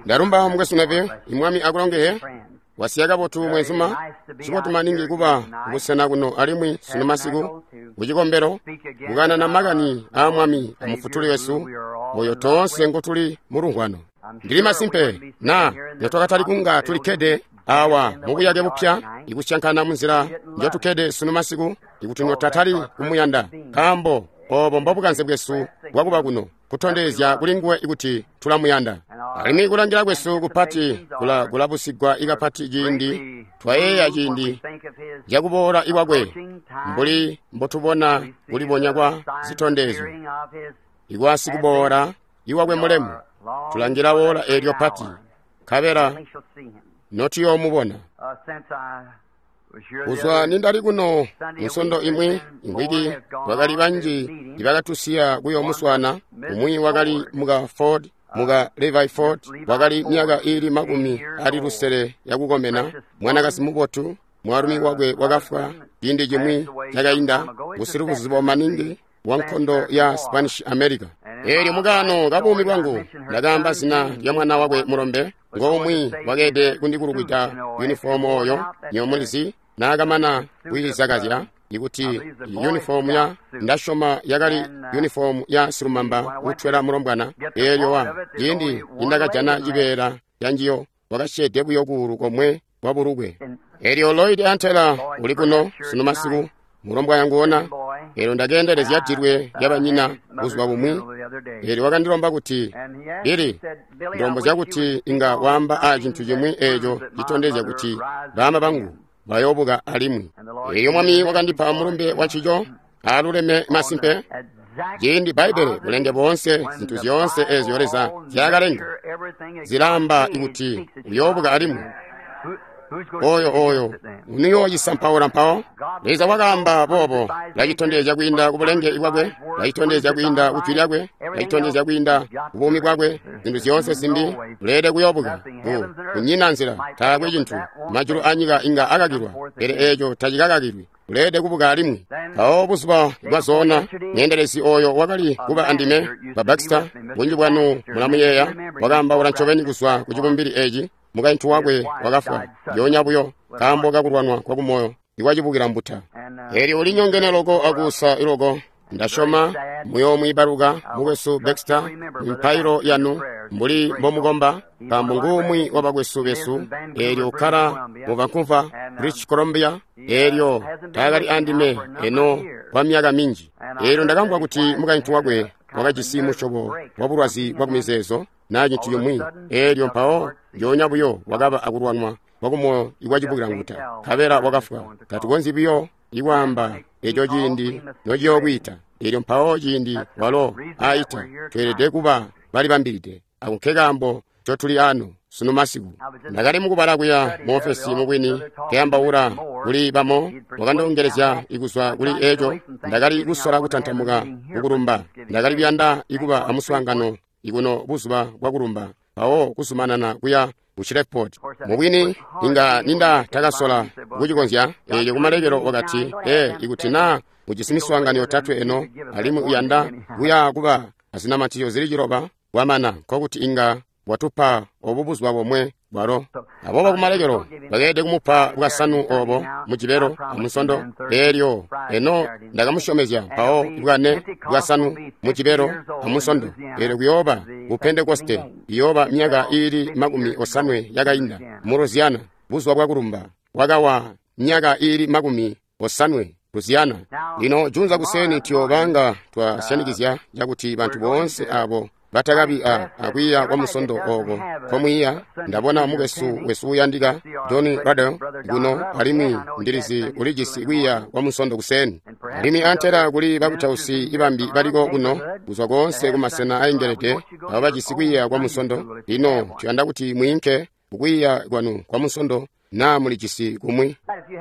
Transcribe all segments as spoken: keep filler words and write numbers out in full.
Ndalumba mukwesu Neville, imwami akulongeye. Wasiya kabotu mwenzuma. Cibotu maningi kuba kubusena kuno alimwi sunu masiku kucikombelo kukanana makani aa Mwami amufutuli wesu oyo toonse ngotuli mulungwano. Ndili masimpe na notwakatali kunga tulikkede awa mubuyake bupya ikusyankana munzila njotukkede sunu masiku ikuti notatali kumuyanda, nkaambo obo mbobukanze bwesu bwakuba kuno kutondezya kuli nguwe ikuti tulamuyanda. Alimwi kulangila kwesu kupati kula kulabusigwa ikapati ciindi twayeeya ciindi cakuboola ikwakwe, mbuli mbotubona kulibonya kwa zitondezyo ikwa sikuboola iwakwe mulemu. Tulangila woola eelyo pati, nkabela notuyoomubona. Kuzwa nindali kuno munsondo imwi imwiki, kwakali banji ibakatusiya kuyomuswana. Umwi wakali muka Ford, muka Levi Ford, wakali myaka iili makumi ali lusele yakukomena, mwanakazi mubotu. Mwaalumi wakwe wakafwa ciindi cimwi cakainda, busilubuzibo maningi wa nkondo ya Spanish America. Eelyo mukaano kabuumi bwangu ndakaamba zina lya mwana wakwe mulombe, ngomwi wakeede kundikulukwita yunifomu oyo nyomulizi naakamana kwiizakazya ikuti yunifomu ya ndasyoma yakali yunifomu ya silumamba utwela mulombwana. Eelyo wa ciindi nindakajana cibeela canjiyo wakasyeede buyo kuulu komwe kwa bulukwe. Eelyo Lloyd Antela uli kuno sunu masiku, mulombwana nguona. Eelyo ndakeendelezya dilwe lyabanyina buzuba bumwi. Eelyo wakandilomba kuti, Billy, ndilombozya kuti inga waamba a cintu cimwi eeco citondezya kuti baama bangu bayoobuka alimwi. Eelyo Mwami wakandipa mulumbe wancico aaluleme masimpe. Ciindi Bbaibbele, bulenge boonse, zintu zyoonse eezyo Leza nzyaakalenga zilaamba kuti uyoobuka alimwi. Oyo oyo uniyooyisampaula mpawo. Leza wakaamba boobo, lacitondezya kwiinda kubulenge bwakwe, lacitondezya kwiinda kujwi lyakwe, lacitondezya kwiinda kubuumi bwakwe. Zintu zyoonse zimbi uleede kuyoobuka. Kunyina nzila, taakwe cintu. Majulu anyika inga akakilwa, pele eeco tacikakakilwi. Uleede kubuka alimwi. Mpawo buzuba bwazoona, mweendelezi oyo wakali kuba andime, ba Baxter, bunji bwanu mulamuyeeya, wakaambaula ncobeni kuzwa ku cibumbili eeci. Mukaintu wakwe wakafwa yoonya buyo nkaambo kakulwanwa kwakumoyo ikwacibukila mbuta. Eelyo ulinyongene loko akuusa iloko. Ndasyoma muyoomwiibaluka mukwesu Baxter mipailo yanu mbuli mbomukomba, nkaambo nguumwi wabakwesu besu. Eelyo ukkala mu Vancouver, British Columbia. Eelyo taakali andime eno kwa myaka minji. Eelyo ndakamvwa kuti mukaintu wakwe wakajisi musyobo wa bulwazi bwa kumizeezo naa cintu cimwi. Eelyo mpawo njoonya buyo wakaba akulwanwa kwakumoyo ikwacibukila mbuta, nkabela wakafwa. Tatukonzyi buyo ikwaamba eco ciindi nociyookwiita. Eelyo mpawo ciindi walo aita, tweelede kuba balibambilide. Ako nkekaambo ncotuli ano sunu masiku. Ndakali mukubala kuya muofesi mubwini, nkeyambaula kuli bamo, wakandongelezya ikuzwa kuli eco. Ndakali kusola kutantamuka kukulumba. Ndakali kuyanda ikuba amuswaangano ikuno buzuba bwakulumba, mpawo kuzumanana kuya ku Shreveport. Mubwini inga ninda takasola kucikonzya. Eelyo kumalekelo wakati, ee, ikuti naa ujisi miswaangano yotatwe eno alimwi uyanda kuya kuba azinamatizyo zili ciloba kwamana, nkokuti inga watupa obu buzuba bomwe bwalo. Aboobo kumalekelo bakeelede kumupa bwasanu obo mujibelo amusondo. Eelyo eno ndakamusyomezya mpawo bwane bwasanu mujibelo amusondo. Eelyo kuyooba ku Pentekoste, iyooba myaka iili makumi osanwe yakainda mu Louisiana, buzuba bwakulumba wakawa myaka iili makumi osanwe Louisiana. Lino junza kuseni tuyoobanga twasyanikizya cakuti bantu boonse abo batakabi a akwiiya kwa musondo oko komwiiya. Ndabona mukwesu wesu uyandika John Ruddell kuno, alimwi ndilizi ulijisi kwiiya kwa musondo kuseni. Alimwi antela kuli bakutausi ibambi baliko kuno kuzwa koonse kumasena aengelede abo bajisi kwiiya kwa musondo. Lino tuyanda kuti mwiinke kukwiiya kwanu kwa musondo naa mulijisi kumwi.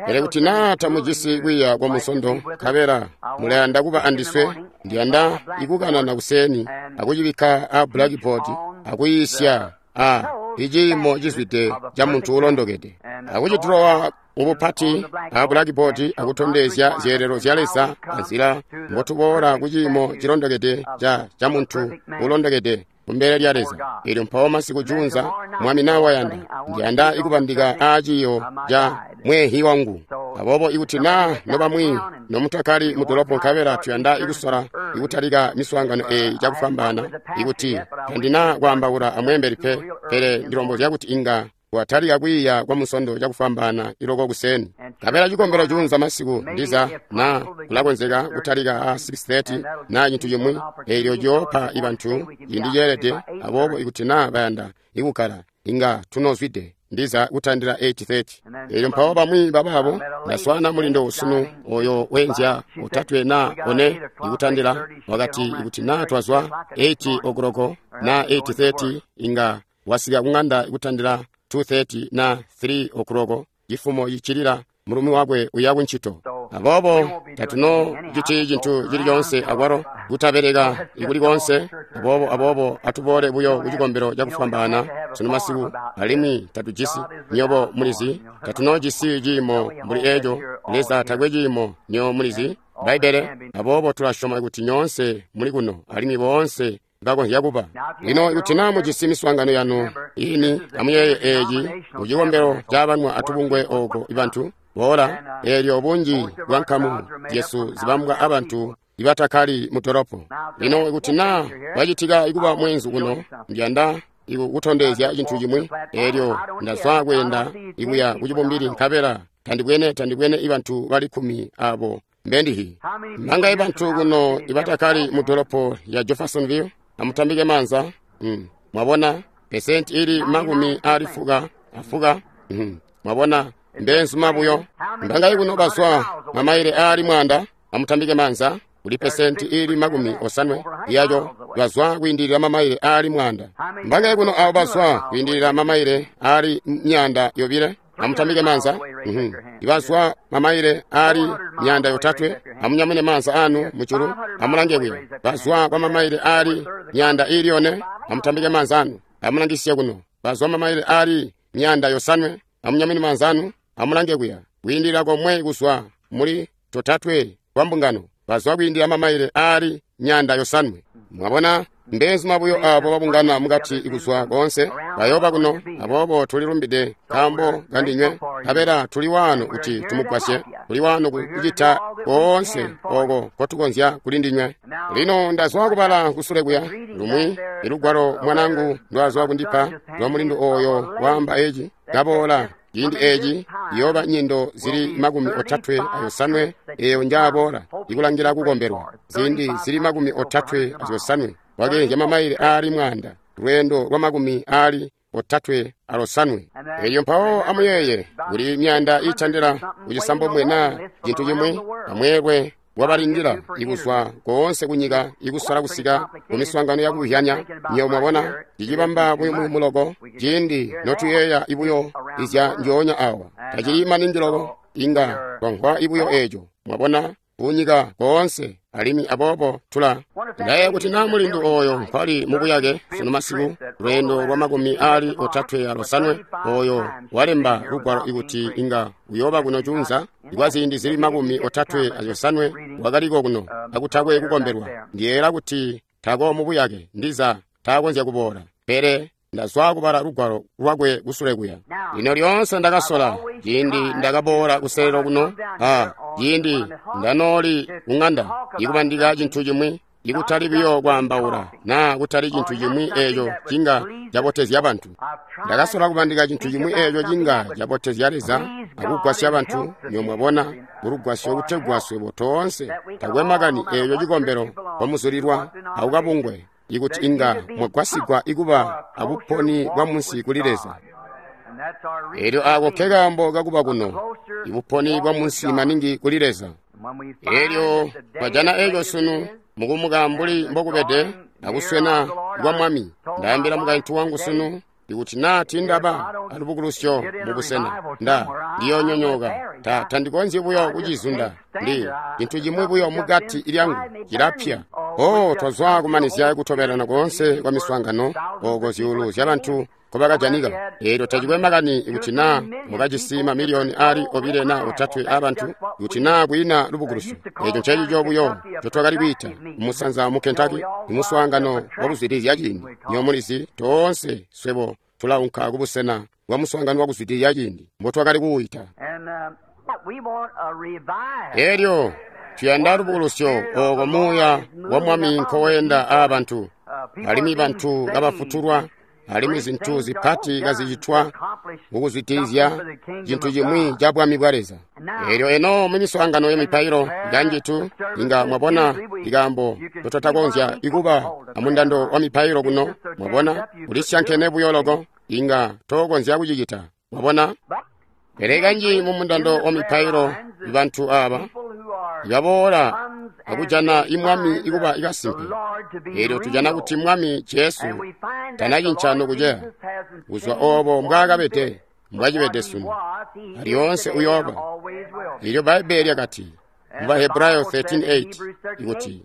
Pele kuti naa tamujisi kwiiya kwa musondo nkabela mulayanda kuba andiswe, ndiyanda ikukanana kuseni akucibikka a blackboard akuyiisya a iciimo cizwide ca muntu ulondokede, akucidulowa mubupati a blackboard akutondezya zyeelelo zya Leza anzila mbotuboola kuciimo cilondokede ca ca muntu ulondokede. kumbele lya Leza. Elyo mpawo masiku juunza, Mwami na wayanda, ndiyanda ikubandika aa ciiyo ca mweehi wangu. Aboobo ikuti na nobamwi nomutakali mu dolopo nkabela tuyanda ikusola ikutalika miswaangano eyi cakufwambaana, ikuti tandina kwaambaula amweembeli pe, pele ndilombozya kuti inga watalika kwiiya kwa musondo cakufwambaana iloko kuseni. Nkabela cikombelo juunza masiku ndiza na kulakonzeka kutalika a six thirty na cintu cimwi, eelyo ciyoopa ibantu ciindi ceelede. Aboobo ikuti na bayanda ikukkala, inga tunozwide ndiza kutandila eight thirty. Eelyo mpawo bamwi babaabo ndaswaana mulindo sunu oyo wenzya otatwe na one ikutandila, wakati ikuti na twazwa eight o'clock na eight thirty inga wasika kung'anda ikutandila two thirty na three o'clock cifumo cicilila mulumi wakwe uya kuncito. Aboobo tatuno citi cintu cili coonse akwalo kutabeleka ikuli koonse. Aboobo aboobo atuboole buyo kucikombelo cakufwambaana sunu masiku, alimwi tatujisi, nyobo mulizi, tatunojisi ciimo mbuli eco. Leza takwe ciimo, nyobo mulizi Bbaibbele. Aboobo tulasyoma kuti nyoonse muli kuno alimwi boonse bakonzya kuba. Lino ikuti na mujisi miswaangano yanu ini, amuyeeye eeci mucikombelo cabanwa atubungwe ooko ibantu boola, eelyo bunji bwa nkamu zyesu zibambwa abantu ibatakali mu dolopo. Lino ikuti na wacitika ikuba mweenzu kuno, ndiyanda ikutondezya cintu cimwi. Eelyo ndazwa kweenda ikuya kucibumbili nkabela tandibwene tandibwene ibantu bali kkumi abo mbendihi. Mbangaye bantu kuno ibatakali mu dolopo ya Jeffersonville? Amutambike manza. Mm. Mwabona pesenti ili makumi ali fuka afuka. Mm. Mwabona mbenzuma buyo. Mbangaye kuno bazwa mamaile ali mwanda? Amutambike manza. Kuli pesenti ili makumi osanwe yayo bazwa kwiindilira mamaile ali mwanda. Mbangaye kuno abo bazwa kwiindilira mamaile ali myanda yobile? Amutambike manza. Mm-hmm. Ibazwa mamaile ali myanda yotatwe, amunyamune manza anu muchulu, amulange kuya. Bazwa kwa mamaile ali myanda ili yone, amutambike manza anu, amulangisiye kuno. Bazwa mamaile ali myanda yosanwe, amunyamune manza anu, amulange kuya. Kwiindilira komwe kuzwa muli totatwe kwa mbungano, bazwa kwiindilira mamaile ali myanda yosanwe. Mwabona mbenzuma buyo abo babungana mukati ikuzwa konse bayoba kuno. Aboobo tulilumbide nkaambo kandinywe, nkabela tuli wano kuti tumugwasye, tuli wano kucita koonse oko kotukonzya kuli ndinywe. Lino ndazwa kubala kusule kuya lumwi ilugwalo mwanangu ndwazwa kundipa lwa mulindu oyo waamba eci, kaboola ciindi eci iyooba nyindo zili makumi otatwe ayosanwe eyo njaaboola ikulangira kukombelwa. Ziindi zili makumi otatwe ayosanwe wakeenzya mamaile ali mwanda, lweendo lwa makumi ali otatwe alosanwe. Elyo mpawo amuyeeye kuli myanda itandila kucisambomwe na cintu cimwi amweelwe wabalindila ikuzwa koonse kunyika ikusola kusika kumiswaangano yakuhyanya. Nyo mwabona cicibamba buyumuyumu loko ciindi notuyeeya ibuyo izya njoonya awa, tacili maningi loko inga twamvwa ibuyo eco. Mwabona kunyika koonse, alimwi aboobo tula ndaye kuti na mulindu oyo nkwali mubuyake sunu masiku, lweendo lwa makumi ali otatwe alosanwe oyo walemba lugwalo ikuti inga uyoba kuno junza ikwa ziindi zili makumi otatwe ayosanwe wakaliko kuno akutakwe kukombelwa. Ndiyela kuti tako mubuyake ndiza takonzya kuboola, pele ndazwa kubala lugwalo lwakwe kusule kuya. Lino lyoonse ndakasola ciindi ndakaboola kuselelo kuno, a ciindi ndanooli kung'anda ikubandika cintu cimwi, ikutali buyo kwaambaula naa kutali cintu cimwi eeco cinga cabotezya bantu. Ndakasola kubandika cintu cimwi eeco cinga cabotezya Leza akugwasya bantu. Nyo mwabona mulugwasyo kutegwa swebo toonse takwe makani eeco cikombelo kwamuzulilwa akukabungwe, ikuti inga mwagwasigwa ikuba abuponi bwa munsi kuli Leza. Elyo ako nke kaambo kakuba kuno, ibuponi bwa munsi maningi kuli Leza. Elyo twajana eco sunu mukumuka mbuli mbokubede akuswena kwa Mwami. Ndaambila mukaintu wangu sunu ikuti naa tindaba alubukulusyo mubusena, nda ndiyonyonyoka. Ta tandikonzyi buyo kucizunda, ndi cintu cimwi buyo mukati lyangu cilapya. Oh, twazwa kumanizya kutobelana koonse kwa miswaangano oko zyuulu zya bantu nkobakajanika. Eelyo tacikwe makani ikuti naa mukajisi mamiliyoni aali obile na otatwe aabantu, ikuti naa kwiina lubukulusyo. Eeco ncencico buyo ncotwakali kwiita kumusanza mu Kentucky, imuswaangano wakuzwidilizya ciindi. Nywebo mulizi, toonse swebo tulaunka kubusena bwa muswaangano wakuzwidilizya ciindi mbotwakali kuwuita. Eelyo tuyanda lubukulusyo ooko muuya wa Mwami nkoweenda aabantu, alimwi bantu kabafutulwa, alimwi zintu zipati kazicitwa mukuzwidilizya cintu cimwi ca Bwami bwa Leza. Eelyo eno mumiswaangano yamipailo kanjitu inga mwabona ikaambo totatakonzya ikuba amundando wa mipailo kuno. Mwabona, ulisyankene buyo loko, inga tokonzya kucicita. Mwabona? Pele kanji mumundando wa mipailo bantu aaba ibaboola akujana imwami ikuba ikasimpe. Eelyo tujana kuti Mwami Jesu tanacinca nokuceya kuzwa oobo mbwaakabede mbwacibede sunu, alyoonse uyooba. Eelyo Bbaibbele lyakati mu Bahebrayo thirteen eight ikuti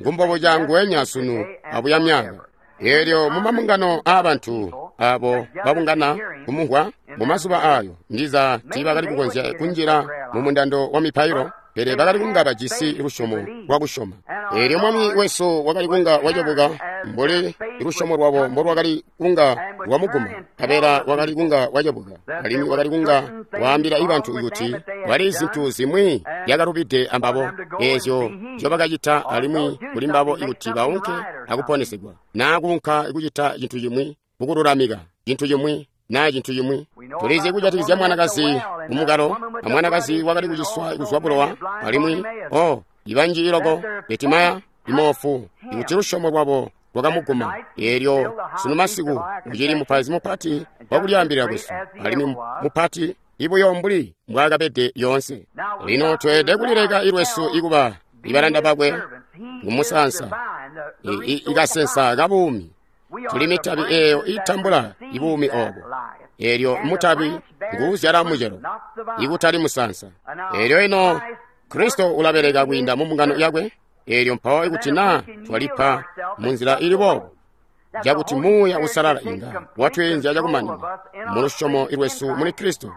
ngumbobuca nguwenya sunu abuya myaka. Eelyo mumabungano aabantu abo babungana kumumvwa mumazuba aayo ndiza tiibakali kukonzya kunjila mumundando wa mipailo, pele bakali kunga bajisi lusyomo lwakusyoma. Eelyo Mwami wesu wakali kunga wacebuka mbuli lusyomo lwabo mbolwakali kunga lwamuguma, nkabela wakali kunga wacebuka, alimwi wakali kunga waambila ibantu kuti kwali zintu zimwi zyakalubide ambabo eezyo nzyobakacita, alimwi kuli mbabo ikuti baunke akuponesegwa, naa kuunka kucita cintu cimwi kukululamika cintu cimwi naa cintu cimwi. Tulizi kujatikizya mwanakazi mumukalo, amwanakazi wakali kuciswa kuzwa bulowa, alimwi oh, ibanji iloko Betimaya imoofu, ikuti lusyomo lwabo lwakamuguma. Eelyo sunu masiku ucili mupaizi mupati wakulyaambilila kwesu, alimwi mupati ibuyo mbuli mbwaakabede yoonse. Lino tweelede kulileka ilwesu ikuba ibalanda bakwe ngumusansa ikasensa kabuumi. Tuli mitabi eeyo itambula ibuumi oobo. Eelyo mutabi nguuzyala mucelo, ikutali musansa. Eelyo ino Kristo ulabeleka kwiinda mu mbungano yakwe. Eelyo mpawo ikuti naa twalipa munzila ili boobo, cakuti Muuya Uusalala inga watweenzya cakumanina mulusyomo lwesu muli Kristo,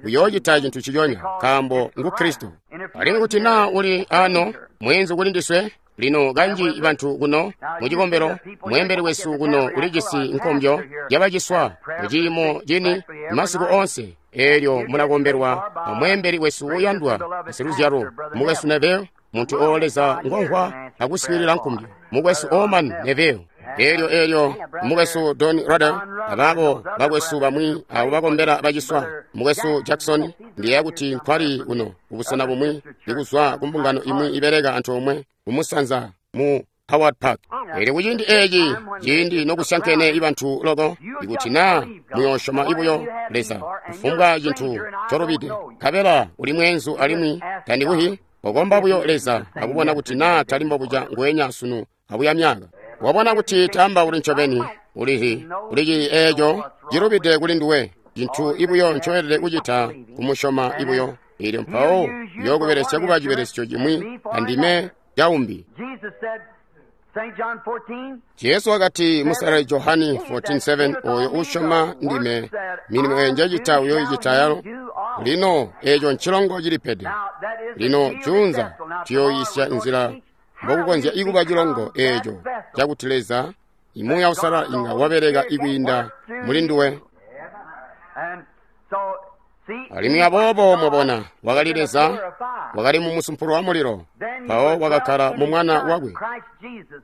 uyoocita cintu ciconya, nkaambo ngu Kristo. Alimwi kuti naa uli ano mweenzu kuli ndiswe, lino kanji bantu kuno mucikombelo, mweembeli wesu kuno ulijisi nkombyo yabaciswa muciimo cini masiku onse. Eelyo mulakombelwa amweembeli wesu uyandwa siluzyalo mukwesu Neville, muntu o Leza ngomvwa akuswiilila nkombyo, mukwesu Oman Neville. Eelyo eelyo mukwesu Don Ruddell, abaabo bakwesu bamwi abo bakombela baciswa, mukwesu Jackson, ndiyeeya kuti nkwali kuno kubusena bumwi ikuzwa kumbungano imwi ibeleka antoomwe kumusanza mu Howard Park. Eelyo kuciindi eeci ciindi nokusyankene ibantu loko, ikuti naa muyoosyoma ibuyo Leza kufumbwa cintu colubide, nkabela uli mweenzu alimwi tandikuhi, okomba buyo Leza akubona kuti naa tali mbobuca nguwenya sunu abuya myaka. Wabona kuti tamba uli ncobeni, ulihi ulici eeco cilubide kuli nduwe, cintu ibuyo ncoelede kucita kumusyoma ibuyo. Eelyo mpawo uyookubelesya kuba cibelesyo cimwi andime caumbi. Jesu wakati musalali Johani fourteen seven, oyo usyoma ndime, milimo eyo njacita uyoicita yalo. Lino eeco ncilongo cilipede. Lino juunza tuyooyisya nzila mbokukonzya ikuba cilongo eeco cakuti Leza Muuya Uusalala inga wabeleka ikwiinda muli nduwe. Alimwi aboobo mwabona, wakali Leza, wakali mu musumpulo wa mulilo, mpawo wakakkala mu mwana wakwe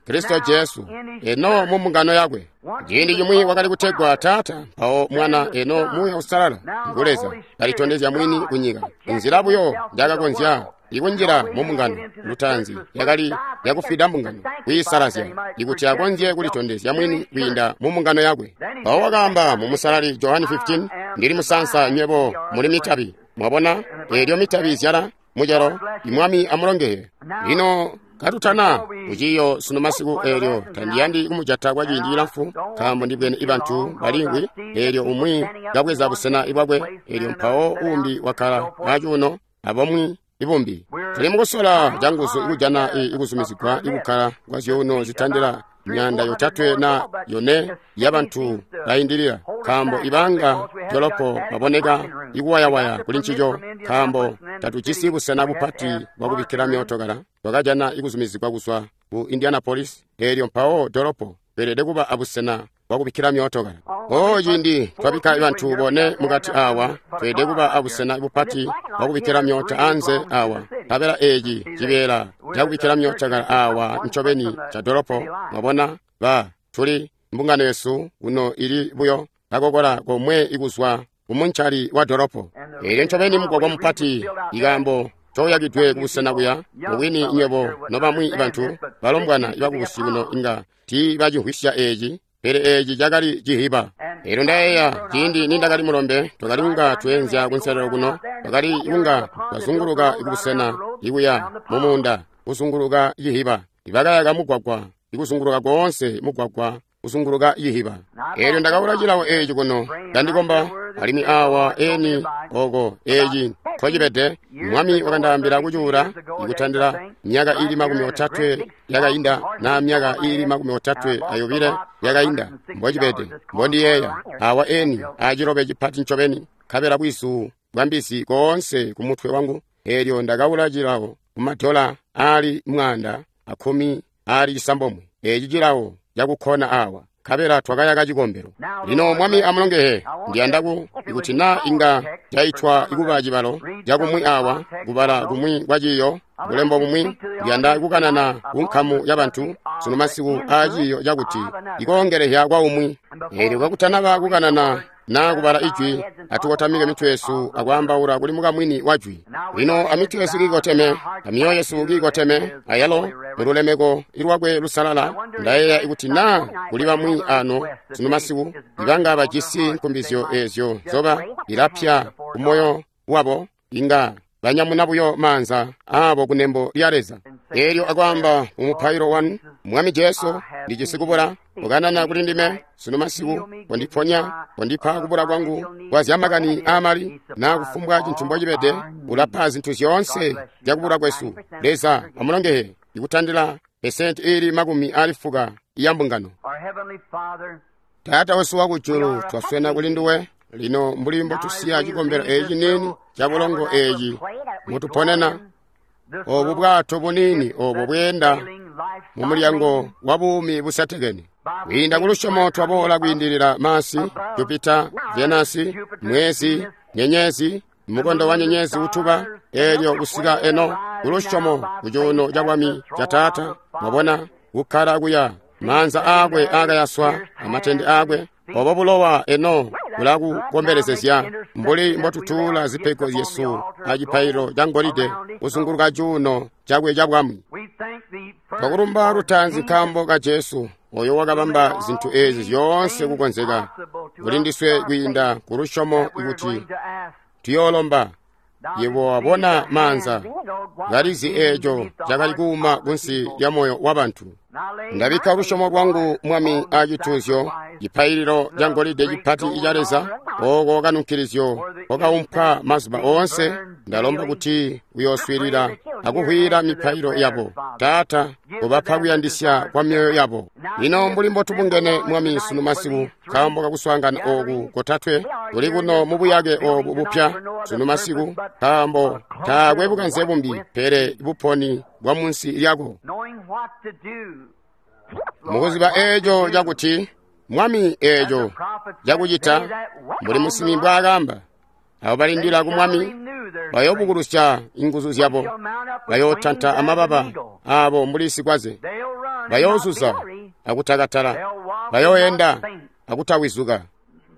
Kristo Jesu, eno mu mbungano yakwe. Ciindi cimwi wakali kutegwa Taata, mpawo Mwana, eno Muuya Uusalala ngu Leza, kalitondezya mwini kunyika. Inzila buyo njakakonzya ikunjila mu mbungano lutaanzi yakali yakufida mbungano, kuyisalazya, ikuti akonzye kulitondezya mwini kwiinda mu mbungano yakwe. Mpawo wakaamba mu musalali Johani fifteen, ndili musansa, nywebo muli mitabi. Mwabona, eelyo mitabi izyala mucelo, imwami amulongeye. Lino katutana kuciiyo sunu masiku, eelyo tandiyandi kumujata kwa ciindi cilamfu, nkaambo ndibwene ibantu balingwi. Eelyo umwi kabweza busena ibwakwe, eelyo mpawo uumbi wakkala acuuno, abamwi ibumbi. Tuli mukusola canguzu ikujana ikuzumizigwa ikukkala kwa zyuuno zitandila myanda yotatwe na yone yabantu bayindilila. nkaambo ibanga dolopo baboneka ikuwayawaya kuli ncico, nkaambo tatujisi busena bupati bwakubikkila myootokala. Twakajana ikuzumizigwa kuzwa ku Indianapolis, eelyo mpawo dolopo tweelede kuba abusena bwakubikkila myootokala. O ciindi twabikka bantu bone mukati awa, tweelede kuba abusena bupati bwakubikkila myoota anze awa. Nkabela eeci cibeela cakubikkila myootokala awa ncobeni ca dolopo. Mwabona, ba tuli mbungano yesu kuno ili buyo kakokola komwe ikuzwa kumuncali wa dolopo. Eelyo ncobeni mugwagwa mupati, ikaambo coyakidwe kubusena kuya mubwini nywebo nobamwi bantu balombwana ibakubusi kuno inga tiibacimvwisya eeci, pele eeci cakali cihiba. Eelyo ndayeeya ciindi nindakali mulombe, twakali kunga tweenzya kunselelo kuno, twakali kunga twazunguluka kubusena ikuya mumuunda kuzunguluka cihiba. Ibakayaka mugwagwa ikuzunguluka koonse mugwagwa kuzunguluka cihiba. Eelyo ndakaula cilawo eeci kuno ndandikomba, alimwi awa eni oko eeci nkocibede. Mwami wakandaambila kucuula ikutandila myaka ili makumi otatwe yakainda na myaka ili makumi otatwe ayobile yakainda, mbocibede mbondiyeeya. Awa eni acilobe cipati ncobeni, nkabela bwizu bwa mbizi koonse kumutwe wangu. Eelyo ndakaula cilawo kumadola ali mwaanda akumi ali cisambomwe, eeci cilawo cakukkona awa, nkabela twakayaka cikombelo. Lino Mwami amulongehe, ndiyanda ku ikuti na inga caitwa ikuba cibalo cakumwi awa, kubala kumwi kwa ciiyo, bulembo bumwi. Ndiyanda kukanana ku nkamu ya bantu sunu masiku aa ciiyo cakuti ikoongelehya kwa umwi. Eelyo kakutanaba kukanana na kubala ijwi, atukotamike mitwe yesu akwaambaula kuli mukamwini wa jwi. Lino amitwe yesu kiikoteme, amyoyo yesu kiikoteme, ayalo mululemeko ilwakwe lusalala. Ndayeeya ikuti na kuli bamwi ano sunu masiku ibanga bajisi nkumbizyo eezyo zoba ilapya kumoyo wabo, inga banyamuna buyo maanza aabo kunembo lya Leza. Eelyo akwaamba mumupailo wanu, Mwami Jesu, ndijisi kubula, ukanana kuli ndime sunu masiku, kondiponya, kondipa kubula kwangu kwa zyamakani aamali na kufumbwa cintu mbocibede. Ulapa zintu zyoonse zyakubula kwesu. Leza amulongehe ikutandila pesenti ili makumi ali fuka ya mbungano. Taata wesu wakujulu, twaswena kuli nduwe lino mbuli mbotusiya cikombelo eeci nini ca bulongo eeci mutuponena, obu bwato bunini obo bweenda mu mulyango wa buumi busetekene. Kwiinda ku lusyomo twaboola kwiindilila Masi, Jupita, Venasi, mwezi, nyenyezi, mukondo wa nyenyezi utuba, eelyo kusika eno ku lusyomo ku cuuno ca bwami ca Taata. Mwabona kukkala kuya maanza aakwe aakayaswa amatende aakwe, obo bulowa eno bulakukombelezezya mbuli mbotutuula zipego zyesu acipaililo ca ngolide kuzunguluka cuuno cakwe ca bwami. Twakulumba lutaanzi nkaambo ka Jesu oyo wakabamba zintu eezi zyoonse kukonzeka kuli ndiswe kwiinda ku lusyomo ikuti tuyoolomba. Yebo wabona maanza kalizi eeco cakali kuuma kunsi lya moyo wa bantu. Ndabikka lusyomo lwangu Mwami acituuzyo, cipaililo ca ngolide cipati ica Leza, ooko kanunkilizyo kokaumpwa mazuba oonse. Ndalomba kuti uyooswiilila akuvwiila mipailo yabo. Taata, ubapa kuyandisya kwa myoyo yabo. Lino mbuli mbotubungene Mwami sunu masiku nkaambo kakuswaangana ooku kotatwe kuli kuno mubuyake oobu bupya sunu masiku, nkaambo taakwe bukanze bumbi pele buponi bwa munsi lyako. Mukuziba eeco cakuti Mwami eeco cakucita mbuli musinsimi mbwaakamba, abo balindila ku Mwami bayoobukulusya inguzu zyabo, bayootanta amababa aabo mbuli sikwaze, bayoozuza akutakatala, bayooenda akutawizuka.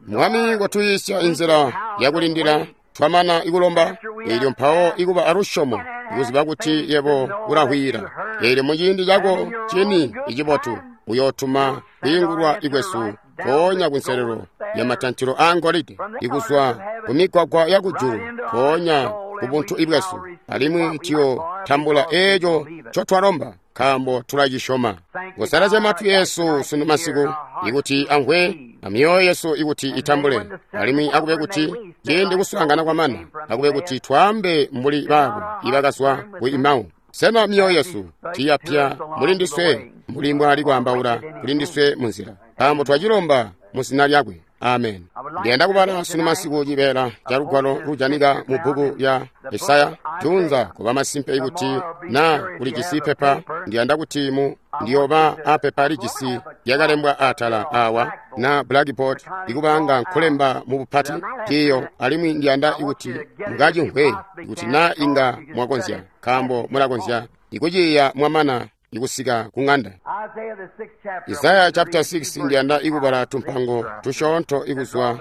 Mwami kotuyiisya inzila yakulindila twamana ikulomba, eelyo mpawo ikuba alusyomo ikuziba kuti yebo ulahwiila. Eelyo muciindi cako cini icibotu uyootuma kwiingulwa ikwesu mpoonya kunselelo ya matantilo aa ngolide, ikuzwa kumigwagwa ya kujulu mpoonya kubuntu ibwesu, alimwi tuyotambula eeco ncotwalomba nkaambo tulacisyoma. Kusalazya matwi esu sunu masiku ikuti amvwe, amyoyo yesu ikuti itambule, alimwi akube kuti ciindi kuswaangana kwamana, akube kuti twaambe mbuli baabo ibakazwa ku Imau. Sena myoyo yesu tiyapya muli ndiswe mbuli mbwali kwaambaula kuli ndiswe munzila, nkaambo twacilomba mu zina lyakwe. Amen. Ndiyanda kubala sunu masiku cibeela ca lugwalo lujanika mu bbuku lya Isaya. Tunza kuba masimpe kuti na ulijisi pepa, ndiyanda kuti mu ndiyoba apepa lijisi lyakalembwa atala awa na blackboard ikubanga nkulemba mu bupati tiyo, alimwi ndiyanda kuti mukacimvwe kuti na inga mwakonzya, nkaambo mulakonzya ikuciya mwamana ikusika ku ng'anda. Isaya chapter six ndiyanda ikubala tumpango tusyoonto ikuzwa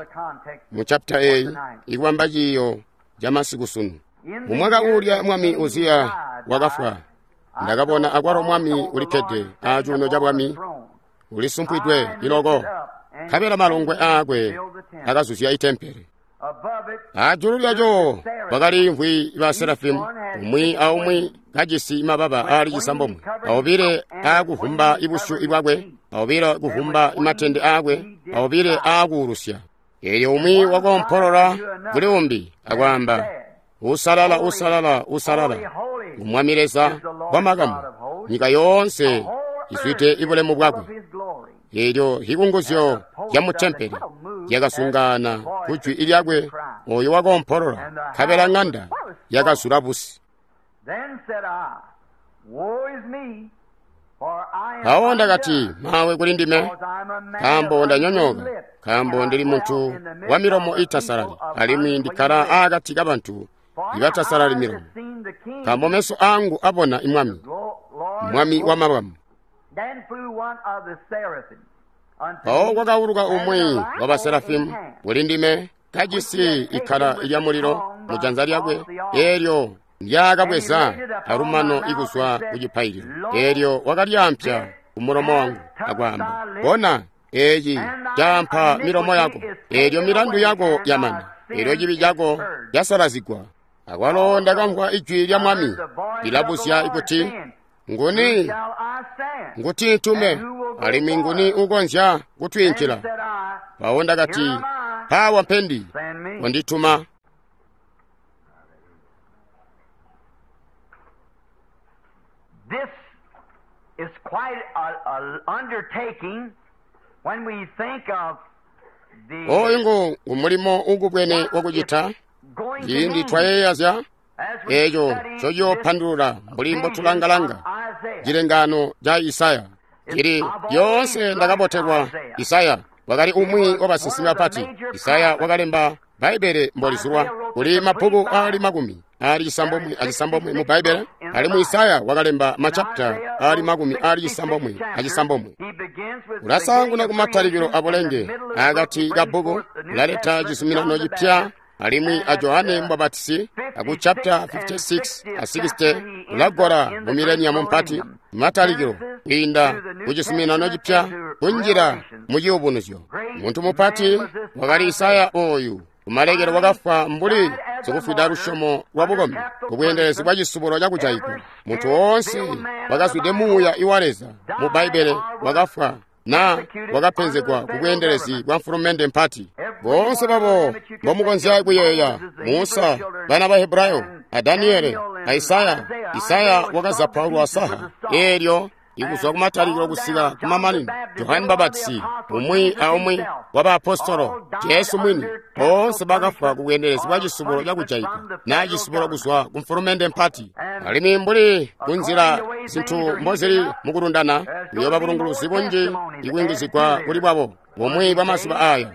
mu chapter eyi ikubamba ciiyo ca masiku sunu. Mu mwaka uulya mwami Uziya wakafwa, ndakabona akwalo mwami ulikkede acuuno ca bwami ulisumpwidwe iloko, nkabela malongwe aakwe akazuzya itempele. Ajulu lyaco kwakaliimvwi ba Serafimu, umwi aumwi kajisi mababa aali cisambomwe, aobile aakuvumba ibusyu bwakwe, aobile kuvumba matende aakwe, aobile aakuulusya. Eelyo umwi wakoompolola kuli umbi akwaamba, "Usalala, usalala, usalala, ngu Mwami Leza wamakamu, nyika yoonse izwide ibulemu bwakwe." Eelyo hikunguzyo lya mutempele lyakasungana kujwi lyakwe oyo wakoompolola, nkabela ng'anda yakazula busi. Mpawo ndakati, "Mawe kuli ndime, nkaambo ndanyonyooka, nkaambo ndili muntu wa milomo iitasalali, alimwi ndikkala aakati kabantu ibatasalali milomo. Nkaambo meso aangu abona Mwami, Mwami wamakamu." Mpawo kwakauluka umwi wa baserafimu kuli ndime, kajisi ikkala lya mulilo mu janza lyakwe, eelyo ndyaakabweza alumano ikuzwa ku cipaililo. Eelyo wakalyampya kumulomo wangu akwaamba, "Bona, eeci caampa milomo yako, eelyo milandu yako yamana, eelyo cibi cako casalazigwa." Akwalo ndakamvwa ijwi lya Mwami lilabuzya kuti, "Nguni nguti ntume, alimwi nguni ukonzya kutwiinkila?" Mpawo ndakati, "Mpawa mpendi, wandituma." This is quite an undertaking when we think of the Oyu ngu ngumulimo ukubwene wakucita ciindi twayeeya zya eeco ncociyoopandulula mbuli mbotulanga-langa cilengaano ca Isaya. Cili lyoonse ndakabotelwa Isaya wakali umwi wabasinsimi bapati. Isaya wakalemba Bbaibbele mbolizulwa, kuli mabbuku aali makumi aali cisambomwe acisambomwe mu Bbaibbele, alimwi Isaya wakalemba machapita aali makumi aali cisambomwe acisambomwe. Ulasaanguna kumatalikilo abulenge, akati kabbuku ulaleta cizuminano cipya, alimwi a Johane Mubapatisi aku chapter fifty-six a sixty ulagola mu mileniamu mpati, matalikilo kwiinda ku cizuminano cipya kunjila mu ciyubunuzyo. Muntu mupati wakali Isaya oyu, kumalekelo wakafwa mbuli sikufwida lusyomo lwa bukombi kubweendelezi bwa cisubulo cakujaigwa. Muntu woonse wakazwide muuya iwa Leza mu Bbaibbele wakafwa na wakapenzegwa kubweendelezi bwa mfulumende mpati. Boonse babo mbomukonzya kuyeeya, Musa, bana ba Hebrayo, a Daniele, a Isaya. Isaya wakazapaulwa saha eelyo ikuzwa kumatalikilo kusika kumamanino. Johane Mubapatisi, umwi aumwi wa baapostolo, Jesu mwini, boonse bakafwa kubweendelezi bwa cisubulo cakujaigwa na cisubulo kuzwa ku mfulumende mpati. Alimwi mbuli kunzila zinthu mbozili mukulundana, kuyooba bulunguluzi bunji ikuyungizigwa kuli bwabo bumwi bwa mazuba aya.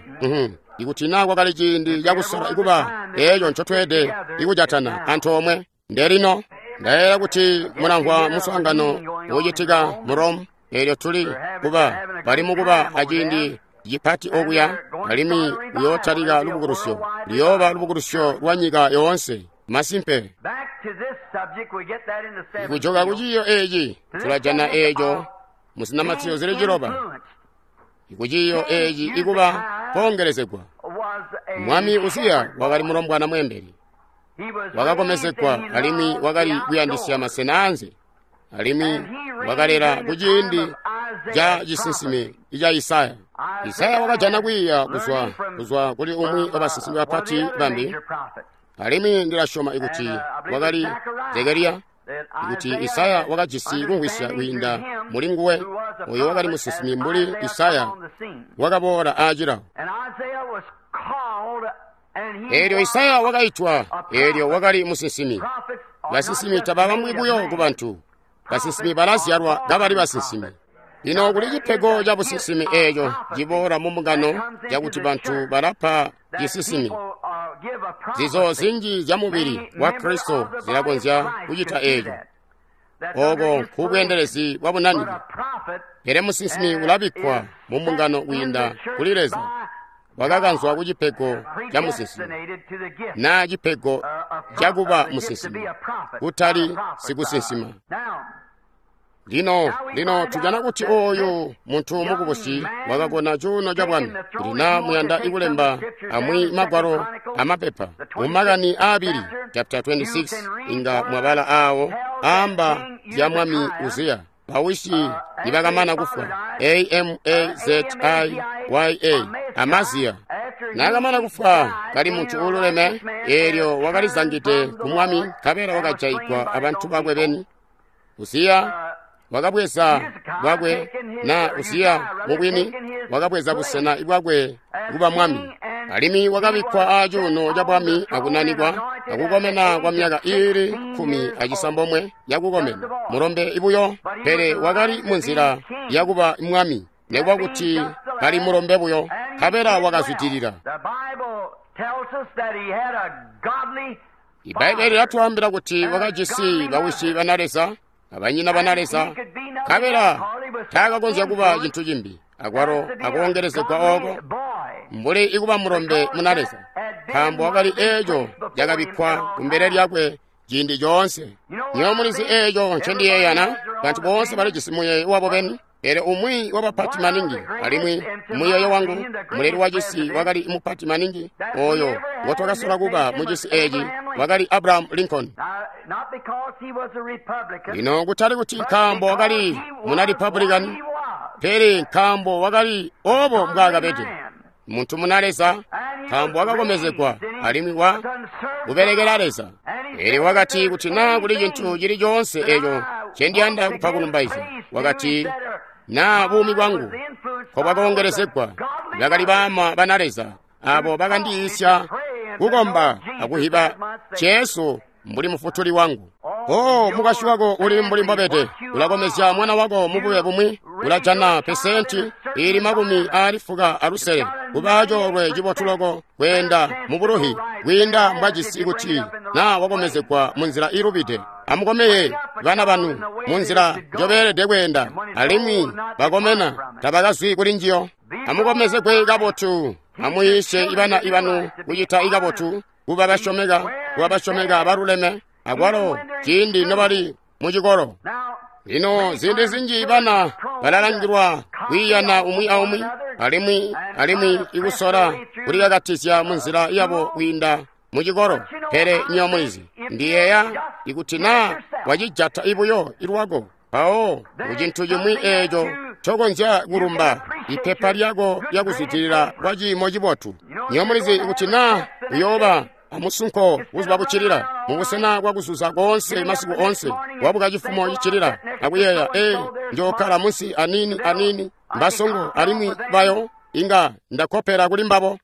Ikuti na kwakali ciindi cakusola ikuba eeco ncotweede ikujatana antoomwe, ndelino. Ndayeeya kuti mulamvwa muswaangano uucitika mu Rome, eelyo tuli kuba bali mukuba aciindi cipati okuya, alimwi uyootalika lubukulusyo, luyooba lubukulusyo lwa nyika yoonse. Masimpe, kujoka ku ciiyo eeci tulajana eeco muzinamatizo zili ciloba. Kuciiyo eeci ikuba koongelezegwa. Mwami Uziya wakali mulombwana mweembeli, wakakomezegwa alimwi wakali kuyandisya masena anze, alimwi wakalela kuciindi ca cisinsimi ca Isaya. Isaya wakajana kwiiya kuzwa kuzwa kuli umwi wabasinsimi bapati bambi, alimwi ndilasyoma ikuti wakali Zekariya, ikuti Isaya wakajisi kumvwisya kwiinda muli nguwe, oyo wakali musinsimi mbuli Isaya wakaboola aacilao. Eelyo Isaya wakaitwa, eelyo wakali musinsimi. Basinsimi tababambwi buyo ku bantu. Basinsimi balazyalwa kabali basinsimi. Lino kuli cipego ca businsimi eeco ciboola mu mbungano cakuti bantu balapa cisinsimi. Zizo zinji zya mubili wa Kristo zilakonzya kucita eeco. Oko nkubweendelezi bwa bunanike. Pele musinsimi ulabikkwa mu mbungano kwiinda kuli Leza. Wakakanzwa ku cipego ca musinsimi, naa cipego cakuba musinsimi, kutali sikusinsima. Lino, lino tujana kuti oyu muntu mukubusi wakakona cuuno ca bwami. Kuti naa muyanda ikulemba amwi magwalo amapepa mu makani aabili chapter twenty-six, inga mwabala awo aamba zya mwami Uziya bawisi nibakamana kufwa, A M A Z I Y A, Amaziya. Naakamana kufwa kali muntu uululeme, eelyo wakalizangide ku mwami, nkabela wakajaigwa abantu bakwe beni. Uziya wakabweza bwakwe, na Uziya mubwini wakabweza busena bwakwe kuba mwami, alimwi wakabikkwa acuuno ca bwami akunanikwa akukomena kwa myaka iili kkumi acisambomwe yakukomena, mulombe ibuyo, pele wakali munzila yakuba mwami, nekuba kuti kali mulombe buyo, nkabela wakazwidilila. Ibbaibele lyatwaambila kuti wakajisi bawisi bana Leza abanyina bana Leza, nkabela taakakonzya kuba cintu cimbi akwalo akoongelezegwa ooko mbuli ikuba mulombe muna Leza, nkaambo wakali eeco cakabikkwa kumbele lyakwe ciindi coonse. Nywebo mulizi eeco ncendiyeeyana, bantu boonse balijisi muyeeyo wabo beni, pele umwi wabapati maningi, alimwi muyeeyo wangu muleli wa cisi wakali mupati maningi oyo ngotwakasola kuba mu cisi eeci wakali Abraham Lincoln. Lino kutali kuti nkaambo wakali muna Republican, pele nkaambo wakali obo mbwaakabede muntu muna Leza, nkaambo wakakomezegwa alimwi wa kubelekela Leza. Eelyo wakati kuti naa kuli cintu cili coonse eeco ncendiyanda kupa kulumbaizya, wakati naa buumi bwangu nkobwakoongelezegwa, bakali baama bana Leza abo bakandiyiisya kukomba akuhiba Jesu mbuli mufutuli wangu. Oh, mukwasyi wako uli mbuli mbobede, ulakomezya mwana wako mubube bumwi, ulajana pesenti ili makumi aali fuka alusele, kuba coolwe cibotu loko kweenda mu buluhi kwiinda mbwajisi kuti naa wakomezegwa munzila iilubide. Amukomeye bana banu munzila njobeelede kweenda, alimwi bakomena tabakazwi kuli njiyo. Amukomezegwe kabotu, amuyiisye ibana ibanu kucita ikabotu, kuba basyomeka, kuba basyomeka baluleme, akwalo ciindi nobali mucikolo. Lino ziindi zinji bana balalangilwa kwiiyana umwi aumwi, alimwi alimwi ikusola kulikakatizya munzila yabo kwiinda mucikolo. Pele nywebo mulizi, ndiyeeya ikuti naa wacijata ibuyo ilwako, mpawo kucintu cimwi eeco ncokonzya kulumba ipepa lyako lyakuzwidilila kwa ciimo cibotu. Nywebo mulizi ikuti naa uyooba amusunko buzuba buccilila, mubusena bwakuzuza koonse masiku oonse, wabuka cifumo ciccilila akuyeeya, ee, njookkala munsi aniini aniini, mbasongo alimwi bayo inga ndakopela kuli mbabo.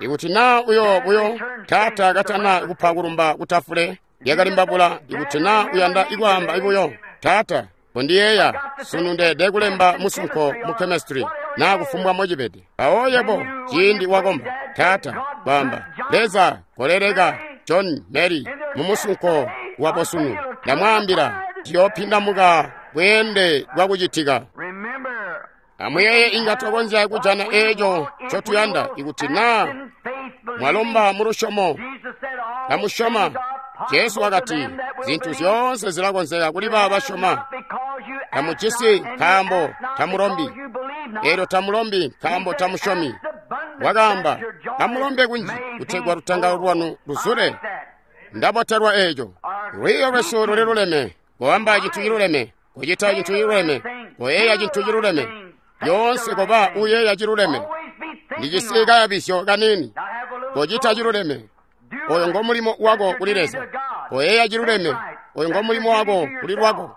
Ikuti naa uyo buyo taata katana kupa kulumba kutafule lyakali mbabula, ikuti naa uyanda ikwaamba ibuyo, taata kondiyeeya sunu ndeede kulemba musunko mu chemistry naa kufumbwa mocibede. Mpawo yebo ciindi wakomba, taata kwaamba, Leza koleleka John Mary mumusunko wabo sunu, ndamwaambila ndiyoopindamuka bweende bwakucitika. Amuyeeye inga twakonzya kujana eeco ncotuyanda ikuti naa mwalomba mu lusyomo kamusyoma. Jesu wakati zintu zyoonse zilakonzeka kuli baabo basyoma. Tamujisi nkaambo tamulombi, eelyo tamulombi nkaambo tamusyomi. Wakaamba, amulombe kunji kutegwa lutangalo lwanu luzule. Ndabotelwa eeco. Lwiiyo lwesu luli luleme, koamba cintu ciluleme, kucita cintu ciluleme, koyeeya cintu ciluleme. Lyoonse koba uyeeya ciluleme. Ndijisi kayabisyo kaniini, kocita ciluleme. Oyo ngo mulimo wako kuli Leza. Koyeeya ciluleme. Oyo ngo mulimo wako kuli lwako.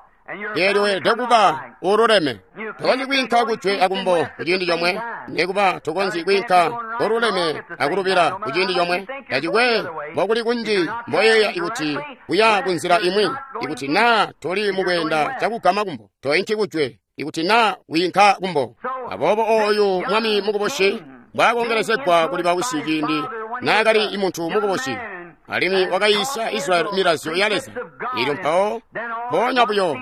Eelyo weelede kuba ululeme. Tokonzyi kwiinka kujwe akumbo kuciindi comwe, nekuba tokonzyi kwiinka ululeme akulubila kuciindi comwe. Tacikwe mbokuli kunji mboyeeya ikuti kuya kunzila imwi, ikuti naa toli mukweenda cakugama kumbo, toinki kujwe, ikuti naa wiinka kumbo. Aboobo ooyu mwami mukubusi mbwaakongelezegwa kuli bawisi ciindi naakali muntu mukubusi, alimwi wakayiisya Israyeli milazyo ya Leza. Eelyo mpawo mpoonya buyo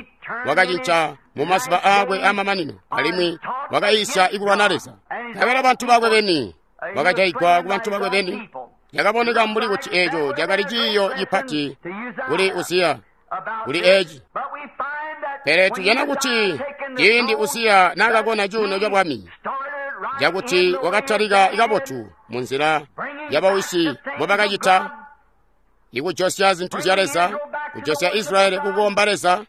wakacinca mu mazuba aakwe aamamanino, alimwi wakayiisya ikulwana Leza. Nkabela bantu bakwe beni bakajayigwa ku bantu bakwe beni. Cakaboneka mbuli kuti eeco cakali ciiyo cipati kuli Uziya kuli eci. Pele tujana kuti ciindi Uziya naakakona cuuno cabwami, cakuti wakatalika kabotu munzila yabawisi mbobakacita, ikujosya zintu zya Leza, kujosya Israyeli kukomba Leza,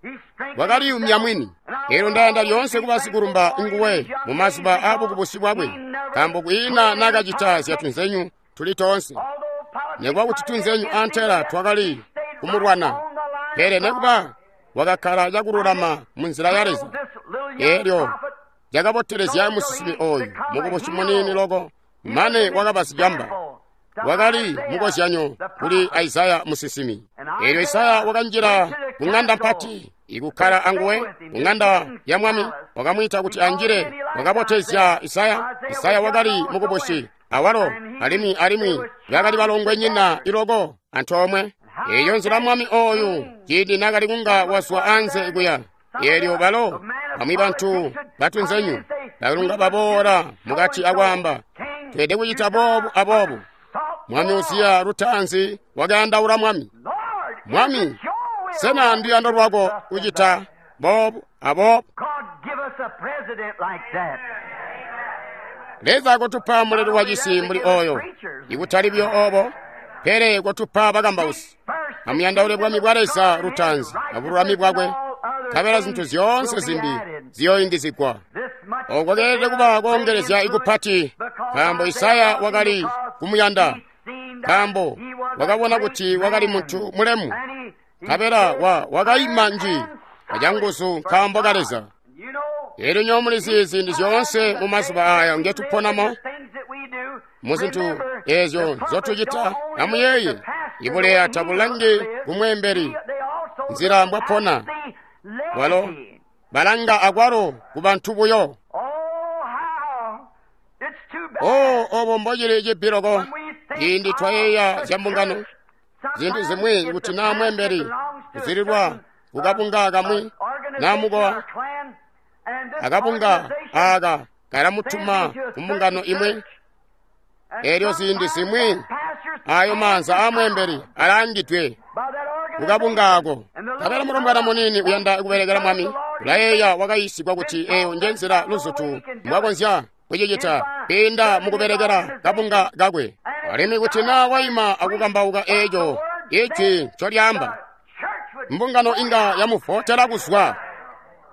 wakaliyumya mwini. Eelyo ndayanda lyoonse kuba sikulumba nguwe mu mazuba aabukubusi bwakwe, nkaambo kwiina naakacita zyatunzenyu tuli toonse. Nekuba kuti tunzenyu antela twakali kumulwana, pele nekuba wakakkala cakululama munzila ya Leza. Eelyo cakabotelezya musinsimi ooyu mukubusi muniini loko, mane wakaba sicamba. Wakali mukozyanyo kuli Isaya musinsimi. Eelyo Isaya wakanjila ku ŋanda mpati ikukkala anguwe ku ŋanda ya mwami, wakamwiita kuti anjile. Wakabotezya Isaya. Isaya wakali mukubusi awalo, alimwi alimwi bakali balongwenyina iloko antoomwe. Eeyo nzila mwami ooyu ciindi naakali kunga wazwa anze kuya, eelyo balo bamwi bantu batunzenyu bakalunga baboola mukati akwaamba, tweelede kucita boobu aboobu. Mwami Uziya lutaanzi wakayandaula mwami. Mwami, sena nduyando lwako kucita boobu aboobu? Leza kotupa muleli wa cisi mbuli oyo, ikutali buyo obo, pele kotupa bakambausi. Amuyandaule bwami bwa Leza lutaanzi abululami bwakwe, nkabela zintu zyoonse zimbi ziyooyungizigwa. Oko keelede kuba koongelezya ikupati, nkaambo Isaya wakali kumuyanda, nkaambo wakabona kuti wakali muntu mulemu, nkabela wa wakaima nji acanguzu nkaambo ka Leza. Eelyo nyowe mulizi ziindi zyoonse mu mazuba aya ngetuponamo, muzintu eezyo nzotucita, amuyeeye, ibuleya tabulangi kumweembeli nzila mbwapona walo, balanga akwalo ku bantu buyo. O obo mbocili cibiloko ciindi twayeeya zya mbungano, zintu zimwi kuti naa mweembeli kuzililwa kukabunga kamwi naa mukowa, akabunga aaka kalamutuma ku mbungano imwi. Eelyo ziindi zimwi ayo maanza aamweembeli alaangidwe kukabunga ako. Nkabela mulombwana muniini uyanda kubelekela mwami, ulayeeya wakayiisigwa kuti eeyo njenzila luzutu mbwakonzya kucicita kwiinda mukubelekela kabunga kakwe. Alimwi kuti naa waima akukambauka eeco ijwi ncolyaamba, mbungano inga yamuvotela kuzwa.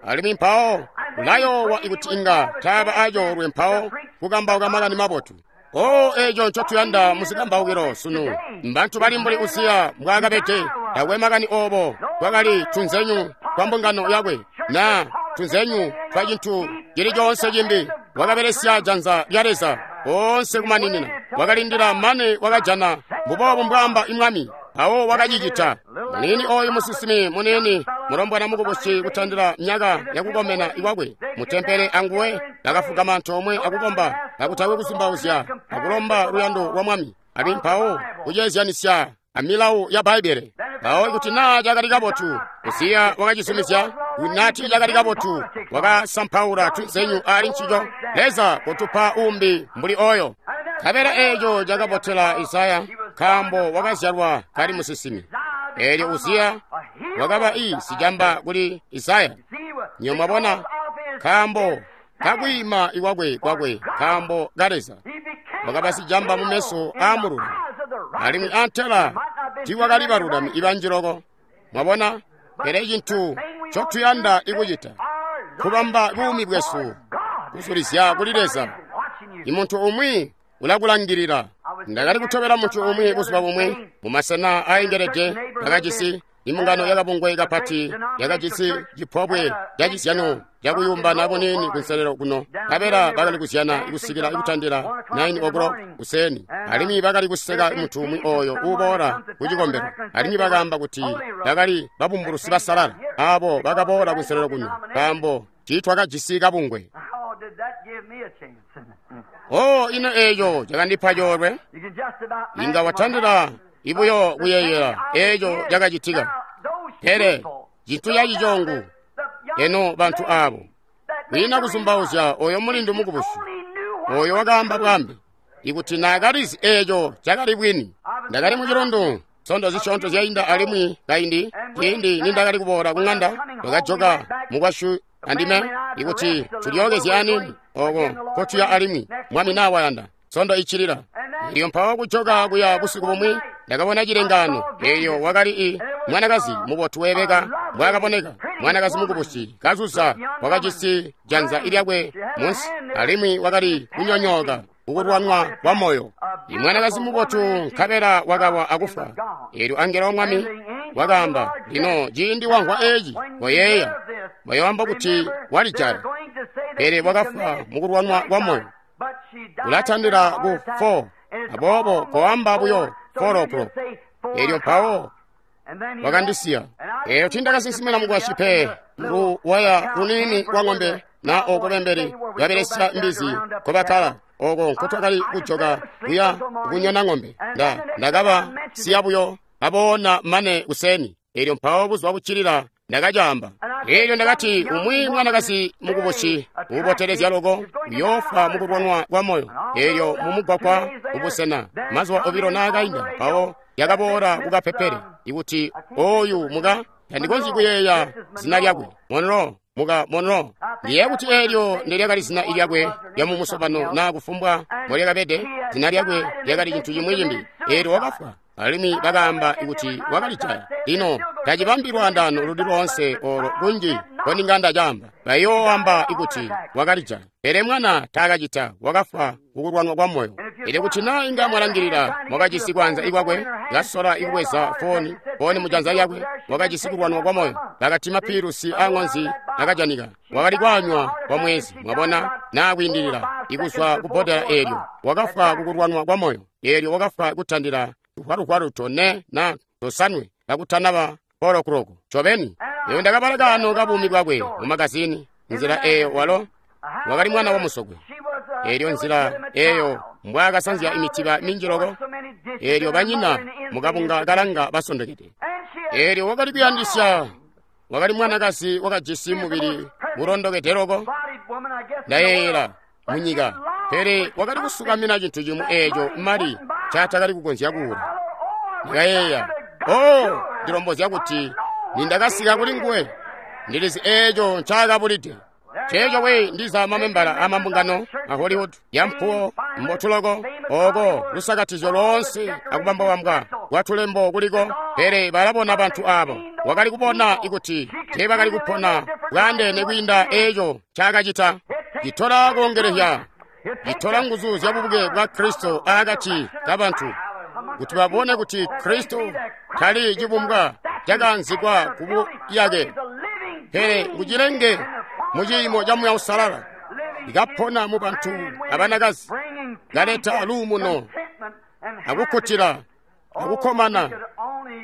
Alimwi mpawo ulayoowa ikuti inga taaba acoolwe mpawo kukambauka makani mabotu. O eeco ncotuyanda muzikambaukilo sunu, mbantu bali mbuli Uziya mbwaakabede. Takwe makani obo twakali tunzenyu twa mbungano yakwe naa tunzenyu twa cintu cili coonse cimbi. Wakabelesya janza lya Leza oonse kumaninina, wakalindila mane wakajana mbuboobu mbwaamba imwami, mpawo wakacicita. Muniini ooyu musinsimi muniini mulombwana mukubusi kutandila myaka yakukomena ikwakwe mutempele anguwe bakafugama antoomwe akukomba kakutakwe kuzumbauzya akulomba luyando lwa mwami, alimwi mpawo kuceezyanisya amilawu ya Bbaibbele. Mpawo ikuti naa cakali kabotu, Uziya wakacizumizya. Kuti cakali kabotu, wakasampaula tunzenyu ali ncico. Leza kotupa umbi mbuli oyo. Nkabela eeco cakabotela Isaya, nkaambo wakazyalwa kali musinsimi. Eelyo Uziya wakaba i sicamba kuli Isaya. Nyo mwabona, nkaambo kakwiima ikwakwe kwakwe nkaambo ka Leza, wakaba sicamba mu meso aamululami, alimwi antela tiiwakali balulami ibanji loko. Mwabona, pele cintu ncotuyanda ikucita kubamba buumi bwesu kuzulizya kuli Leza. Imuntu umwi ulakulangilila. Ndakali kutobela muntu umwi buzuba bumwi mumasena aayengelede akacisi, Imbungano yakabungwe kapati yakajisi cipobwe cacizyano cakuyumbana buniini kunselelo kuno, nkabela bakali kuzyana kusikila kutandila nine o'clock kuseeni, alimwi bakali kuseka muntu umwi oyo uuboola ku cikombelo, alimwi bakaamba kuti bakali babumbulusi basalala abo bakaboola kunselelo kuno nkaambo tiitwakajisi kabungwe. Oh, ino eeco cakandipa coolwe. Inga watandila ibuyo kuyeeyela eeco cakacitika. Pele cintu cacicongu eno bantu abo kwiina kuzumbauzya oyo mulindu mukubusi oyo wakaamba bwambe ikuti naakalizi eeco cakali bwini. Ndakali mucilundu nsondo zisyoonto zyainda alimwi kaindi ciindi nindakali kuboola ku ŋanda twakajoka mukwasyu andime ikuti tulyookezye aniini oko nkotuya alimwi mwami naa wayanda nsondo iccilila. Elyo mpawo kujoka kuya busiku bumwi ndakabona cilengaano. Eyo wakali i mwanakazi mubotu weebeka mbwaakaboneka, mwanakazi mukubusi kazuza, wakajisi janza lyakwe munsi alimwi wakali kunyonyooka kukulwanwa kwa moyo. I mwanakazi mubotu nkabela wakawa akufa. Elyo angelo wa Mwami wakaamba, lino ciindi wamvwa eeci koyeeya, bayoamba kuti walijaya, pele wakafwa mukulwanwa kwa moyo. Ulatandila ku four, aboobo koamba buyo four o'clock. Elyo mpawo wakandisiya. Eyo tindakasinsimina mukwasyi pe luwaya luniini lwa ng'ombe na oko bembeli babelesya mbizi nkobakkala oko nkotwakali kujoka kuya kunyona ng'ombe. Nda ndakaba siya buyo aboona mane kuseni. Elyo mpawo buzuba buccilila ndakacaamba. Elyo ndakati umwi mwanakazi mukubusi uubotelezya loko uyoofwa mukulwanwa kwa moyo. Elyo mumugwagwa kubusena mazuba obilo naakainda mpawo yakaboola kukapepele ikuti oyu muka tandikonzyi kuyeeya zina lyakwe Monroe, muka Monroe. Ndiyeeya kuti eelyo ndelyakali zina lyakwe lyamumusobano naa kufumbwa mbolyakabede, zina lyakwe lyakali cintu cimwi cimbi. Eelyo wakafwa alimwi bakaamba kuti wakalijaya. Lino tacibambi lwaandaano luli loonse olo kunji nkondinga ndacaamba. Bayooamba kuti wakalijaya, pele mwana taakacita, wakafwa kukulwanwa kwa moyo. Elyo kuti naa inga mwalangilila, mwakajisi kwanza ikwakwe kasola ikubweza fooni fooni mujanza lyakwe, wakajisi kulwanwa kwa moyo. Bakati mapiilusi aaŋonzi akajanika, wakali kwaanywa kwa mwezi, mwabona, naa kwiindilila ikuzwa ku bbodela eelyo. Wakafwa kukulwanwa kwa moyo. Eelyo wakafwa kutandila tuhwaluhwalu tone na tosanwe kakutanaba four o'clock. Ncobeni eyo ndakabala kaano ka buumi bwakwe mu magazini. Nzila eyo walo wakali mwana wa musokwe. Eelyo nzila eyo mbwaakasanzya imitiba minji loko. Eelyo banyina mukabunga kalanga basondokede. Eelyo wakali kuyandisya, wakali mwanakazi wakajisi mubili ulondokede loko, ndayeeyela munyika, pele wakali kusukamina cintu cimwi eeco mali ncatakali kukonzya kuula. Ndakayeeya, oh, ndilombozya kuti nindakasika kuli nguwe, ndilizi eeco ncaakabulide. Ceeco we ndiza mamembala amambungano a Hollywood yampuwo mbotu loko, oko lusakatizyo loonse akubambwabambwa kwa tulembo kuliko, pele balabona bantu abo wakali kubona ikuti teebakali kupona bwaandeene kwiinda eeco ncaakacita. Citola koongelehya, citola nguzu zya bubuke bwa Kristo aakati kabantu kuti babone kuti Kristo tali cibumbwa cakaanzikwa kubuyake, pele ngucilenge muciimo ca Muuya Uusalala ikapona mu bantu abanakazi, kaleta luumuno akukkutila akukkomana.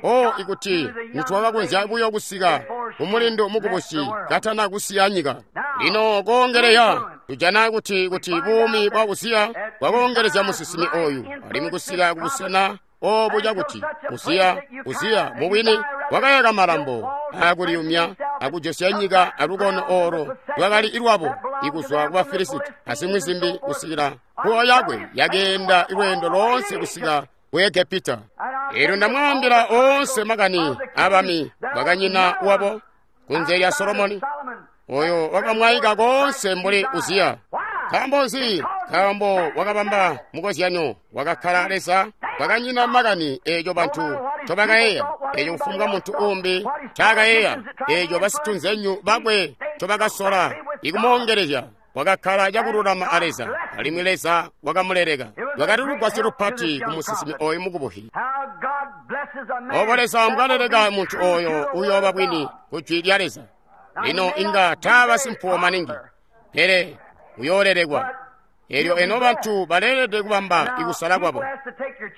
O ikuti nitwakakonzya buyo kusika kumulindo mukubusi katana kusiya nyika. Lino koongeleya tujana kuti kuti buumi bwa Uziya bwakoongelezya musinsimi oyu alimwi kusika kubusena obu cakuti Uziya Uziya mubwini wakayaka malambo aakuliyumya akujosya nyika alukono olo lwakali lwabo ikuzwa ku Bafilisiti azimwi zimbi kusikila mpuwo yakwe yakeenda lweendo loonse kusika ku Egepita. Eelyo ndamwaambila oonse makani aabami bakanyina wabo kunze lya Solomoni, oyo wakamwaika koonse mbuli Uziya. Nkaambo nzi? Nkaambo wakabamba mukozyanyo, wakakkala Leza, wakanyina makani eeco bantu ncobakayeeya, eeco kufumbwa muntu uumbi ncaakayeeya, eeco basitunzenyu bakwe ncobakasola ikumoongelezya. Wakakkala cakululama a Leza, alimwi Leza wakamuleleka. Lwakali lugwasyo lupati ku musinsimi oyu mukubuhi. Obo Leza mbwaleleka muntu oyo uyooba bwini ku jwi lya Leza. Lino inga taaba simpuwo maningi, pele uyoolelekwa. Elyo eno bantu baleelede kubamba ikusala kwabo.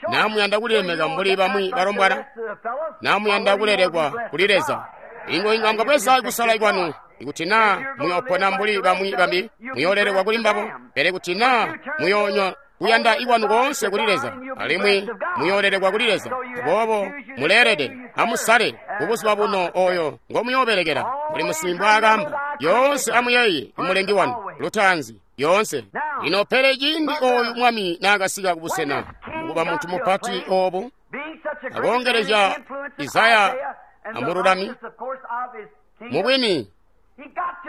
Naa muyanda kulilemeka mbuli bamwi balombwana, naa muyanda kulelekwa kuli Leza. Ingo inga mwabweza kusala kwanu. Ikuti naa muyoopona mbuli bamwi bambi, muyoolelekwa kuli mbabo. Pele kuti naa muyoonywa kuyanda ikwanu koonse kuli Leza, alimwi muyoolelekwa kuli Leza. Aboobo muleelede amusale kubuzuba buno oyo ngomuyoobelekela. Mbuli musinsimi mbwaakaamba, yoonse amuyeeye imulengi wanu lutaanzi yoonse. Lino pele ciindi oyu mwami naakasika kubusena mukuba muntu mupati obu, akoongelezya Isaya amululami, mubwini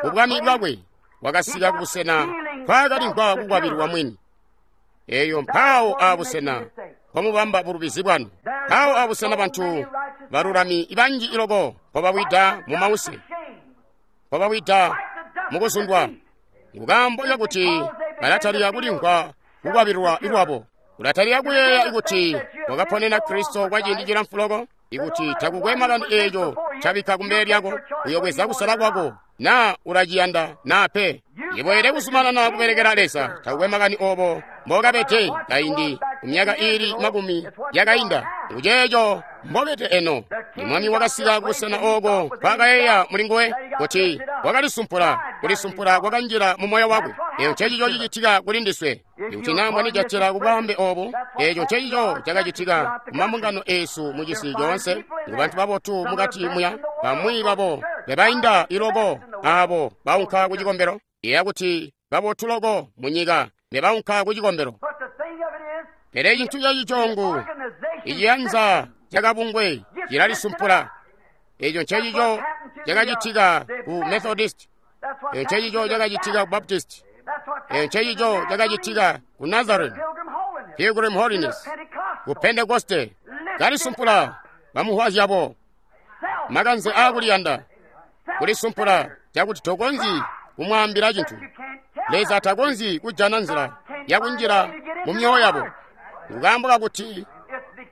ubwami bwakwe wakasika kubusena mpaakalimvwa kukwabililwa mwini. Eyo mpawo abusena mpomubamba bulubizi bwanu, mpawo abusena bantu balulami banji iloko mpobawida mu mause, mpobawida mukuzundwa, nkukaambo kakuti balatalika kulimvwa kukwabililwa lwabo. Ulatalika kuyeeya ikuti wakaponena Kristo kwa ciindi cilamfu loko, ikuti takukwe makani eeco cabikka kumbele lyako, uyobweza kusala kwako, naa ulaciyanda naa pe. Iweelede kuzumanana kubelekela Leza, takukwe makani obo mbokabede kaindi kumyaka iili makumi yakainda, nkuceeco mbobede eno. Imwami wakasika kubusena ooko mpaakayeeya mulinguwe kuti wakalisumpula, kulisumpula kwakanjila mu moyo wakwe. Eeco ncecico cicitika kuli ndiswe. Ikuti naa mwanijatila kubwaambe obu, eeco ncecico cakacitika kumambungano eesu mucisi coonse. Ngu bantu babotu mukati muya, bamwi babo bebainda iloko aabo baunka ku cikombelo. Yeeya kuti babotu loko munyika bebaunka ku cikombelo. Pele cintu cacicongu iciyanza cakabungwe cilalisumpula. Eeco ncecico cakacitika ku Methodist. Eeco ncecico cakacitika ku Baptist. Eeco ncecico cakacitika ku Nazarene, Pilgrim Holiness, ku Pentecoste. Kalisumpula bamuhwa zyabo, makanze aakuliyanda, kulisumpula cakuti tokonzyi kumwaambila cintu. Leza takonzyi kujana nzila yakunjila mu myoyo yabo, nkaambo kakuti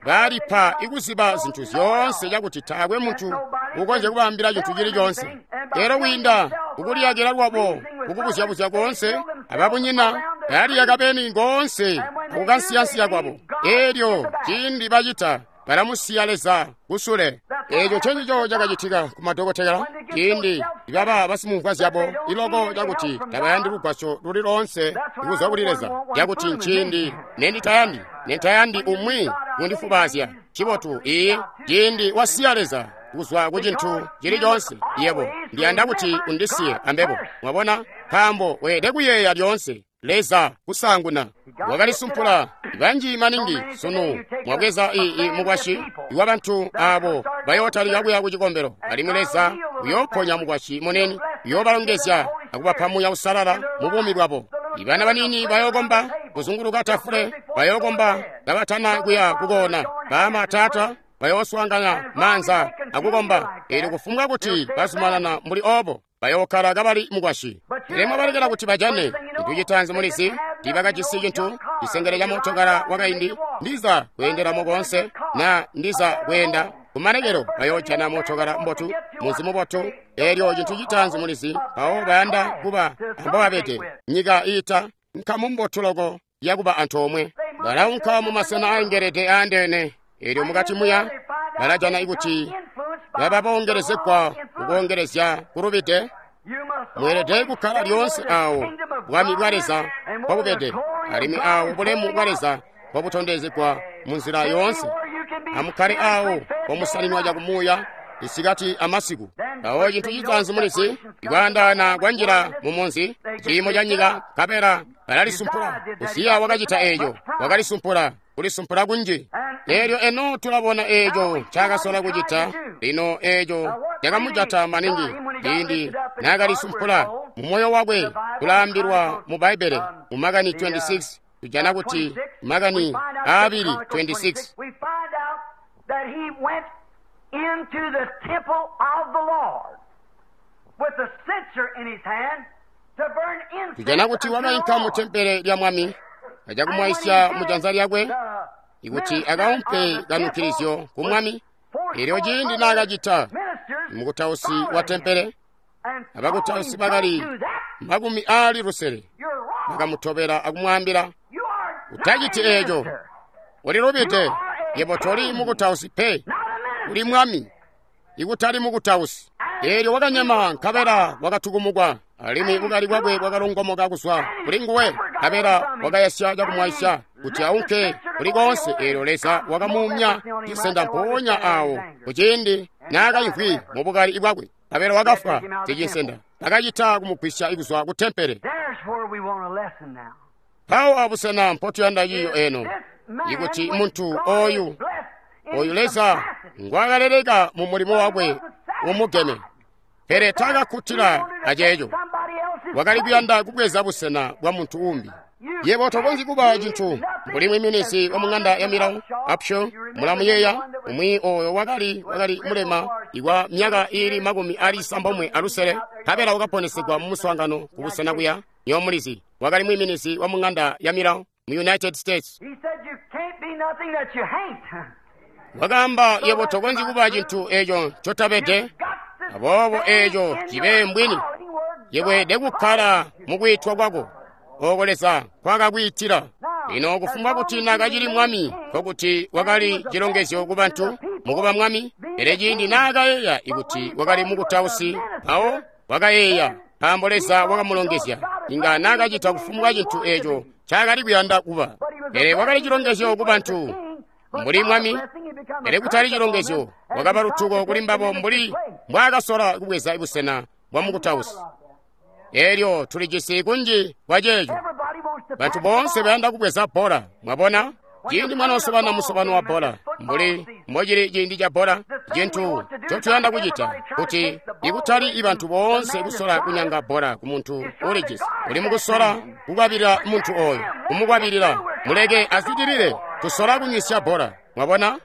balipa ikuziba zintu zyoonse cakuti taakwe muntu ukonzya kubaambila cintu cili coonse. Lero kwiinda kukuliyakila lwabo kukubuzya-buzya koonse, ababunyina baliyaka beni koonse akukansiyansiya kwabo. Elyo ciindi bacita balamusiya Leza kusule. Eeco ncencico cakacitika ku madokotela ciindi baba basimumvwa zyabo iloko cakuti tabayandi lugwasyo luli loonse kuzwa kuli Leza, cakuti nciindi nenditayandi nentayandi umwi kundifubaazya. Cibotu ii ciindi wasiya Leza kuzwa ku cintu cili coonse, yebo ndiyanda kuti undisiye ambebo. Mwabona, nkaambo weelede kuyeeya lyoonse Leza kusaanguna. Wakalisumpula banji maningi sunu mwabweza ii mukwasyi wa bantu abo bayootalika kuya ku cikombelo, alimwi Leza uyooponya mukwasyi munene, uyoobalongezya akubapa Muuya Uusalala mu buumi bwabo. Ibana banini bayookomba kuzunguluka tafule, bayookomba kabatana kuya kukoona. Baama taata bayooswaangana maanza akukomba. Eelyo kufumbwa kuti bazumanana mbuli oobo, bayookkala kabali mukwasyi. Pele mwabalekela kuti bajane cintu citaanzi mulizi, tiibakajisi cintu, cisengele ca mootokala wakaindi, ndiza kweendelamo koonse, naa ndiza kweenda kumalekelo bayoojana mootokala mbotu, munzi mubotu. Eelyo cintu citaanzi mulizi, mpawo bayanda kuba ambobabede. Nyika iita nkamu mbotu loko yakuba antoomwe. Balaunka mumasena aengelede aandeene. Eelyo mukati muya balajana ikuti bababoongelezegwa kukoongelezya kulubide. Mweelede kukkala lyoonse aawo bwami bwa Leza mbobubede, alimwi aawo bulemu bwa Leza mbobutondezegwa munzila yoonse. Amukkale aawo mpomusaninwa cakumuuya isikati amasiku. Mpawo cintu citaanzi mulizi, ikwaandaana kwanjila mu munzi, ciimo ca nyika, nkabela balalisumpula. Uziya wakacita eeco, wakalisumpula, kulisumpula kunji. Eelyo eno tulabona eeco ncaakasola kucita. Lino eeco cakamujata maningi ciindi naakalisumpula mu moyo wakwe. Kulaambilwa mu Bbaibbele mu Makani twenty-six, tujana kuti Makani aabili twenty-six. Into the temple of the Lord with a censer in his hand to burn incense. Tujana kuti wakainka mu tempele lya Mwami acakumwaisya mu janza lyakwe, ikuti akaumpe kanukilizyo ku mwami. Elyo ciindi naakacita, mukutausi wa tempele abakutausi bakali makumi aali lusele bakamutobela akumwaambila, utaciti eeco, ulilubide, yebo toli mukutausi pe, uli mwami, ikutali mukutausi. Eelyo wakanyema nkabela wakatukumukwa, alimwi bukali bwakwe bwakalongomoka kuzwa kuli nguwe, nkabela wakayasya cakumwaisya kuti aunke kuli koonse. Eelyo Leza wakamuumya cisenda mpoonya awo kuciindi naakaimvwi mu bukali bwakwe, nkabela wakafwa sicinsenda. Bakacita kumugwisya kuzwa ku tempele. Mpawo abusena mpotuyanda ciiyo eno, ikuti muntu oyu oyu Leza ngwakaleleka mu mulimo wakwe umugeme, pele taakakkutila aceeco, wakali kuyanda kubweza busena bwa muntu umbi. Yebo tokonzyi kuba cintu mbuli mwiminizi wa mung'anda ya milawo Upshaw, mulamuyeeya umwi oyo wakali wakali mulema ikwa myaka iili makumi ali isambomwe alusele, nkabela wakaponesegwa mu muswaangano kubusena kuya nyomulizi. Wakali mwiminizi wa mung'anda ya milawo mu United States. Wakaamba, yebo tokonzyi kuba cintu eeco ncotabede, aboobo eeco cibe mbwini. Yebweede kukkala mukwiitwa kwako ooko Leza nkwakakwiitila. Lino kufumbwa kuti naakacili mwami, nkokuti wakali cilongezyo ku bantu mukuba mwami. Pele ciindi naakayeeya ikuti wakali mukutausi, mpawo wakayeeya nkaambo Leza wakamulongezya, inga naakacita kufumbwa cintu eeco ncaakali kuyanda kuba. Pele wakali cilongezyo ku bantu mbuli mwami, pele kutali cilongezyo, wakaba lutuko kuli mbabo mbuli mbwaakasola kubweza busena bwa mukutausi. Elyo tulijisi kunji kwa ceeco. Bantu boonse bayanda kubweza bbola, mwabona? Ciindi mwanosobana musobano wa bbola, mbuli mbocili ciindi ca bbola, cintu ncotuyanda kucita kuti ikutali ibantu boonse kusola kunyanga bbola ku muntu ulijisi. Uli mukusola kukwabilila muntu oyo, kumukwabilila, muleke azwidilile. Tusola kunywisya bbola, mwabona?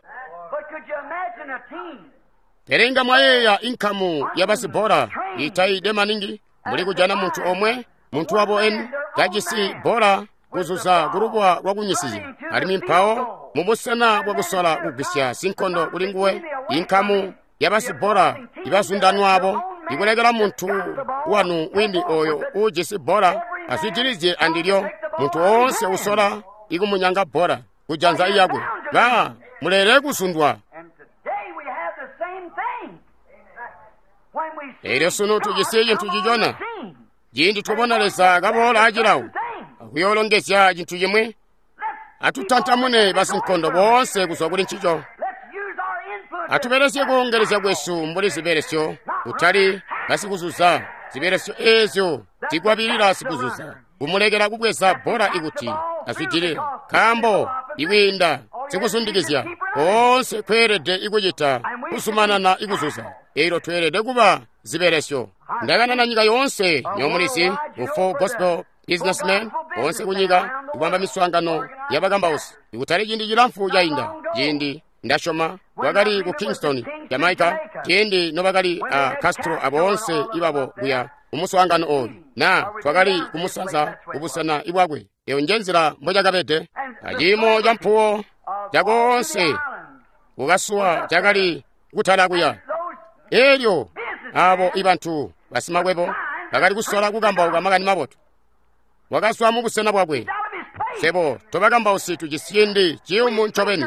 Pele inga mwayeeya inkamu ya basibbola itaide maningi, mbuli kujana muntu omwe, muntu wabo eni, kajisi bbola kuzuza kulubuwa lwakunyisizya, alimwi mpawo mubusena bwakusola kugwisya sinkondo kuli nguwe, inkamu ya basibbola ibazundanwabo ikulekela muntu wanu wini oyo uujisi bbola azwidilizye andilyo. Muntu woonse usola ikumunyanga bbola kujanza iyakwe, ba mulele kuzundwa. Elyo sunu tujisi cintu cicona. Ciindi twabona Leza kaboola acilawo akuyoolongezya cintu cimwi, atutantamune basinkondo boonse kuzwa kuli ncico. Atubelesye kuongelezya kwesu mbuli zibelesyo, kutali basikuzuza. Zibelesyo eezyo zikwabilila sikuzuza, kumulekela kubweza bbola ikuti azwidilile, nkaambo ikwiinda sikuzundikizya koonse kweelede ikucita kuzumanana ikuzuza. Elyo tweelede kuba zibelesyo. Ndakanana nyika yoonse nyomulizi ku Full Gospel Businessmen boonse kunyika kubamba miswaangano yabakambausi. Ikutali ciindi cilamfu cainda, ciindi ndasyoma wakali ku Kingston, Jamaica, ciindi nobakali a Castro aboonse ibabo kuya kumuswaangano oyu, na twakali kumusanza kubusena ibwakwe. Eyo nje nzila mbocakabede. Aciimo ca mpuwo cakoonse kukasuwa cakali kutala kuya. Elyo abo ibantu basimakwebo bakali kusola kukambauka makani mabotu. Wakazwa mubusena bwakwe. Sebo tobakambausi tujisi ciindi ciyumu ncobeni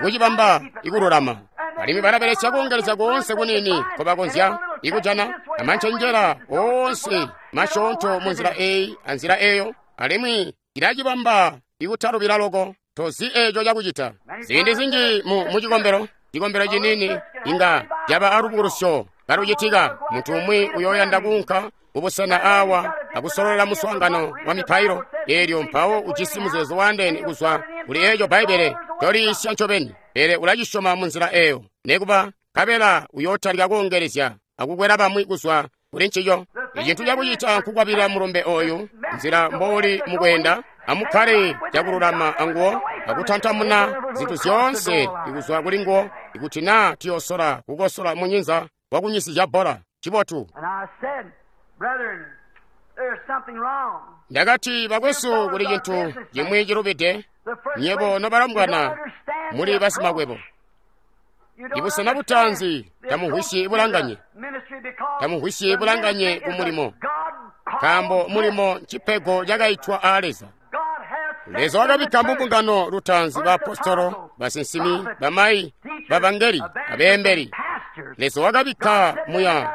kucibamba ikululama, alimwi balabelesya kuongelezya koonse kunini nkobakonzya ikujana amancenjela oonse masyoonto munzila eyi anzila eyo, alimwi ilacibamba ikutalubila loko. Tozi eeco cakucita. Ziindi zinji mu mucikombelo, cikombelo cinini inga caba alubukulusyo kalucitika. Muntu umwi uyoyanda kuunka kubusena awa akusololela muswaangano wa mipailo, eelyo mpawo ujisi muzeezo waandeene kuzwa kuli eeco Bbaibbele toliisya ncobeni, pele ulacisyoma munzila eyo. Nekuba nkabela uyootalika kuongelezya akukwela bamwi kuzwa kuli ncico. Icintu cakucita nkukwabilila mulumbe oyu, nzila mbouli mukwenda. Amukkale cakululama anguwo akutantamuna zintu zyoonse ikuzwa kuli nguwo, ikuti naa tuyosola kukosola munyinza wakunyisizya bbola. Cibotu. Ndakati, bakwesu, kuli cintu cimwi cilubide. Nyebo nobalombwana muli basimakwebo. Ibusena butaanzi tamumvwisyi bulanganye, tamumvwisyi bulanganye ku mulimo, nkaambo mulimo ncipego cakaitwa aa Leza. Leza wakabikka mu mbungano lutaanzi baapostolo, basinsimi, bamayi, bavangeli, abeembeli. Leza wakabikka muya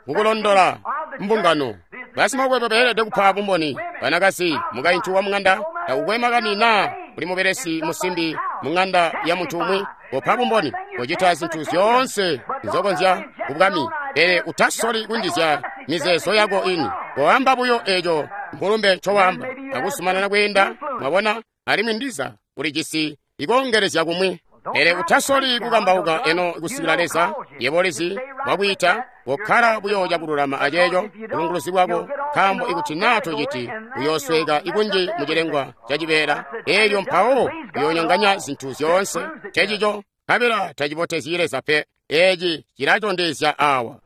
mukulondola mbungano. Basimakwebo beelede kupa bumboni. Banakazi, mukaintu wa mung'anda, takukwe makani naa kuli mubelesi musimbi mung'anda ya muntu umwi, kopa bumboni, kocita zintu zyoonse nzokonzya kubwami, pele utasoli kunjizya mizeezo yako ini. Koamba buyo eeco mulumbe ncowaamba, akuzumanana kweenda, mwabona, alimwi ndiza ulijisi ikoongelezya kumwi. Pele utasoli kukambauka eno kusikila Leza yebo lizi wakwiita, kokkala buyo cakululama aceeco bulunguluzi bwako, nkaambo ikuti naa tociti uyoosweka ikunji mucilengwa cacibeela, eelyo mpawo uyoonyonganya zintu zyoonse. Cecico nkabela tacibotezyi Leza pe. Eeci cilatondezya awa.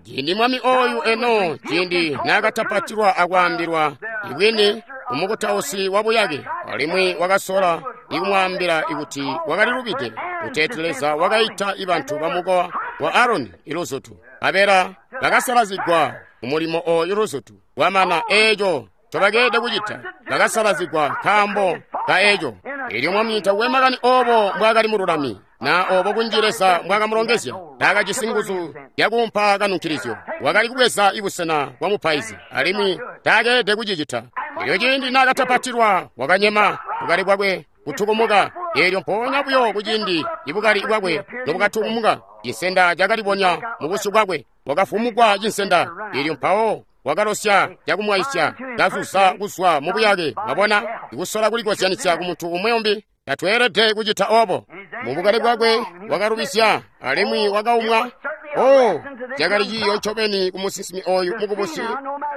Ciindi mwami oyu eno, ciindi naakatapatilwa akwaambilwa ibwini umukutausi wabuyake, alimwi wakasola ikumwaambila ikuti wakalilubide, kuteeti Leza wakaita ibantu bamukowa wa Aroni iluzutu, nkabela bakasalazigwa kumulimo oyu luzutu. Wamana eeco ncobakeelede kucita, bakasalazigwa nkaambo ka eeco. Eelyo mwami takukwe makani oobo mbwaakali mululami, na oobo kunji Leza mbwaakamulongezya, taakajisi nguzu zyakuumpa kanunkilizyo. Wakali kubweza ibusena bwa mupaizi, alimwi taakeelede kucicita. Eelyo ciindi naakatapatilwa, wakanyema, bukali bwakwe kutukumuka. Eelyo mpoonya buyo kuciindi ibukali bwakwe nobwatukumuka, cinsenda cakalibonya mubusyu bwakwe, wakafumukwa cinsenda. Eelyo mpawo wakalosya cakumwaisya, kazuza kuzwa mubuyake. Mwabona, ikusola kulikozyanisya ku muntu umwi umbi, tatweelede kucita oobo. Mubukali bwakwe wakalubisya, alimwi wakaumwa. Oh, cakali ciiyo ncobeni ku musinsimi oyu mukubusi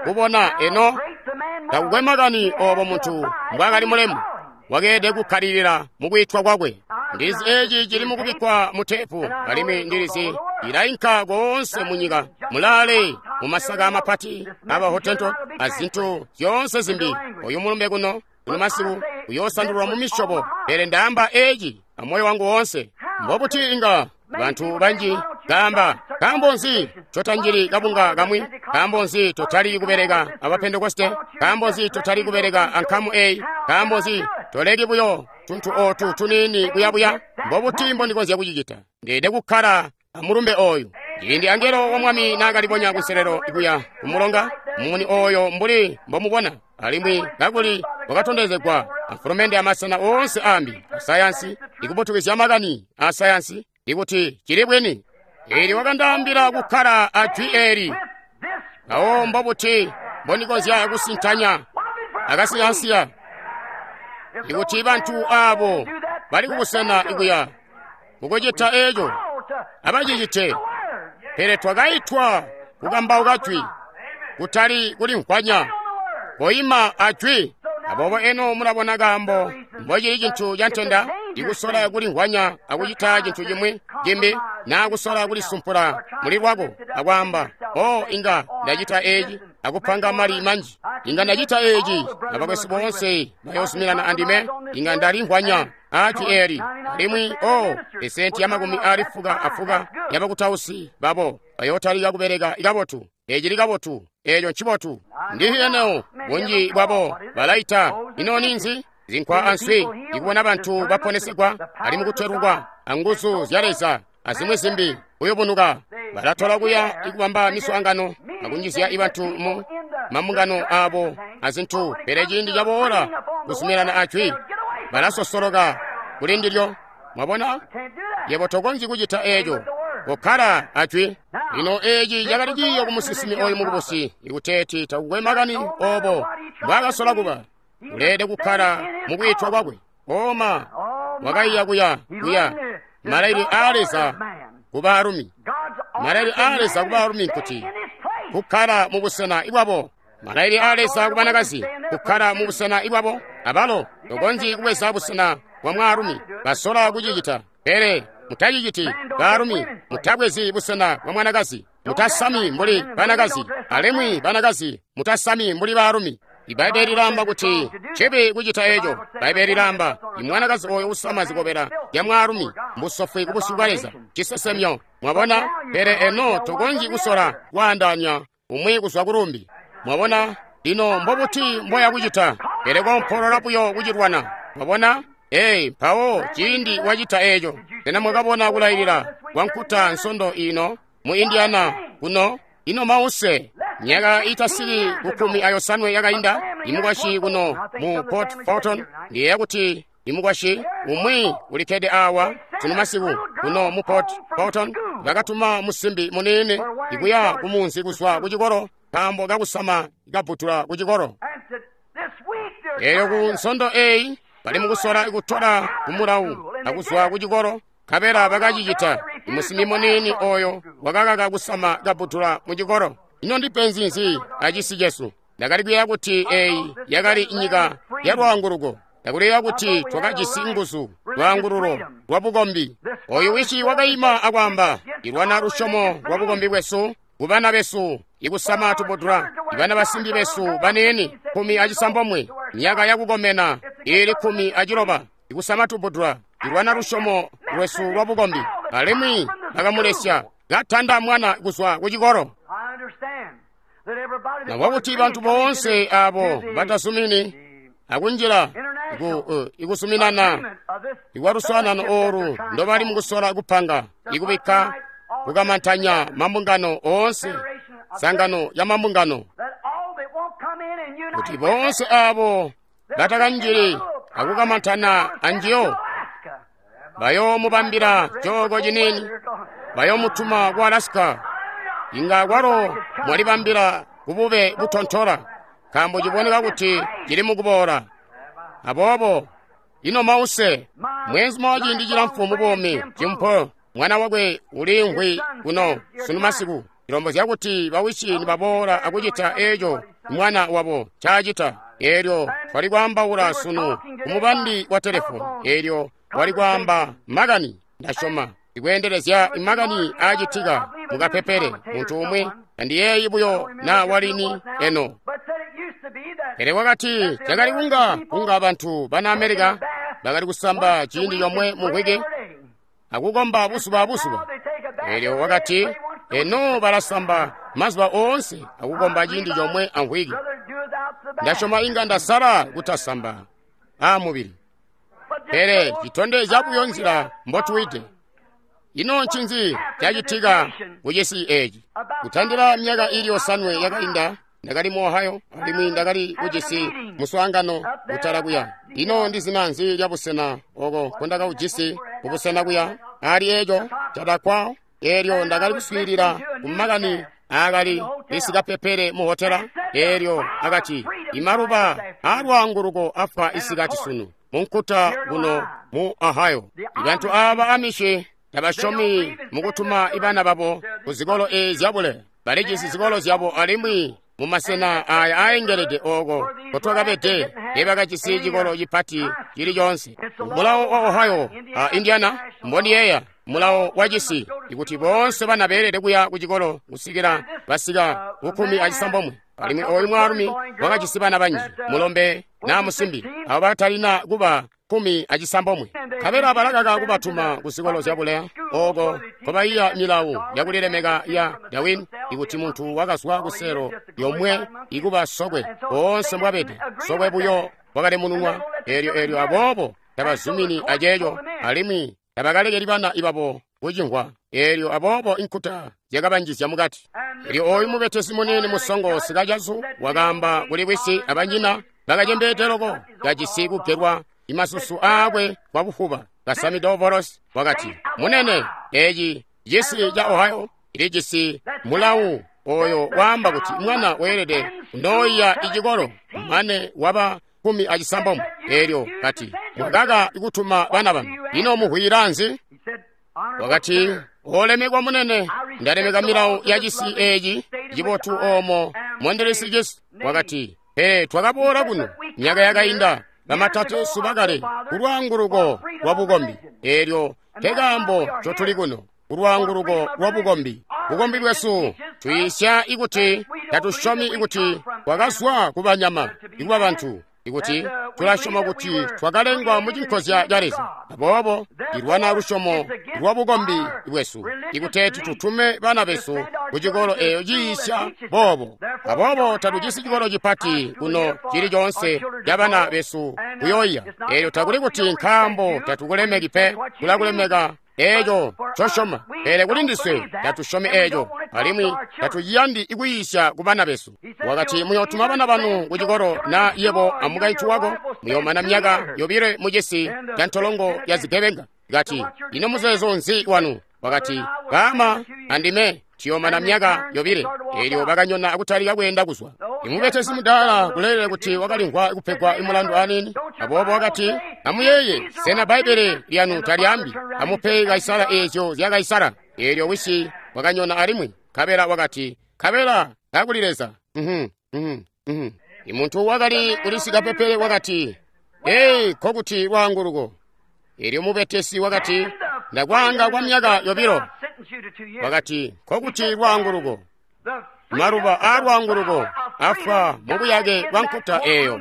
kubona eno takukwe makani oobo muntu mbwaakali mulemu, wakeelede kukkalilila mukwiitwa kwakwe. Ndilizi eeci cili mukubikkwa mu teepu, alimwi ndilizi ilainka koonse munyika, mulaale mumasaka mapati aba Hottentot azintu zyoonse zimbi. Oyu mulumbe kuno kuno masiku uyoosandulwa mu misyobo, pele ndaamba eeci amoyo wangu woonse. Mbobuti inga bantu banji kaamba, nkaambo nzi totanjili kabunga kamwi? Nkaambo nzi totali kubeleka aba Pentekoste? Nkaambo nzi totali kubeleka ankamu eyi? Nkaambo nzi toleki buyo tuntu ootu tuniini kuyabuya? Mbobuti mbondikonzya kucicita? Ndeelede kukkala amulumbe oyu. Ciindi angelo wa Mwami naakalibonya kunselelo kuya kumulonga, mumuni oyo mbuli mbomubona, alimwi kakuli wakatondezegwa amfulumende amasena oonse ambi asayansi, ikubutukizya makani a sayansi, ikuti cili bwini. Eelyo wakandaambila kukkala a jwi eeli. Mpawo mbobuti mbondikonzya kusintanya akasiyansiya? Ikuti bantu aabo bali kubusena ikuya mukucita eeco, abacicite. Pele twakaitwa kukambauka jwi, kutali kulimvwanya. Koima a jwi. Aboobo eno mulabona kaambo mbocili cintu ca ntenda ikusola kulimvwanya akucita cintu cimwi cimbi, naa kusola kulisumpula muli lwako akwaamba, o inga ndacita eeci akupanga mali manji, inga ndacita eeci abakwesu boonse bayoozuminana andime, inga ndalimvwanya a jwi eeli, alimwi o esenti ya makumi aali fuka afuka yabakutausi babo bayootalika kubeleka kabotu. Eeci li kabotu, eeco ncibotu. Ndihi eneo bunji bwabo balaita, ino ninzi? Zinkwa answi, ikubona bantu baponesegwa, alimwi kutwelukwa anguzu zya Leza azimwi zimbi kuyubunuka. Balatola kuya ikubamba miswaangano akunjizya ibantu mu mambungano aabo azintu, pele ciindi caboola kuzuminana a jwi, balasosoloka kuli ndilyo. Mwabona, yebo tokonzyi kucita eeco, kokkala a jwi. Lino eeci cakali ciiyo ku musinsimi oyu mukubusi, ikuteeti takukwe makani oobo mbwaakasola kuba, uleelede kukkala mukwiitwa kwakwe. Oma wakaiya kuya kuya malailile aa Leza ku baalumi. Malailile aa Leza ku baalumi nkuti kukkala mubusena bwabo. Malailile aa Leza ku banakazi kukkala mubusena bwabo. Abalo tokonzyi kubweza busena bwa mwaalumi, basola kucicita, pele mutaciciti. Baalumi mutabwezi busena bwa mwanakazi, mutasami mbuli banakazi, alimwi banakazi mutasami mbuli baalumi. Ibbaibbele lilaamba kuti ncibi kucita eco. Bbaibbele lilaamba imwanakazi oyo usama zikobela zya mwaalumi mbusofwi kubusyu bwa Leza, cisesemyo. Mwabona? Pele eno tokonzyi kusola kwaandaanya umwi kuzwa kulumbi. Mwabona? Lino mbobuti mboya kucita? Pele kompolola buyo kucilwana. Mwabona? Ee, mpawo ciindi wacita eco. Sena mwakabona kulailila kwa nkuta nsondo ino mu Indiana kuno? Ino mause myaka itasili kukkumi ayosanwe yakainda imukwasyi kuno mu Port Fulton, ndiyeeya kuti imukwasyi umwi ulikkede awa sunu masiku kuno mu Port Fulton, bakatuma musimbi muniini ikuya kumunzi kuzwa kucikolo nkaambo kakusama kabutula kucikolo. Eyo ku nsondo eyi bali mukusola kutola kumulawu akuzwa kucikolo, nkabela bakacicita. Imusimbi muniini oyo wakakaka kusama kabutula mucikolo. Ino ndipenzi nzi acisi cesu? Ndakali kuyeeya kuti eyi yakali nyika ya lwaanguluko. Ndakuleya kuti twakajisi nguzu, lwaangululo lwa bukombi. Oyu wisi wakaima akwaamba, ilwana lusyomo lwa bukombi bwesu kubana besu ikusama tubudula, ibana basimbi besu baniini kkumi acisambomwe, myaka yakukomena ili kkumi aciloba, ikusama tubudula, ilwana lusyomo lwesu lwa bukombi. Alimwi bakamulesya katanda mwana kuzwa kucikolo. Nabwakuti bantu boonse abo batazumini akunjila iku, ikuzuminana ikwaluswaanano oolu ndobali mukusola kupanga ikubikka kukamantanya mambungano oonse, sangano ya mambungano, kuti boonse abo batakanjili akukamantana anjiyo bayoomubambila cooko ciniini, bayoomutuma ku Alaska. Inga kwalo mwalibambila kubube butontola, nkaambo ciboneka kuti cili mukuboola. Aboobo ino mause mwenzuma wa ciindi cilamfu mu buumi Jim Paul, mwana wakwe uliimvwi kuno sunu masiku, cilombozya kuti bawishi nibaboola akucita eco mwana wabo ncaacita. Eelyo twali kwaambaula sunu kumubandi wa telefoni, eelyo wali kwaamba makani, ndasyoma ikweendelezya makani aacitika mukapepele muntu umwi, tandiyeeyi buyo na walini eno. Pele wakati cakali kunga kunga bantu bana Amerika bakali kusamba ciindi comwe mu mvwiki akukomba buzuba abuzuba. Eelyo wakati eno balasamba mazuba oonse akukomba ciindi comwe amvwiki. Ndasyoma inga ndasala kutasamba aamubili, pele citondezya buyo nzila mbotuwide. Ino ncinzi cacitika kucisi eeci? Kutandila myaka ili yosanwe yakainda ndakali mu Ohio, alimwi ndakali kujisi muswaangano kutala kuya. Ino ndi zina nzi lya busena oko nkondakaujisi kubusena kuya? Ali eco cadakwa. Eelyo ndakali kuswiilila kumakani aakali isikapepele mu hotela. Eelyo akati imaluba aalwaanguluko afwa isikati sunu munkuta kuno mu Ohio. Ibantu aaba Amishi tabasyomi mukutuma ibana babo ku zikolo eezi zyabule. Balijisi zikolo zyabo alimwi mumasena aya aaengelede ooko kotwakabede teebakajisi cikolo cipati cili coonse. Mulawo wa Ohio a Indiana mbondiyeeya mulawo wa cisi ikuti boonse bana beelede kuya ku cikolo kusikila basika kukkumi acisambomwe. Alimwi oyu mwaalumi wakajisi bana banji, mulombe naa musimbi, abo batalina kuba kkumi acisambomwe. Nkabela balakaka kubatuma ku zikolo zyabuleya ooko nkobaiya milawu yakulilemeka ya Darwin, ikuti muntu wakazwa kuselo yomwe ikuba sokwe boonse mbwabede sokwe buyo wakalemununwa. Eelyo eelyo aboobo tabazumini aceeco, alimwi tabakalekeli bana ibabo kucimvwa. Eelyo aboobo inkuta zyakabanjizya mukati. Eelyo oyu mubetesi muniini musongo sikacazu wakaamba kuli wisi abanyina bakacembeede loko kajisi kugelwa imasusu aakwe kwa bufuba kasamide ovolosi, wakati, munene, eeci cisi ca Ohio ilijisi mulawu oyo waamba kuti mwana weelede kunooyiya icikolo mane waba kkumi acisambomwe. Eelyo kati, mwakaka kutuma bana banu, ino muhwira nzi? Wakati, olemekwa munene, ndalemeka milawu ya cisi eeci cibotu oomo mondelesi cisi. Wakati, pele twakaboola kuno myaka yakainda bamatateesu bakale kulwaanguluko lwa bukombi. Eelyo nkekaambo ncotuli kuno, kulwaanguluko lwa bukombi. Bukombi bwesu tuyiisya ikuti tatusyomi ikuti Twakazwa ku banyama ikuba bantu. Ikuti tulasyoma kuti twakalengwa mu cinkozya ca Leza, aboobo ilwana lusyomo lwa bukombi bwesu ikuteeti tutume bana besu ku cikolo eyo ciisya boobo. Aboobo tatujisi cikolo cipati kuno cili coonse ca bana besu kuyoiya. Eelyo takuli kuti nkaambo tatukulemeki pe, tulakulemeka eeco ncosyoma, pele kuli ndiswe tatusyomi eeco, alimwi tatuyandi ikuyiisya ku bana besu. Wakati muyootuma bana banu ku cikolo, na yebo amukaintu wako muyoomana myaka yobile mu cisi ca ntolongo ya zigebenga. Kati, ino muzeezo nzi wanu? Wakati, baama andime tuyoomana myaka yobile. Eelyo bakanyona akutalika kweenda kuzwa. Imubetesi mudaala kuleelela kuti wakalimvwa kupegwa mulandu aniini. Aboobo wakati, amuyeeye, sena Bbaibbele lyanu talyaambi, amupe Kaisara eezyo zya Kaisara? Eelyo wisi wakanyona alimwi, nkabela wakati, nkabela kakuli Leza. Mhm, mhm, mhm. Imuntu wakali kulisika pepele wakati, ei, nkokuti lwaanguluko. Eelyo mubetesi wakati, ndakwaanga kwa myaka yobilo. Wakati, nkokuti lwaanguluko. Maluba aa lwaanguluko afwa mu buyake bwa nkuta eyo.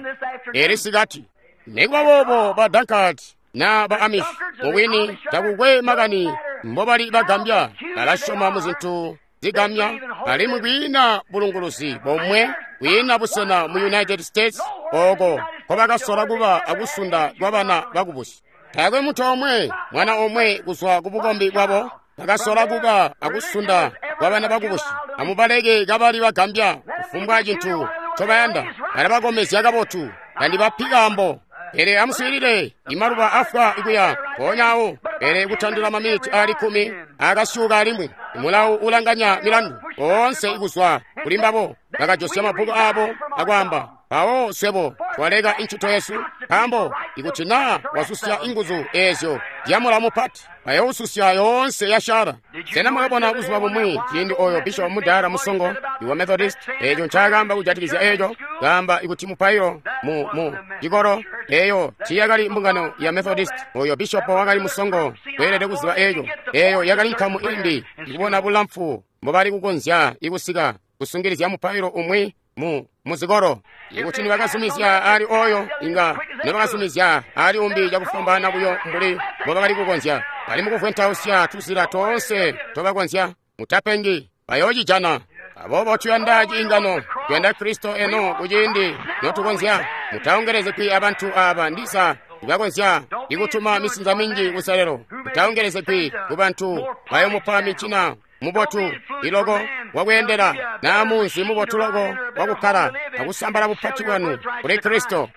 Eli sikati. Nikuba boobo ba Dunkard na ba Amish mubwini takukwe makani mbobali bagambya, balasyoma mu zintu zigambya, alimwi kwiina bulunguluzi bomwe, kwiina busena mu United States ooko nkobakasola kuba akusunda kwa bana bakubusi. Taakwe muntu omwe, mwana omwe kuzwa ku bukombi bwabo bakasola kuba akusunda kwa bana bakubusi. Amubaleke kabali bagambya kufumbwa cintu ncobayanda, balabakomezya kabotu, tandibapi kaambo. Pele amuswiilile, imaluba afwa ikuya mpoonya awo, pele kutandila maminiti aali kkumi akasyuka alimwi. Imulawu ulanganya milandu oonse ikuzwa kuli mbabo bakajosya mabbuku aabo akwaamba, mpawo swebo twaleka incito yesu, nkaambo ikuti naa wasusya inguzu eezyo zyamulawo mupati, bayoususya yoonse yasyala. Sena mwakabona buzuba bumwi ciindi oyo bishopu mudaala musongo iwa Methodist eeco ncaakaamba kujatikizya eeco? Kaamba ikuti mupailo mu mu cikolo eeyo tiiyakali mbungano ya Methodist. Oyo bishopo wakali musongo kweelede kuziba eeco. Eeyo yakali nkamu imbi ikubona bulamfu mbobali kukonzya ikusika kusungilizya mupailo umwi mu muzikolo. Ikuti nibakazumizya ali oyo, inga nibakazumizya ali umbi cakufwambaana buyo mbuli mbobakali kukonzya. Bali mukuvwentausya tuzila toonse tobakonzya. Mutapengi, bayoocijana. Aboobo tuyanda ciingano, tuyanda Kristo eno kuciindi notukonzya. Mutaongelezegwi abantu aaba ndisa ibakonzya ikutuma misinza minji kuselelo. Mutaongelezegwi ku bantu bayomupa micina mubotu iloko wakweendela naa munzi mubotu loko wakukkala akusambala bupati bwanu kuli Kristo.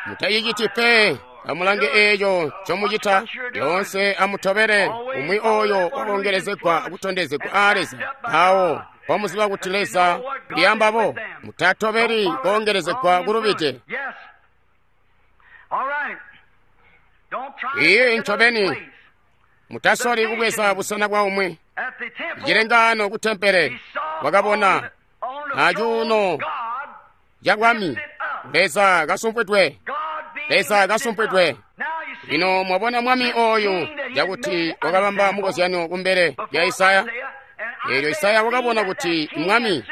Mutaciciti pe. Amulange eeco ncomucita lyoonse, amutobele umwi oyo wakongelezegwa akutondezegwa aa Leza. Mpawo mpomuziba kuti Leza lyambabo, mutatobeli koongelezegwa kulubide. Iye ncobeni, mutasoli kubweza busena bwa umwi. Cilengaano ku tempele wakabona acuuno ca bwami Leza kasumpwidwe, Leza kasumpwidwe. Lino mwabona mwami oyu cakuti wakabamba mukozyano kumbele lya Isaya. Eelyo Isaya wakabona kuti mwami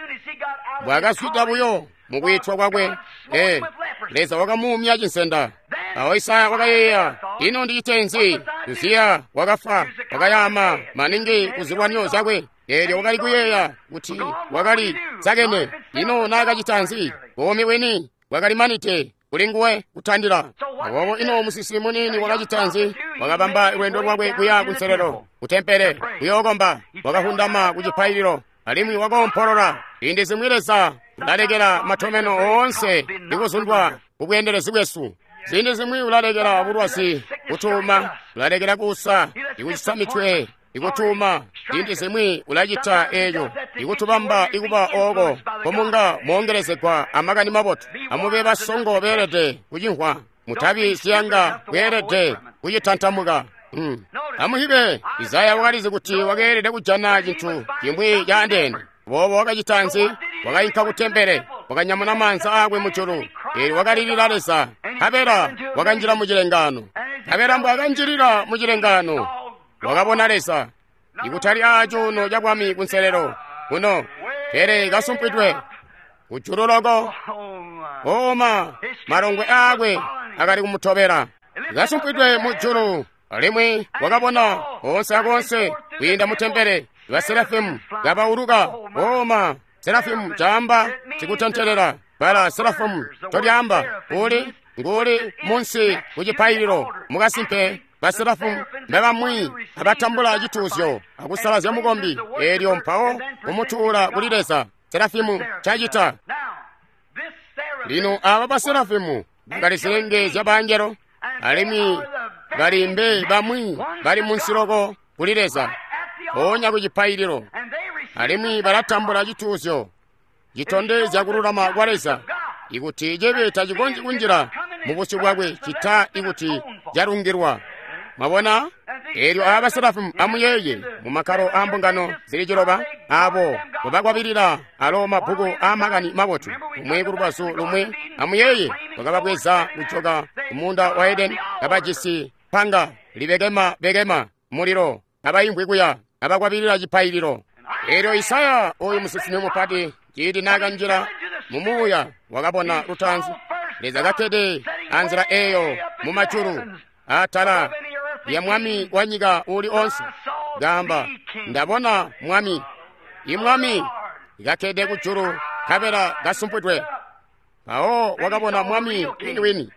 bwakazwida buyo mukwiitwa kwakwe, ee, Leza wakamuumya cinsenda. Awo Isaya wakayeeya, ino ndicite nzi? Uziya wakafa, wakayaama maningi kuzilwanyo zyakwe. Eelyo wakali kuyeeya kuti wakali sakene. Ino naakacita nzi? Buumi bwini bwakali manite kuli nguwe kutandila. Aboobo ino musisi muniini wakacita nzi? Wakabamba lwendo lwakwe kuya kunselelo kutempele kuyookomba. Wakahundama ku cipaililo alimwi wakoompolola. Ziindi zimwi Leza ulalekela matomeno oonse ikuzundwa kubweendelezi bwesu. Ziindi zimwi ulalekela bulwazi kutuuma, ulalekela kuusa ikucisa mitwe ikutuuma. Ziindi zimwi ulacita eeco ikutubamba ikuba ooko komunga moongelezegwa amakani mabotu. Amube basongo beelede kucimvwa, mutabi ziyanga bweelede kucitantamuka. Hmm. Amuhibe, Isaya wakalizi kuti wakeelede kujana cintu cimwi caandeene. Boobo wakacita nzi? Wakayinka ku tempele, wakanyamuna maanza aakwe mujulu, eelyo wakalilila Leza. Nkabela wakanjila mu cilengaano. Nkabela mbwakanjilila mu cilengaano, wakabona Leza ikutali aacuuno ca bwami kunselelo kuno, pele kasumpwidwe. Kujulu loko. Oma, malongwe aakwe akali kumutobela. Kasumpwidwe mujulu, alimwi wakabona onse akonse kwiinda mu tempele ba Serafimu kabauluka. Oma, Serafimu caamba sikutentelela. Bala Serafimu tolyaamba uli nguli munsi ku cipaililo. Mukasimpe ba Serafimu mbabamwi abatambula cituuzyo akusalazya mukombi, eelyo mpawo kumutuula kuli Leza. Serafimu cacita. Lino aba ba Serafimu bakali zilenge zya bangelo, alimwi bali mbe bamwi bali munsi loko kuli Leza, mpoonya ku cipaililo, alimwi balatambula cituuzyo citondezya kululama kwa Leza, ikuti cibi tacikonzyi kunjila mu busyu bwakwe cita ikuti calungilwa. Mwabona? Eelyo aba Serafimu amuyeeye mu makkalo a mbungano zili ciloba, abo babakwabilila alo mabbuku a makani mabotu, umwi ku lubazu lumwi. Amuyeeye bakababweza kujoka ku muunda wa Edeni, kabajisi panga libekema bekema mulilo, abaimvwi kuya abakwabilila cipaililo. Eelyo Isaya oyu musinsimi mupati, ciindi naakanjila mu muuya, wakabona lutaanzi Leza kakkede anzila eyo mu majulu atala ya mwami wa nyika uli onse, gamba, ndabona mwami, imwami kakkede kujulu kabela kasumpwidwe. Mpawo wakabona mwami winiwini,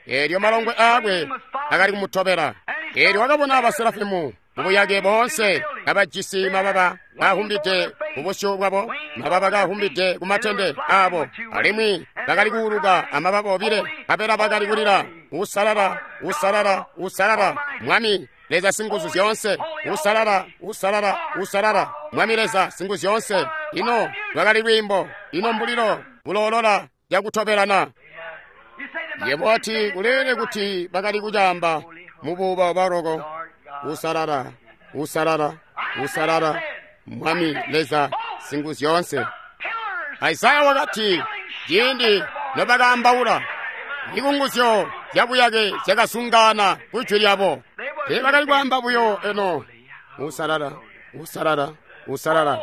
eelyo malongwe aakwe akali kumutobela. Eelyo wakabona baserafimu mubuyake boonse kabajisi mababa kaahumbide kubusyu bwabo, mababa kaahumbide kumatende aabo, alimwi bakali kuuluka amababa obile, kabela bakali kulila, usalala, usalala, usalala, Mwami Leza singuzu zyoonse, usalala, usalala, usalala, Mwami Leza singuzu zyoonse. Ino lwakali lwiimbo, ino mbulilo buloolola yakutobelana. Yebo ati kulele kuti bakali kucaamba mubuuba bwaloko, usalala, usalala, usalala, Mwami Leza singuzu zyoonse. Isaya wakati ciindi nobakaambaula, ikunguzyo zyabuyake zyakasungana kujwi lyabo. Teebakali kwaamba buyo eno, usalala, usalala, usalala.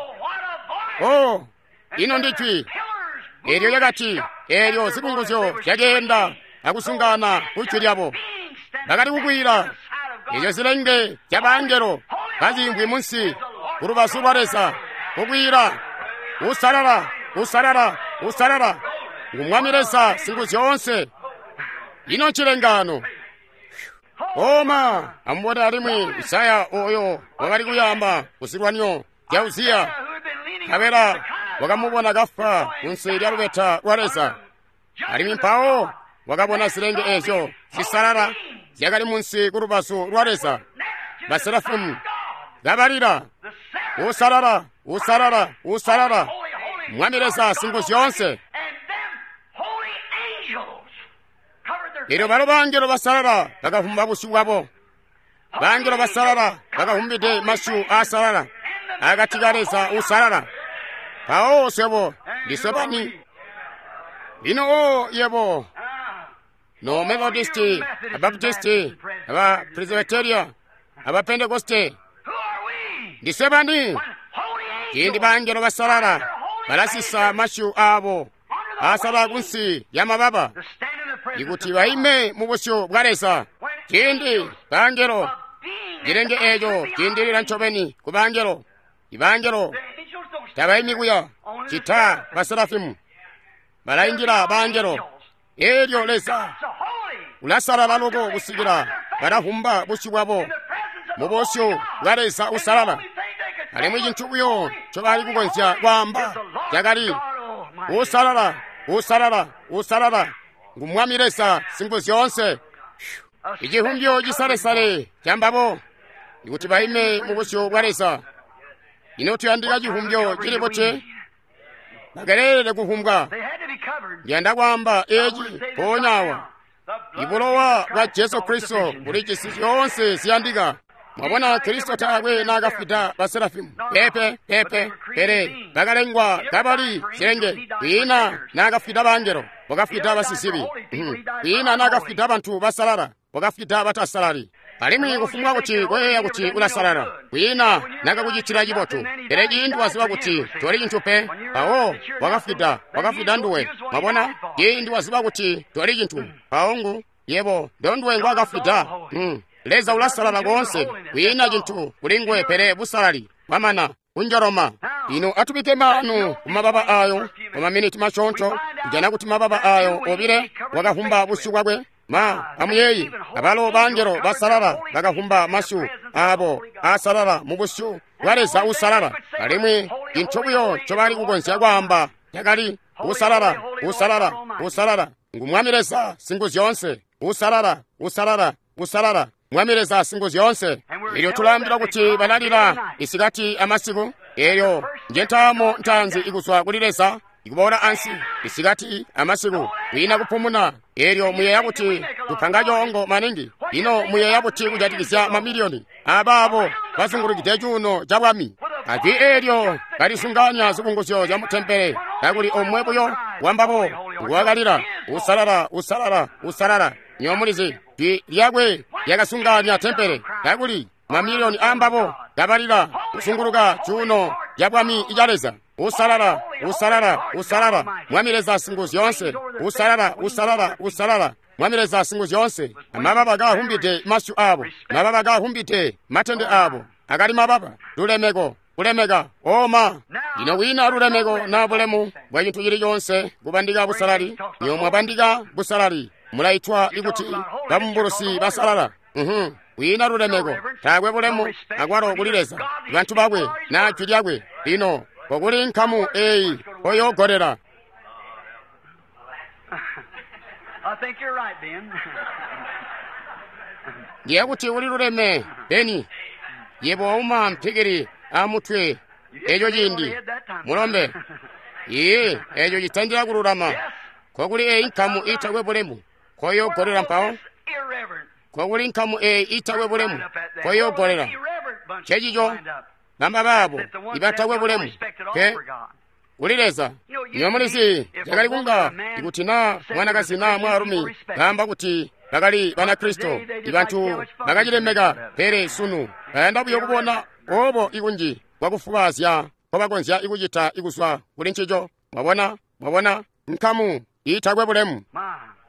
Oh, ino ndi jwi eelyo lyakati, eelyo zikunguzyo zyakeenda akusungana kujwi lyabo. Bakali kukwiila, eelyo zilenge zyabangelo kaziimvwi munsi ku lubazu lwa Leza, kukwiila, usalala, usalala, usalala, ngu Mwami Leza singuzu zyoonse. Ino ncilengano. Oma, amubone alimwi Isaya oyo wakali kuyamba kuzilwanyo zya Uziya, nkabela wakamubona kafwa kunsi lya lubeta lwa Leza. Alimwi mpawo wakabona zilenge ezyo zisalala zyakali munsi ku lubazu lwa Leza, baserafimu kabalila, usalala, usalala, usalala, Mwami Leza singuzu zyoonse. Elyo balo bangelo basalala bakavumba busyu bwabo, bangelo basalala bakavumbide masyu aasalala akati ka Leza usalala. Mpawo swebo ndiswe bani? Lino o yebo no Methodisti, Abaptisti, aba Presbyteria, aba Pentekoste, ndiswe bani? Ciindi bangelo basalala balasisa masyu aabo asalala kunsi ya mababa, ikuti baime mu busyu bwa Leza. Ciindi bangelo, cilenge eeco ciindilila ncobeni ku bangelo. Ibangelo tabaimi kuya cita baserafimu, balaindila bangelo. Eelyo Leza ulasalala loko kusikila balavumba busyu bwabo mu busyu bwa Leza usalala. Alimwi cintu buyo ncobali kukonzya kwaamba cakali, usalala, usalala, usalala, ngu Mwami Leza singuzu zyoonse. Icihumbyo cisalesale cambabo ikuti baime mu busyu bwa Leza. Ino tuyandika cihumbyo cili buti? Bakelelele kuhumbwa. Ndiyanda kwaamba eci mpoonya awa. Ibulowa bwa Jesu Kristo bulijisi zyoonse ziyandika. Mwabona, Kristo taakwe naakafwida baserafimu, pepe pepe, pele bakalengwa kabali zilenge. Kwiina naakafwida bangelo, wakafwida basizibi. Kwiina naakafwida bantu basalala, wakafwida batasalali. Alimwi kufumbwa kuti koyeeya kuti ulasalala, kwiina nakakucitila cibotu. Pele ciindi waziba kuti toli cintu pe, mpawo wakafwida, wakafwida nduwe. Mwabona? Ciindi waziba kuti toli cintu, mpawo ngu yebo ndonduwe ngwakafwida. Mm. Leza ulasalala koonse, kwiina cintu kuli nguwe pele busalali. Bwamana kunjoloma. Lino atubike maanu kumababa ayo mu maminiti masyoonto, kujana kuti mababa ayo obile wakavumba busyu bwakwe. Ma amuyeeyi, abalo bangelo basalala bakavumba masyu abo asalala mu busyu bwa Leza uusalala. Alimwi cintu buyo ncobali kukonzya kwaamba cakali usalala, usalala, usalala. Ngu Mwami Leza Singuzyoonse, usalala, usalala, usalala. Mwami Leza Singuzyoonse. Elyo tulaambila kuti balalila isikati amasiku. Eyo nje ntaamo ntaanzi ikuzwa kuli Leza ikuboola ansi isikati amasiku, kwiina kupumuna. Elyo muyeeya kuti tupanga coongo maningi. Ino muyeeya kuti kujatikizya mamiliyoni abaabo bazungulukide cuuno ca bwami? Ajwi eelyo kalisunganya zikunguzyo zya mutempele, kakuli omwe buyo wambabo nguwakalila usalala, usalala, usalala. Nyo mulizi, jwi lyakwe lyakasunganya tempele, kakuli mamiliyoni aambabo kabalila kusunguluka cuuno ca bwami ca Leza. Usalala, usalala, usalala, Mwami Leza Singuzyoonse. Usalala, usalala, usalala, Mwami Leza Singuzyoonse. Amababa kahumbide masyu abo, mababa kahumbide matende abo, akali mababa lulemeko, kulemeka oma. Lino kwiina lulemeko na bulemu bwa cintu cili coonse kubandika busalali. Nyo mwabandika busalali, mulaitwa ikuti babumbulusi basalala. Mhm. Kwiina lulemeko, taakwe bulemu akwalo kuli Leza, bantu bakwe na jwi lyakwe. Lino kokuli nkamu eyi koyoogolera. I think you're right, Ben. Ndiye kuti uli luleme, Beni. Yebo wauma mpikili amutwe eco ciindi mulombe. Iye, eco citandila kululama. Kokuli eyi nkamu itakwe bulemu koyoogolera mpawo. Kokuli nkamu eyi itakwe bulemu koyoogolera. Cecico bamba baabo ibatakwe bulemu pe kuli Leza. Nyo mulizi cakali kunga ikuti na mwanakazi na mwaalumi baamba kuti bakali Banakristo, ibantu bakacilemeka, pele sunu bayanda buyo kubona obo ikunji kwakufubaazya nkobakonzya ikucita ikuzwa kuli ncico. Mwabona, mwabona nkamu itakwe bulemu.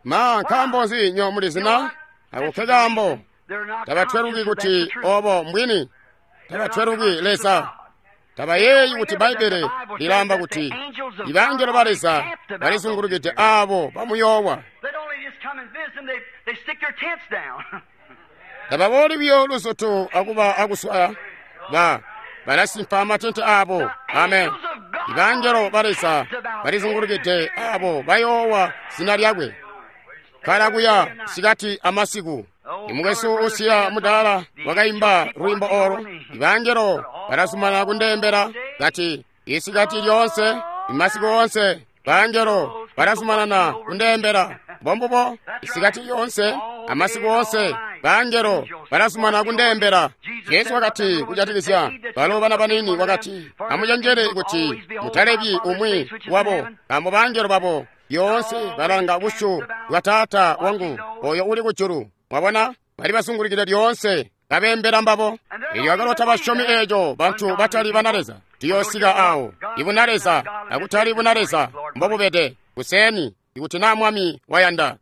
Ma nkaambo nzi nyo mulizi na ako kaambo tabatweluki kuti obo mbwini, tabatweluki Leza. Tabayeeyi kuti Bbaibbele lilaamba kuti ibangelo ba Leza balizungulukide aabo bamuyoowa. They'd only just come and visit them. They, they stick their tents down. Tababooli buyo luzoto akuba akuswaya, ba balasimpa amatente abo. Amen. Ibangelo ba Leza balizungulukide aabo bayoowa zina lyakwe. Kala kuya sikati amasiku. Imukwesu usiya mudaala wakaimba lwimbo olo. Ibangelo balasumana kundembela kati isikati lyonse imasiku onse bangelo balasumanana kundembela. Mbombubo isikati lyonse amasiku onse bangelo balasumana kundembela. Yesu wakati kujatikizya balo bana banini wakati amucenjele kuti mutalebyi umwi wabo, nkaambo bangelo babo yoonse balanga busyu bwa Taata wangu oyo uli kujulu. Mwabona, bali basungulukide lyoonse kabembela mbabo. Elyo akalota basyomi eeco bantu batali bana Leza. Tuyoosika awo ibuna Leza akutali buna Leza mbobubede kuseni ikuti na Mwami wayanda.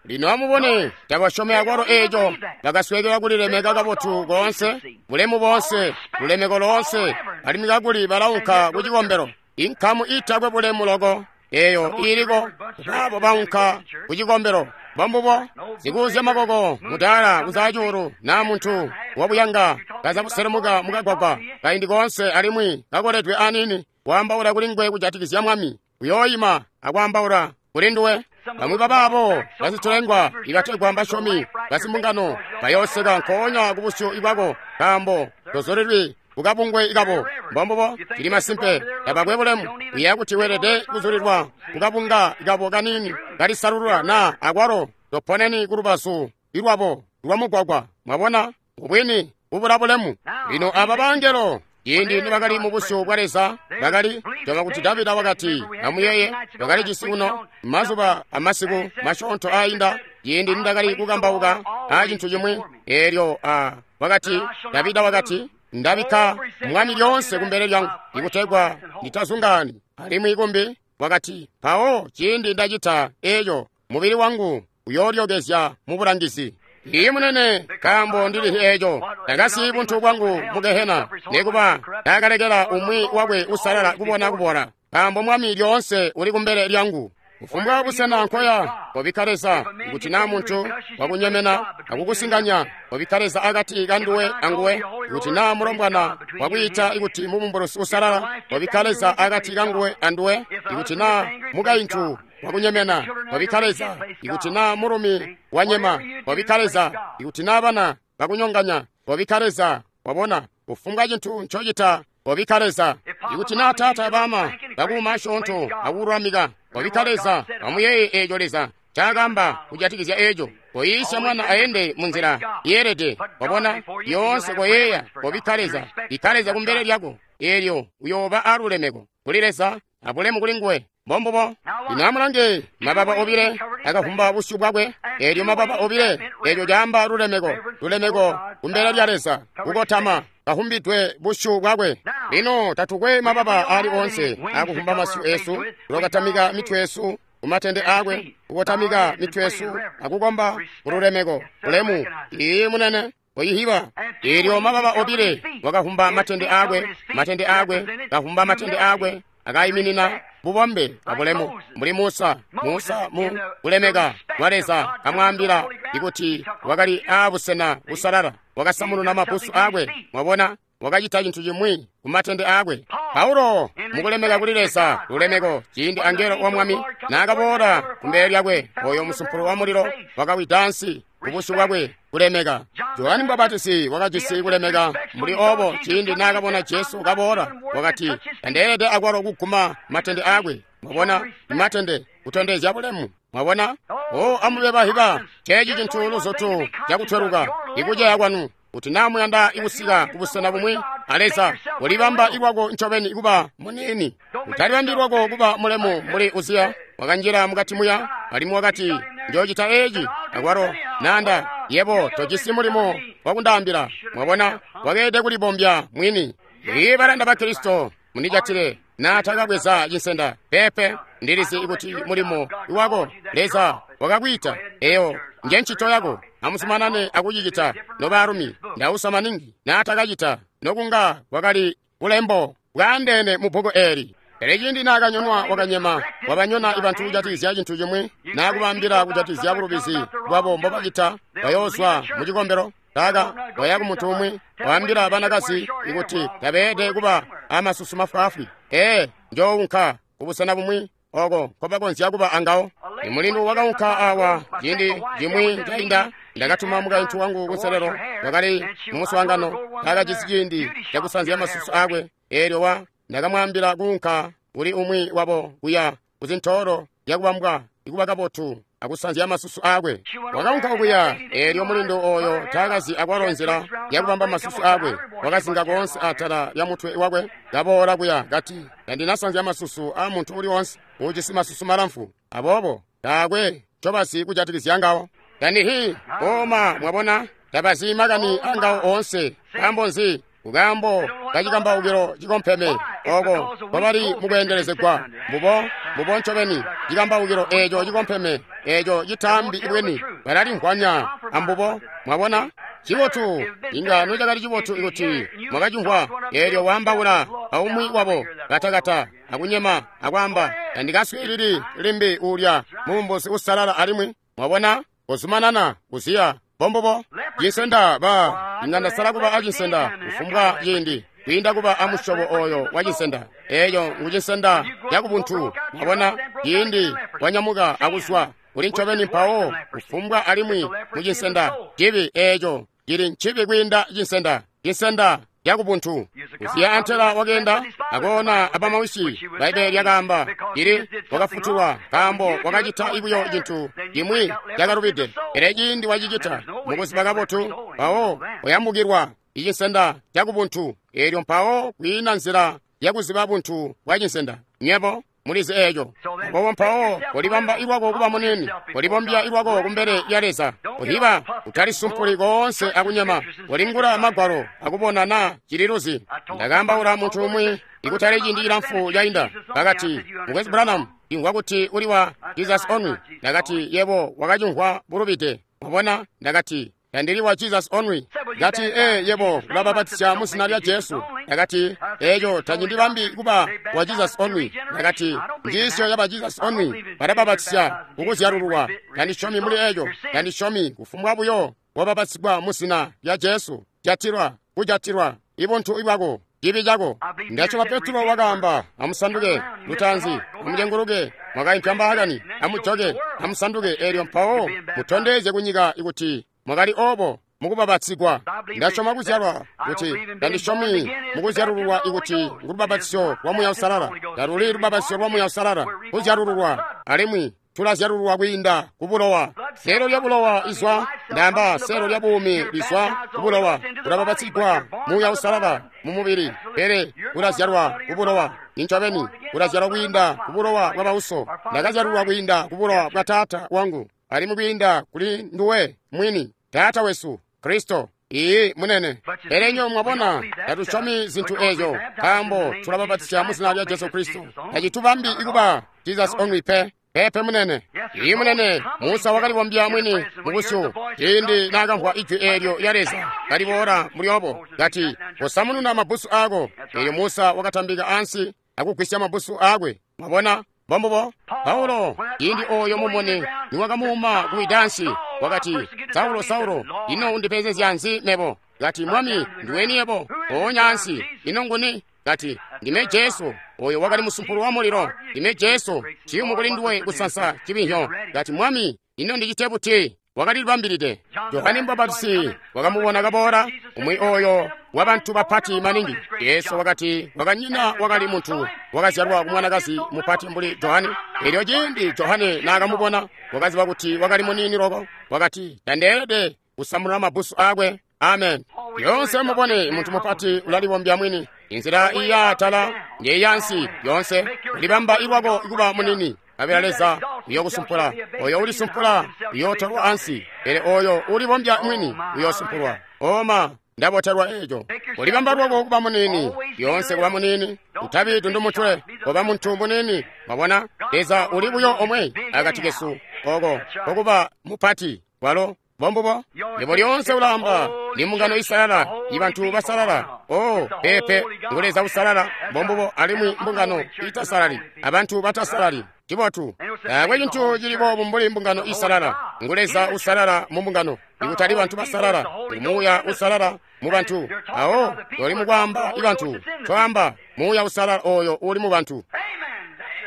Lino amubone, tabasyomi akwalo eeco bakaswekela kulilemeka kabotu koonse, bulemu boonse, lulemeko loonse, alimwi kakuli balaunka ku cikombelo. Inkamu itakwe bulemu loko eyo iliko baabo baunka ku cikombelo. Mbombubo sikuuzya makoko mudaala kuzacuulu na muntu wabuyanga kaza kuselemuka mukagwagwa kaindi koonse alimwi kakoledwe anini waambaula kuli nguwe kujatikizya Mwami, uyooyima akwaambaula kuli nduwe. Bamwi babaabo basitulengwa ibategwa mbasyomi basimbungano bayooseka nkoonya kubusyu bwako nkaambo tozulilwi kukabungwe ikabo. Mbombubo cili masimpe tabakwe bulemu. Uyeeya kuti weelede kuzulilwa kukabunga ikabo kanini kalisalulula na akwalo toponeni kulubazu ilwabo lwamugwagwa. Mwabona ubwini ubula bulemu. Lino aba bangelo ciindi nibakali mu busyu bwa Leza bakali toba kuti Davida wakati amuyeye bakali cisi uno mazuba amasiku masyoonto ainda ciindi nindakali kukambauka a cintu cimwi eelyo a wakati Davida wakati ndabikka mwami lyoonse kumbele lyangu ikutegwa nditazungaani alimwi kumbi wakati mpawo ciindi ndacita eeco mubili wangu uyoolyokezya mu bulangizi. Iye munene nkaambo ndili eeco ndakasiyi buntu bwangu mu gehena nekuba ndakalekela umwi wakwe usalala kubona kubola nkaambo mwami lyoonse uli kumbele lyangu. Kufumbwa busena nkoya kobikka Leza kuti naa muntu wakunyemena akukusinganya kobikka Leza akati kanduwe anguwe kuti naa mulombwana wakwiita ikuti mubumbulusi usalala kobikka Leza akati kanguwe anduwe ikuti naa mukaintu wakunyemena kobikka Leza ikuti naa mulumi wanyema kobikka Leza ikuti naa bana bakunyonganya kobikka Leza. Wabona kufumbwa cintu ncocita kobikka Leza. Ikuti naa taata bama bakuuma asyoonto akululamika kobikka Leza. Amuyeeye eeco Leza ncaakaamba kujatikizya eeco. Koyiisya mwana aende munzila yeelede. Wabona yoonse koyeeya kobikka Leza. Bikka Leza kumbele lyako eelyo uyooba alulemeko kuli Leza abulemu kuli nguwe. Mbombubo. Lino amulange mababa obile akavumba busyu bwakwe eelyo mababa obile eelyo caamba lulemeko lulemeko kumbele lya Leza kukotama kahumbidwe busyu bwakwe. Lino tatukwe mababa ali onse akuvumba masyu esu tulokatamika mitwe yesu kumatende akwe kukotamika mitwe yesu akukomba kululemeko ulemu. Iye munene oyihiba eelyo mababa obile wakavumba matende akwe matende akwe kavumba matende akwe akayiminina bubombe abulemu mbuli Musa. Musa mu kulemeka kwa Leza kamwaambila ikuti wakali aabusena busalala wakasamununa mabusu akwe. Mwabona wakacita cintu chimwi kumatende akwe. Paulo mukulemeka kuli Leza lulemeko ciindi angelo wa mwami naakaboola kumbele lyakwe oyo musumpulo wa mulilo wakawida ansi kubusyu bwakwe kulemeka. Johani Mubapatizi wakajisi kulemeka mbuli obo ciindi naakabona Jesu kaboola wakati tandeelede akwalo kuguma matende akwe. Mwabona matende kutondezya bulemu. Mwabona o amube bahiba ceeci cintu luzotu cakutweluka ikuceya kwanu kuti naa muyanda ikusika kubusena bumwi a Leza ulibamba ikwako ncobeni kuba muniini utalibambi lwako kuba mulemu mbuli Uziya wakanjila mukati muya alimwi wakati njoocita eeci akwalo nanda yebo tojisi mulimo wakundaambila. Mwabona wakeede kulibombya mwini. Iye balanda ba Kristo mundijatile naatakabweza cinsenda pepe ndilizi kuti mulimo wako Leza wakakwiita eyo nje ncito yako amuzumanane akucicita nobaalumi. Ndausa maningi naatakacita nokunga kwakali bulembo bwaandeene mu bbuku eeli. Pele ciindi naakanyonwa wakanyema wabanyona ibantu kujatikizya cintu cimwi naakubambila kujatikizya bulubizi bwabo mbobacita bayoozwa mu cikombelo. Taka waya ku muntu umwi waambila banakazi ikuti tabeelede kuba amasusu mafwaafwi. Ee njoowunka kubusena bumwi oko nkobakonzya kuba angawo. Imulindu wakaunka awa ciindi cimwi cainda ndakatuma mukaintu wangu kunselelo wakali mumuswaangano taakajisi ciindi cakusanzya masusu akwe eelyo wa ndakamwaambila kuunka kuli umwi wabo kuya kuzintoolo zyakubambwa ikuba kabotu akusanzya masusu akwe. Wakaunka okuya eelyo mulindu oyo taakazi akwalo nzila yakubamba masusu akwe wakazinga koonse atala lya mutwe wakwe kaboola kuya kati tandinasanzya masusu a muntu uli wonse uujisi masusu malamfu aboobo taakwe ncobazi kujatikizya ngawo. Tandihi koma mwabona tabazi makani angawo oonse. Nkaambo nzi? Kukaambo kacikambaukilo cikompeme oko nkobali mukweendelezegwa mbubo mbubo ncobeni cikambaukilo eeco cikompeme eeco citaambi bweni balalimvwanya ambubo. Mwabona cibotu inga nocakali cibotu ikuti mwakacimvwa eelyo waambaula aumwi wabo katakata akunyema akwaamba tandikaswiilili limbi uulya mubumbusi usalala alimwi. Mwabona kuzumanana kuziya bombobo cinsenda ba inga ndasala kuba acinsenda kufumbwa ciindi kwiinda kuba amusyobo oyo wa cinsenda eeyo ngu cinsenda cakubuntu. Mwabona ciindi wanyamuka akuzwa uli ncobeni mpawo kufumbwa alimwi mu cinsenda cibi eeco cili ncibi kwiinda cinsenda cinsenda cakubuntu. Uziya antela wakeenda akoona abamawisi. Bbaibbele lyakaamba ili wakafutulwa nkaambo wakacita buyo cintu cimwi cakalubide. Pele ciindi wacicita mukuziba kabotu mpawo wayambukilwa icinsenda cakubuntu eelyo mpawo kwiina nzila yakuziba buntu bwa cinsenda. Nyebo Mulizi eeco. Aboobo mpawo kolibamba ilwako kuba munini, kolibombya ilwako kumbele lya Leza. Kuhiba utalisumpuli koonse akunyama, kolingula Magwalo akubona naa cililuzi. Ndakaambaula muntu umwi ikutali ciindi cilamfu cainda, bakati, Mukwesu Branham, imvwa kuti uli wa Jesus Only. Ndakati, yebo wakacimvwa bulubide. Mwabona? Ndakati, tandili wa Jesus Only. Ndakati, ee, yebo ulabapatizya mu zina lya Jesu. Ndakati, eeco tacindibambi kuba wa Jesus Only. Ndakati, njiisyo yaba Jesus Only balabapatizya kukuzyalululwa. Tandisyomi muli eeco. Tandisyomi kufumbwa buyo wabapatizigwa mu zina lya Jesu. Jatilwa, kujatilwa, ibuntu ibwako, cibi cako. Ndasyoma Petro wakaamba, amusanduke lutaanzi, amucenguluke, mwakaimpya mbaakani, amujoke, amusanduke, eelyo mpawo mutondezye kunyika ikuti mwakali obo mukubapatizigwa. Ndasyoma kuzyalwa kuti tandisyomi mukuzyalululwa ikuti ngulubapatizyo lwa Muuya Uusalala. Taluli lubapatizyo lwa Muuya Uusalala, kuzyalululwa, alimwi tulazyalululwa kwiinda ku bulowa. Seelo lya bulowa izwa, ndaamba seelo lya buumi lizwa ku bulowa. Ulabapatizigwa Muuya Uusalala mu mubili, pele ulazyalwa ku bulowa. Incobeni ulazyalwa kwiinda ku bulowa bwa bauso. Ndakazyalulwa kwiinda ku bulowa bwa taata wangu, alimwi kwiinda kuli nduwe mwini, Taata wesu Kristo. Iiyi, munene. Pele nyo mwabona, tatusyomi zintu eezyo, nkaambo tulabapatizya mu zina lya Jesu Kristo. Tacitubambi ikuba Jesus Only pe. Pepe munene. Iiyi munene, Musa wakalibombya mwini mubusyu ciindi naakamvwa ijwi eelyo lya Leza kaliboola muli obo, kati, kosamununa mabbusu aako. Eelyo Musa wakatambika ansi akugwisya mabbusu aakwe. Mwabona? Mbombubo. Paulo, ciindi ooyo mumuni niwakamuuma kuwidansi, wakati, Saulo, Saulo, ino undipenzezya nzi mebo? Kati, Mwami, ndiweni yebo? Mpoonya ansi, ino nguni? Kati, ndime Jesu, oyo wakali musumpulu wa mulilo. Ndime Jesu, ciyumu kuli nduwe kusansa cibinhyo. Kati, Mwami, ino ndicite buti? Wakalilibambilide. Johane Mubapatizi wakamubona kaboola, umwi oyo wa bantu bapati maningi. Yesu wakati wakanyina wakali muntu wakazyalwa ku mwanakazi mupati mbuli Johane. Elyo ciindi Johane naakamubona, wakaziba kuti wakali muniini loko. Wakati, tandeelede kusamununa mabbusu aakwe. Amen. Yoonse mubone muntu mupati ulalibombya mwini. Inzila iyaatala njeyansi yoonse ulibamba ilwako kuba munini. Kabela Leza uyokusumpula. Oyo ulisumpula uyootolwa ansi, pele oyo ulibombya mwini uyosumpulwa. Oma ndabotelwa eeco. Ulibamba lwako kuba munini, yoonse kuba munini, utabi dundumutwe, koba muntu munini. Mwabona, Leza uli buyo omwe akati kesu, oko kokuba mupati walo. Mbombubo. Yebo lyoonse ulaamba, ni mbungano isalala, ibantu basalala. Oh, pepe, ngu Leza usalala. Mbombubo, alimwi mbungano itasalali, abantu batasalali. Cibotu. Taakwe cintu cili boobu mbuli mbungano isalala. Ngu Leza usalala mu mbungano, ikutali bantu basalala. Ngu Muuya usalala mu bantu. Awo, toli mukwaamba ibantu, twaamba Muuya usalala oyo uli mu bantu.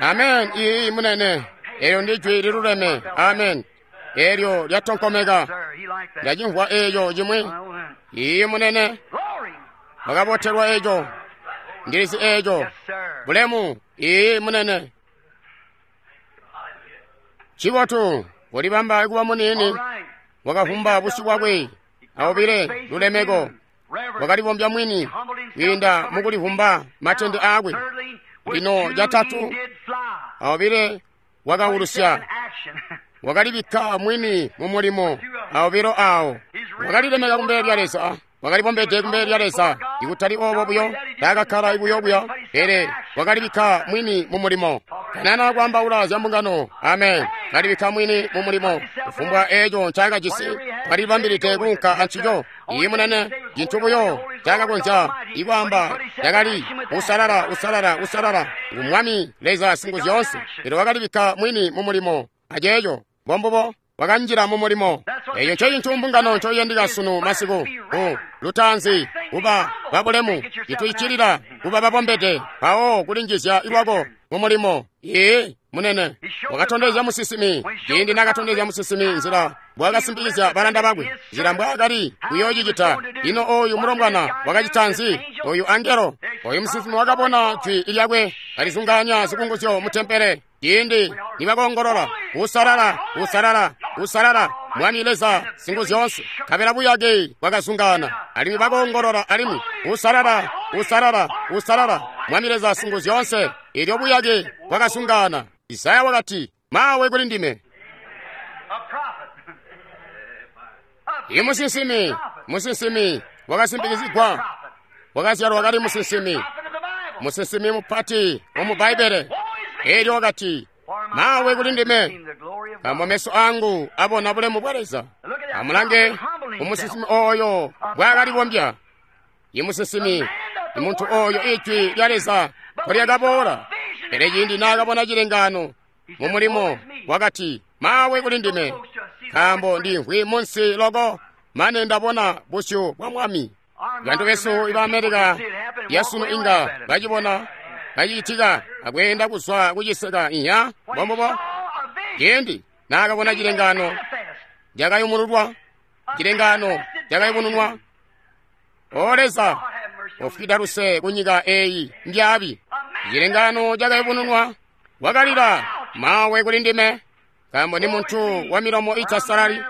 Amen. Iiyi, munene. Eelyo ndi jwi liluleme. Amen. Eelyo lyatonkomeka. Ndacimvwa eeco cimwi. Iiyi, munene. Wakabotelwa eeco. Ndilizi eeco. Bulemu. Iiyi, munene. Cibotu, ulibamba kuba munini, wakavumba busyu bwakwe, awubile lulemeko, wakalibombya mwini kwiinda mukulivumba matende aakwe. Lino catatu, awubile wakaulusya, wakalibikka mwini mu mulimo, awubilo aawo wakalilemeka kumbele lya Leza. Wakalibombede kumbele lya Leza, ikutali obo buyo, taakakkala buyo buyo, pele wakalibikka mwini mu mulimo. Kanana kwaambaula zya mbungano. Amen. Kalibikka mwini mu mulimo. Kufumbwa eeco ncaakajisi, wakalibambilide kuunka ancico. Iiyi munene, cintu buyo ncaakakonzya ikwaamba cakali usalala, usalala, usalala ngu Mwami Leza Singuzyoonse. Pele wakalibikka mwini mu mulimo aceeco. Mbombubo. Wakanjila mu mulimo. Eeco ncecintu mbungano ncoiyandika sunu masiku. Ku lutaanzi kuba babulemu, cituicilila kuba babombede, mpawo kulinjizya ilwako mu mulimo. Iiyi munene. Wakatondezya musinsimi, ciindi naakatondezya musinsimi nzila mbwaakasimpikizya balanda bakwe, nzila mbwaakali kuyoocicita. Ino ooyu mulombwana wakacita nzi? Oyu angelo, oyu musinsimi wakabona jwi lyakwe kalizungaanya zikunguzyo mu tempele. Ciindi nibakoongolola, usalala, usalala, usalala, Mwami Leza Singuzyoonse, nkabela buyake bwakazungaana. Alimwi bakoongolola alimwi, usalala, usalala, usalala, Mwami Leza Singuzyoonse. Elyo buyake bwakasungana. Isaya wakati, mawe kuli ndime. I musinsimi, musinsimi wakasimpikizigwa, wakazyalwa kali musinsimi, musinsimi mupati wamu Bbaibbele. Elyo wakati, mawe kuli ndime, nkaambo meso angu abona bulemu bwa Leza. Amulange umusinsimi oyo bwakalibombya. I musinsimi, imuntu oyo ijwi lya Leza lyakaboola. Pele ciindi naakabona cilengaano mu mulimo, wakati, mawe kuli ndime, nkaambo ndimvwi munsi loko mane ndabona busyu bwa Mwami. Bantu besu iba Amerika yasunu inga bacibona kacicitika akweenda kuzwa kuciseka inya mbombubo. Ciindi naakabona cilengaano cakayumululwa, cilengaano cakayubununwa. O Leza, ofwida luse kunyika eyi mbyaabi. Cilengaano cakayubununwa, wakalila, mawe kuli ndime, nkaambo ndi muntu wa milomo itasalali,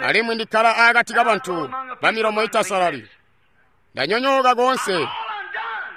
alimwi ndikkala akati kabantu ba milomo itasalali. Ndanyonyooka koonse,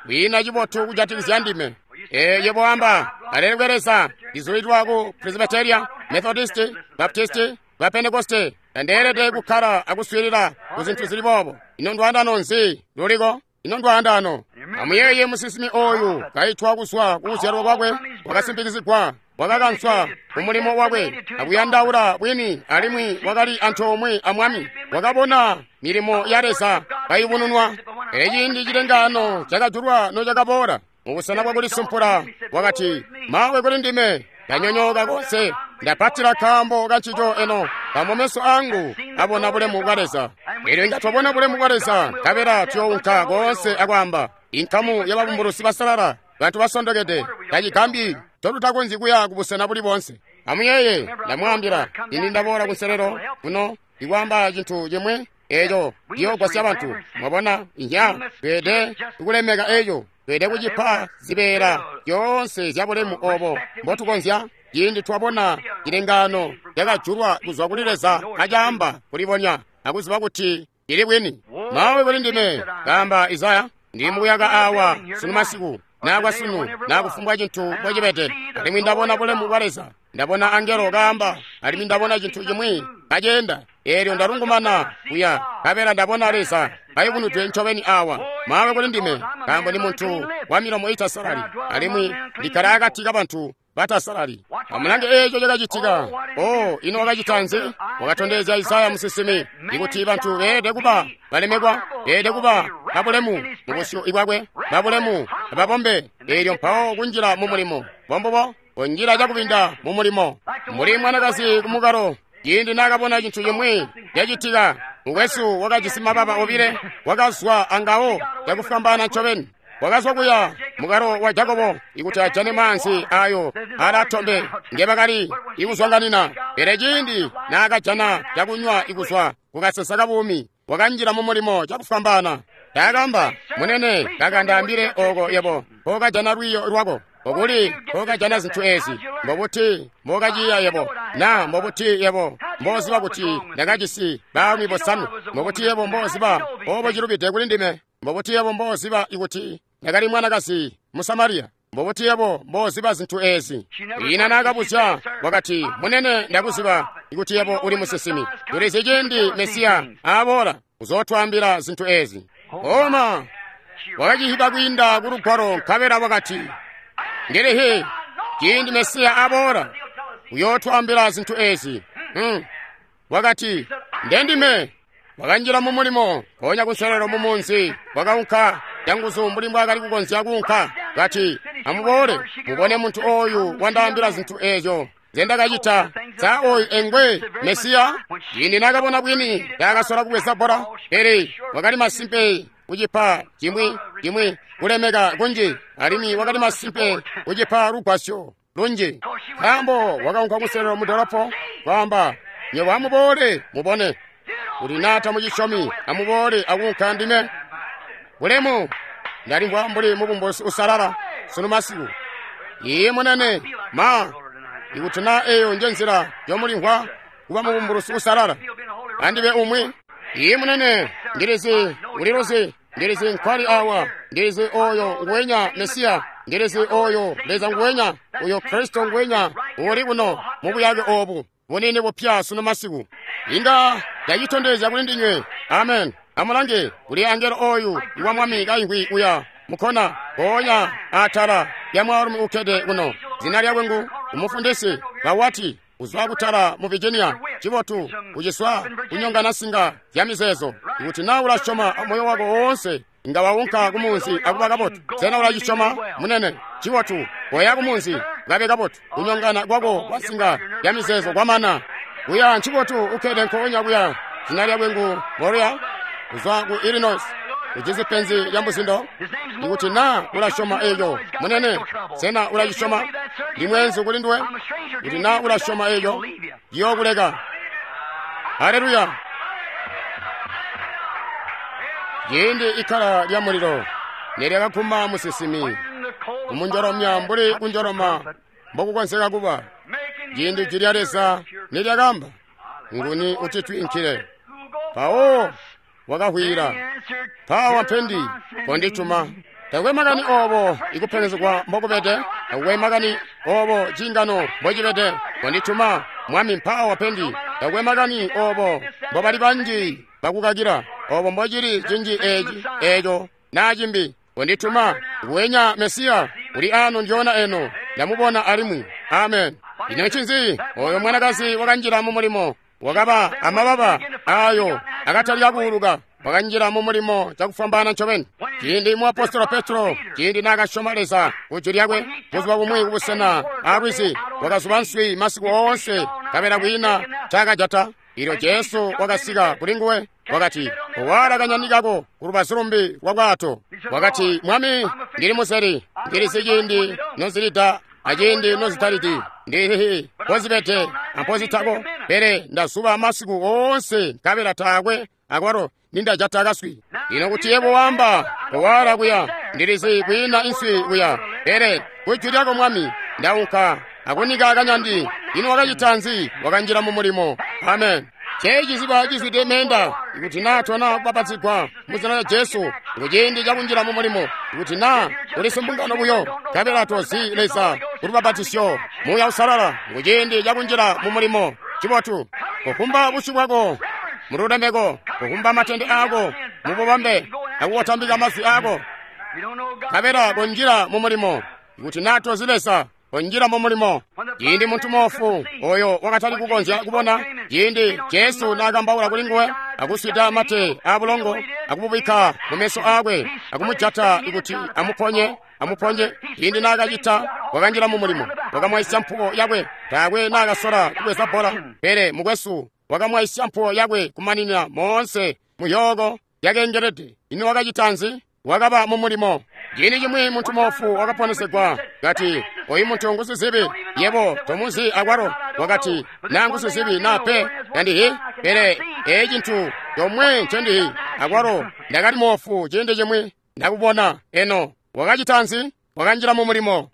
kwiina cibotu kujatikizya ndime. Ee, yebo wamba, alelekwe Leza, ndizulidwa ku Presbyteria, Methodist, Baptist, ba Pentekoste. Ndandeelede kukkala akuswiilila ku zintu zili boobo. Ino ndwaandano nzi luliko? Ino ndwaandano. Amuyeeye musinsimi oyu kaitwa kuzwa kukuzyalwa kwakwe, wakasimpikizigwa, wakakanswa kumulimo wakwe, akuyandaula bwini, alimwi wakali antoomwe a Mwami. Wakabona milimo ya Leza kayubununwa. Pele ciindi cilengaano cakajulwa nocakaboola, mubusena bwakulisumpula, wakati, mawe kuli ndime, ndanyonyooka konse, ndapatila nkaambo kancico eno, nkaambo meso angu abona bulemu bwa Leza. Elyo inga twabona bulemu bwa Leza, nkabela tuyounka koonse akwaamba, inkamu yababumbulusi basalala, bantu basondokede, tacigambyi totutakonzyi kuya kubusena buli boonse. Amuyeeye, ndamwaambila, ini ndaboola kunselelo kuno ikwaamba cintu cimwi eco ciyoogwasya bantu. Mwabona, inya, tweede kulemeka eco, tweede kucipa zibeela zyoonse zya bulemu obo mbotukonzya. Ciindi twabona cilengaano cakajulwa kuzwa kuli Leza acaamba kulibonya akuziba kuti cili bwini. Mawe kuli ndime, kaamba Isaya, ndi mukuyaka awa sunu masiku, naa sunu, naa kufumbwa cintu mbocibede, alimwi ndabona bulemu bwa Leza. Ndabona angelo kaamba, alimwi ndabona cintu cimwi kaceenda. Eelyo ndalungumana kuya, nkabela ndabona Leza kayubunudwe ncobeni awa. Mawe kuli ndime, nkaambo ndi muntu wa milomo itasalali, alimwi ndikkala akati kabantu batasalali. Amulange eeco cakacitika. Oh, ino wakacita nzi? Wakatondezya Isaya musinsimi ikuti bantu beelede kuba balemekwa, beelede kuba babulemu mubusyu bwakwe, babulemu ababombe. Eelyo mpawo kunjila mu mulimo bombubo, kunjila cakubinda mu mulimo. Mbuli mwanakazi kumukalo, ciindi naakabona cintu cimwi cacitika, mukwesu wakajisi mababa obile, wakazwa angawo cakufwambaana ncobeni. Wakazwa kuya mukalo wa Jakobo ikuti ajane maanzi ayo alatombe ngebakali ikuzwanganina. Pele ciindi naakajana cakunywa ikuzwa kukasesa kabuumi, wakanjila mu mulimo cakufwambaana. Taakamba, munene, kakandaambile oko yebo mpokajana lwiiyo lwako, okuli mpokajana zintu ezi, mbobuti mbokaciya yebo, na mbobuti yebo mboziba kuti ndakajisi baalumi bosanwe, mbobuti yebo mboziba obo cilubide kuli ndime, mbobuti yebo mboziba ikuti ndakali mwanakazi Musamariya, mbobuti yebo mboziba zintu ezi. Ina naakabuzya, wakati, munene, ndakuziba ikuti yebo uli musinsimi. Tulizi ciindi Mesiya aboola uzootwaambila zintu ezi. Oma wakacihiba kwiinda ku lugwalo, nkabela wakati, ndilihi ciindi Mesiya aboola uyootwaambila zintu ezi. Hmm. Wakati, ndendime. Wakanjila mu mulimo, mpoonya kunselelo mu munzi, wakaunka canguzu mbuli mbwaakali kukonzya kuunka. Kati, amuboole mubone muntu oyu wandaambila zintu eezyo nzendakacita. Sa oyu engwe Mesiya? Ciindi naakabona bwini, taakasola kubweza bbola, pele wakali masimpe kucipa cimwi cimwi kulemeka kunji, alimwi wakali masimpe kucipa lugwasyo lunji. Nkaambo wakaunka kunselelo mu dolopo kwaamba, nywebo amuboole mubone. Kuti naa tamucisyomi, amuboole akuunka ndime. Bulemu, ndalimvwa mbuli mubumbusi usalala sunu masiku. Iye munene, ma ikuti naa eyo nje nzila yomulimvwa kuba mubumbulusi usalala, andibe umwi. Iye munene, ndilizi uliluzi, ndilizi nkwali awa, ndilizi oyo nguwenya Mesiya Ndilizi oyo Leza nguwenya, uyo Kristo nguwenya uli kuno mu buyake obu bunini bupya sunu masiku. Inga ndacitondezya kuli ndinywe. Amen. Amulange kuli angelo oyu iwa Mwami kaimvwi uya mukhona mpoonya atala ya mwaalumi ukkede kuno. Zina lyakwe ngu umufundisi Bawati uzwa kutala mu Virginia. Cibotu uciswa kunyongana singa zya mizeezo. Ikuti naa ulasyoma moyo wako woonse, inga waunka kumunzi akuba kabotu. Sena ulacisyoma, munene? Cibotu koya kumunzi kabe kabotu. Kunyongana kwako kwa singa ya mizeezo kwamana. Kuya ncibotu ukkede nkoonya kuya. Zina lyakwe ngu Moria uzwa ku Illinois. Ujisi penzi lya muzindo. Ikuti naa ulasyoma eyo, munene, sena ulacisyoma? Ndi mweenzu kuli nduwe. Kuti naa ulasyoma eyo, ndiyookuleka. Haleluya! Ciindi ikkala lya mulilo nelyakaguma musinsimi, kumunjolomya mbuli kunjoloma mbokukonzeka kuba. Ciindi jwi lya Leza nelyakamba, nguni utitwiinkile? Mpawo wakahwila, mpawa mpendi, kondituma. Takwe makani obo ikupenzegwa mbokubede, takwe makani obo cingano mbocibede, kondituma Mwami, mpawa mpendi. Takwe makani obo mbobali banji bakukakila, obo mbocili cinji eci eco naa cimbi, kondituma. Nguwenya Mesiya uli ano ndyona eno, ndamubona alimwi. Amen. Ino ncinzi? Oyo mwanakazi wakanjila mu mulimo, wakaba amababa ayo akatalika kuuluka. Wakanjila mu mulimo cakufwambaana ncobeni. Ciindi muapostolo Petro, ciindi naakasyoma Leza ku jwi lyakwe, buzuba bumwi kubusena alwizi, wakazuba nswi masiku oonse, nkabela kwiina ncaakajata. Ilyo Jesu wakasika kuli nguwe, wakati, "Owala kanyani kako ku lubazu lumbi lwa bwato." Wakati, "Mwami, ndili museli, ndilizi ciindi nozilida aciindi nozitalidi, ndilihi mpozibede ampozitako, pele ndazuba masiku oonse nkabela taakwe akwalo nindajata kaswi. Ino kuti yebo wamba, owala kuya, ndilizi kwiina inswi kuya, pele kujwi lyako Mwami, ndaunka akunika kanyandi." Ino wakacita nzi? Wakanjila mu mulimo. Amen. Ceciziba cizwide meenda. Ikuti naa tona kubapatizigwa mu zina lya Jesu, kuciindi cakunjila mu mulimo. Ikuti naa uli simbungano buyo, nkabela tozi Leza kulubapatisyo Muuya Usalala, kuciindi cakunjila mu mulimo. Cibotu kukumba busyu bwako mululemeko, kukumba matende aako mububambe, akukotambika mazwi aako, nkabela konjila mu mulimo. Ikuti naa tozi Leza, konjila mu mulimo. Ciindi muntu moofu oyo wakatali kukonzya kubona, ciindi Jesu naakambaula kuli nguwe, akuswida mate aabulongo, akumubikka mu meso aakwe, akumujata ikuti amuponye, amuponye. Ciindi naakacita, wakanjila mu mulimo, wakamwaisya mpuwo yakwe. Taakwe naakasola kubweza bbola, pele mukwesu wakamwaisya mpuwo yakwe kumanina moonse muyooko yakeengelede. Ino wakacita nzi? Wakaba mu mulimo. Ciindi cimwi muntu moofu wakaponesegwa, kati, "Oyu muntu ngusizibi, yebo tomuzi akwalo." Wakati, "Naa ngusizibi naa pe, tandihi, pele eeci cintu comwe ncendihi, akwalo ndakali moofu ciindi cimwi, ndakubona eno." Wakacita nzi? Wakanjila mu mulimo.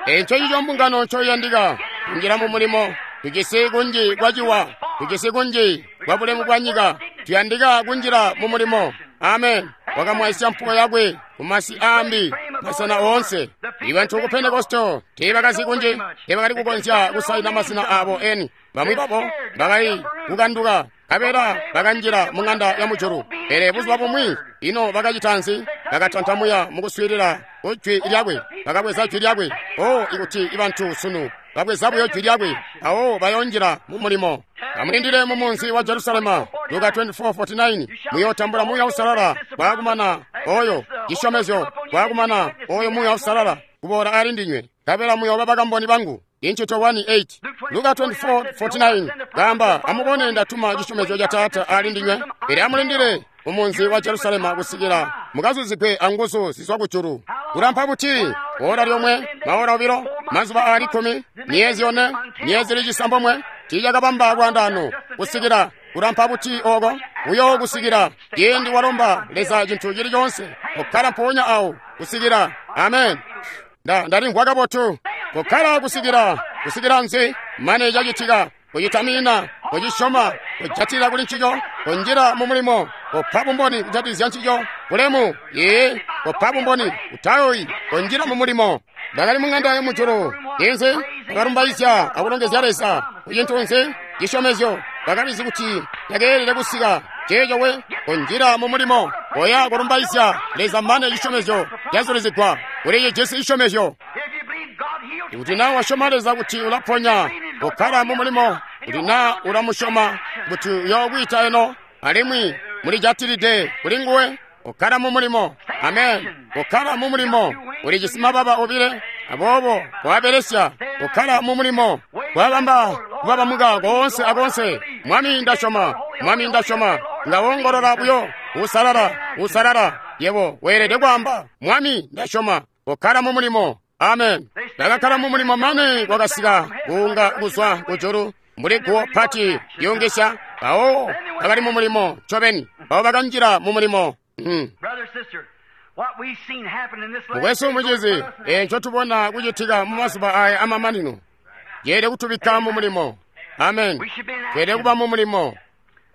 Eco cico mbungano ncoiyandika, kunjila mu mulimo. Tujisi kunji kwaciwa, tujisi kunji kwa bulemu bwa nyika, tuyandika kunjila mu mulimo. Amen. Wakamwaisya mpuwo yakwe kumasi aambi, masena oonse. Ibantu ku Pentekosto teebakazi kunji, teebakali kukonzya kusaina masina aabo eni. Bamwi babo bakali kukanduka, nkabela bakanjila mu ng'anda ya mujulu. Pele buzuba bumwi, ino bakacita nzi? Bakatantamuya mukuswiilila kujwi lyakwe, bakabweza jwi lyakwe. O, ikuti ibantu sunu babweza buyo jwi lyakwe, awo bayonjila mu mulimo. Amulindile mu munzi wa Jerusalema, Luka twenty-four forty-nine, muyootambula Muuya Usalala bwaakumana oyo cisyomezyo, bwaakumana oyo Muuya Usalala kuboola ali ndinywe, nkabela muyooba bakamboni bangu. Inchito one eight, Luka twenty-four forty-nine, kaamba, "Amubone, ndatuma cisyomezyo ca Taata ali ndinywe, pele amulindile mu munzi wa Jerusalema kusikila mukazuzigwe anguzu zizwa kujulu." Kulampa buti? Ora lyomwe, maora obilo, mazuba aali kkumi, myezi yone, myezi ili cisambomwe, tiicakabamba lwandaano kusikila kulampa buti oko uyo kusikila ciindi walomba Leza cintu cili coonse, kukkala mpoonya awo kusikila. Amen. Nda ndalimvwa kabotu. Kukkala kusikila, kusikila nzi? Mane cacitika, kucitamina, kucisyoma, kujatilila kuli ncico, kunjila mu mulimo, kupa bumboni kujatilizya ncico. Bulemu, ee, kopa bumboni, utayoyi, konjila mu mulimo. Ndakali mu ng'anda yamujulu, inzi bakalumbaizya akulongezya Leza ku cintu nzi cisyomezyo. Bakalizi kuti yakeelede kusika. Ceeco we, konjila mu mulimo, koya kulumbaizya Leza mane cisyomezyo cazulizigwa. Uli cijisi cisyomezyo. Ikuti naa wasyoma Leza kuti ulaponya, kokkala mu mulimo. Kuti naa ulamusyoma kuti uyookwiita eno, alimwi mulijatilide kuli nguwe, kokkala mu mulimo. Amen. Kokkala mu mulimo. Ulijisi mababa obile, aboobo koabelesya. Kokkala mu mulimo. Kwabamba kubabamuka koonse akoonse. Mwami ndasyoma, Mwami ndasyoma. Nga wongolola buyo, usalala, usalala. Yebo weelede kwaamba, Mwami ndasyoma. Kokkala mu mulimo. Amen. Ndakakkala mu mulimo mane kwakasika kuunga kuzwa kujulu mbuli guwo pati lyungisya. Mpawo bakali mu mulimo ncobeni. Mpawo bakanjila mu mulimo. Mm. Mukwesu mucizi, eco tubona kucitika mu mazuba aya amamanino yeelede kutubikka mu mulimo. Amen. Tweelede kuba mu mulimo.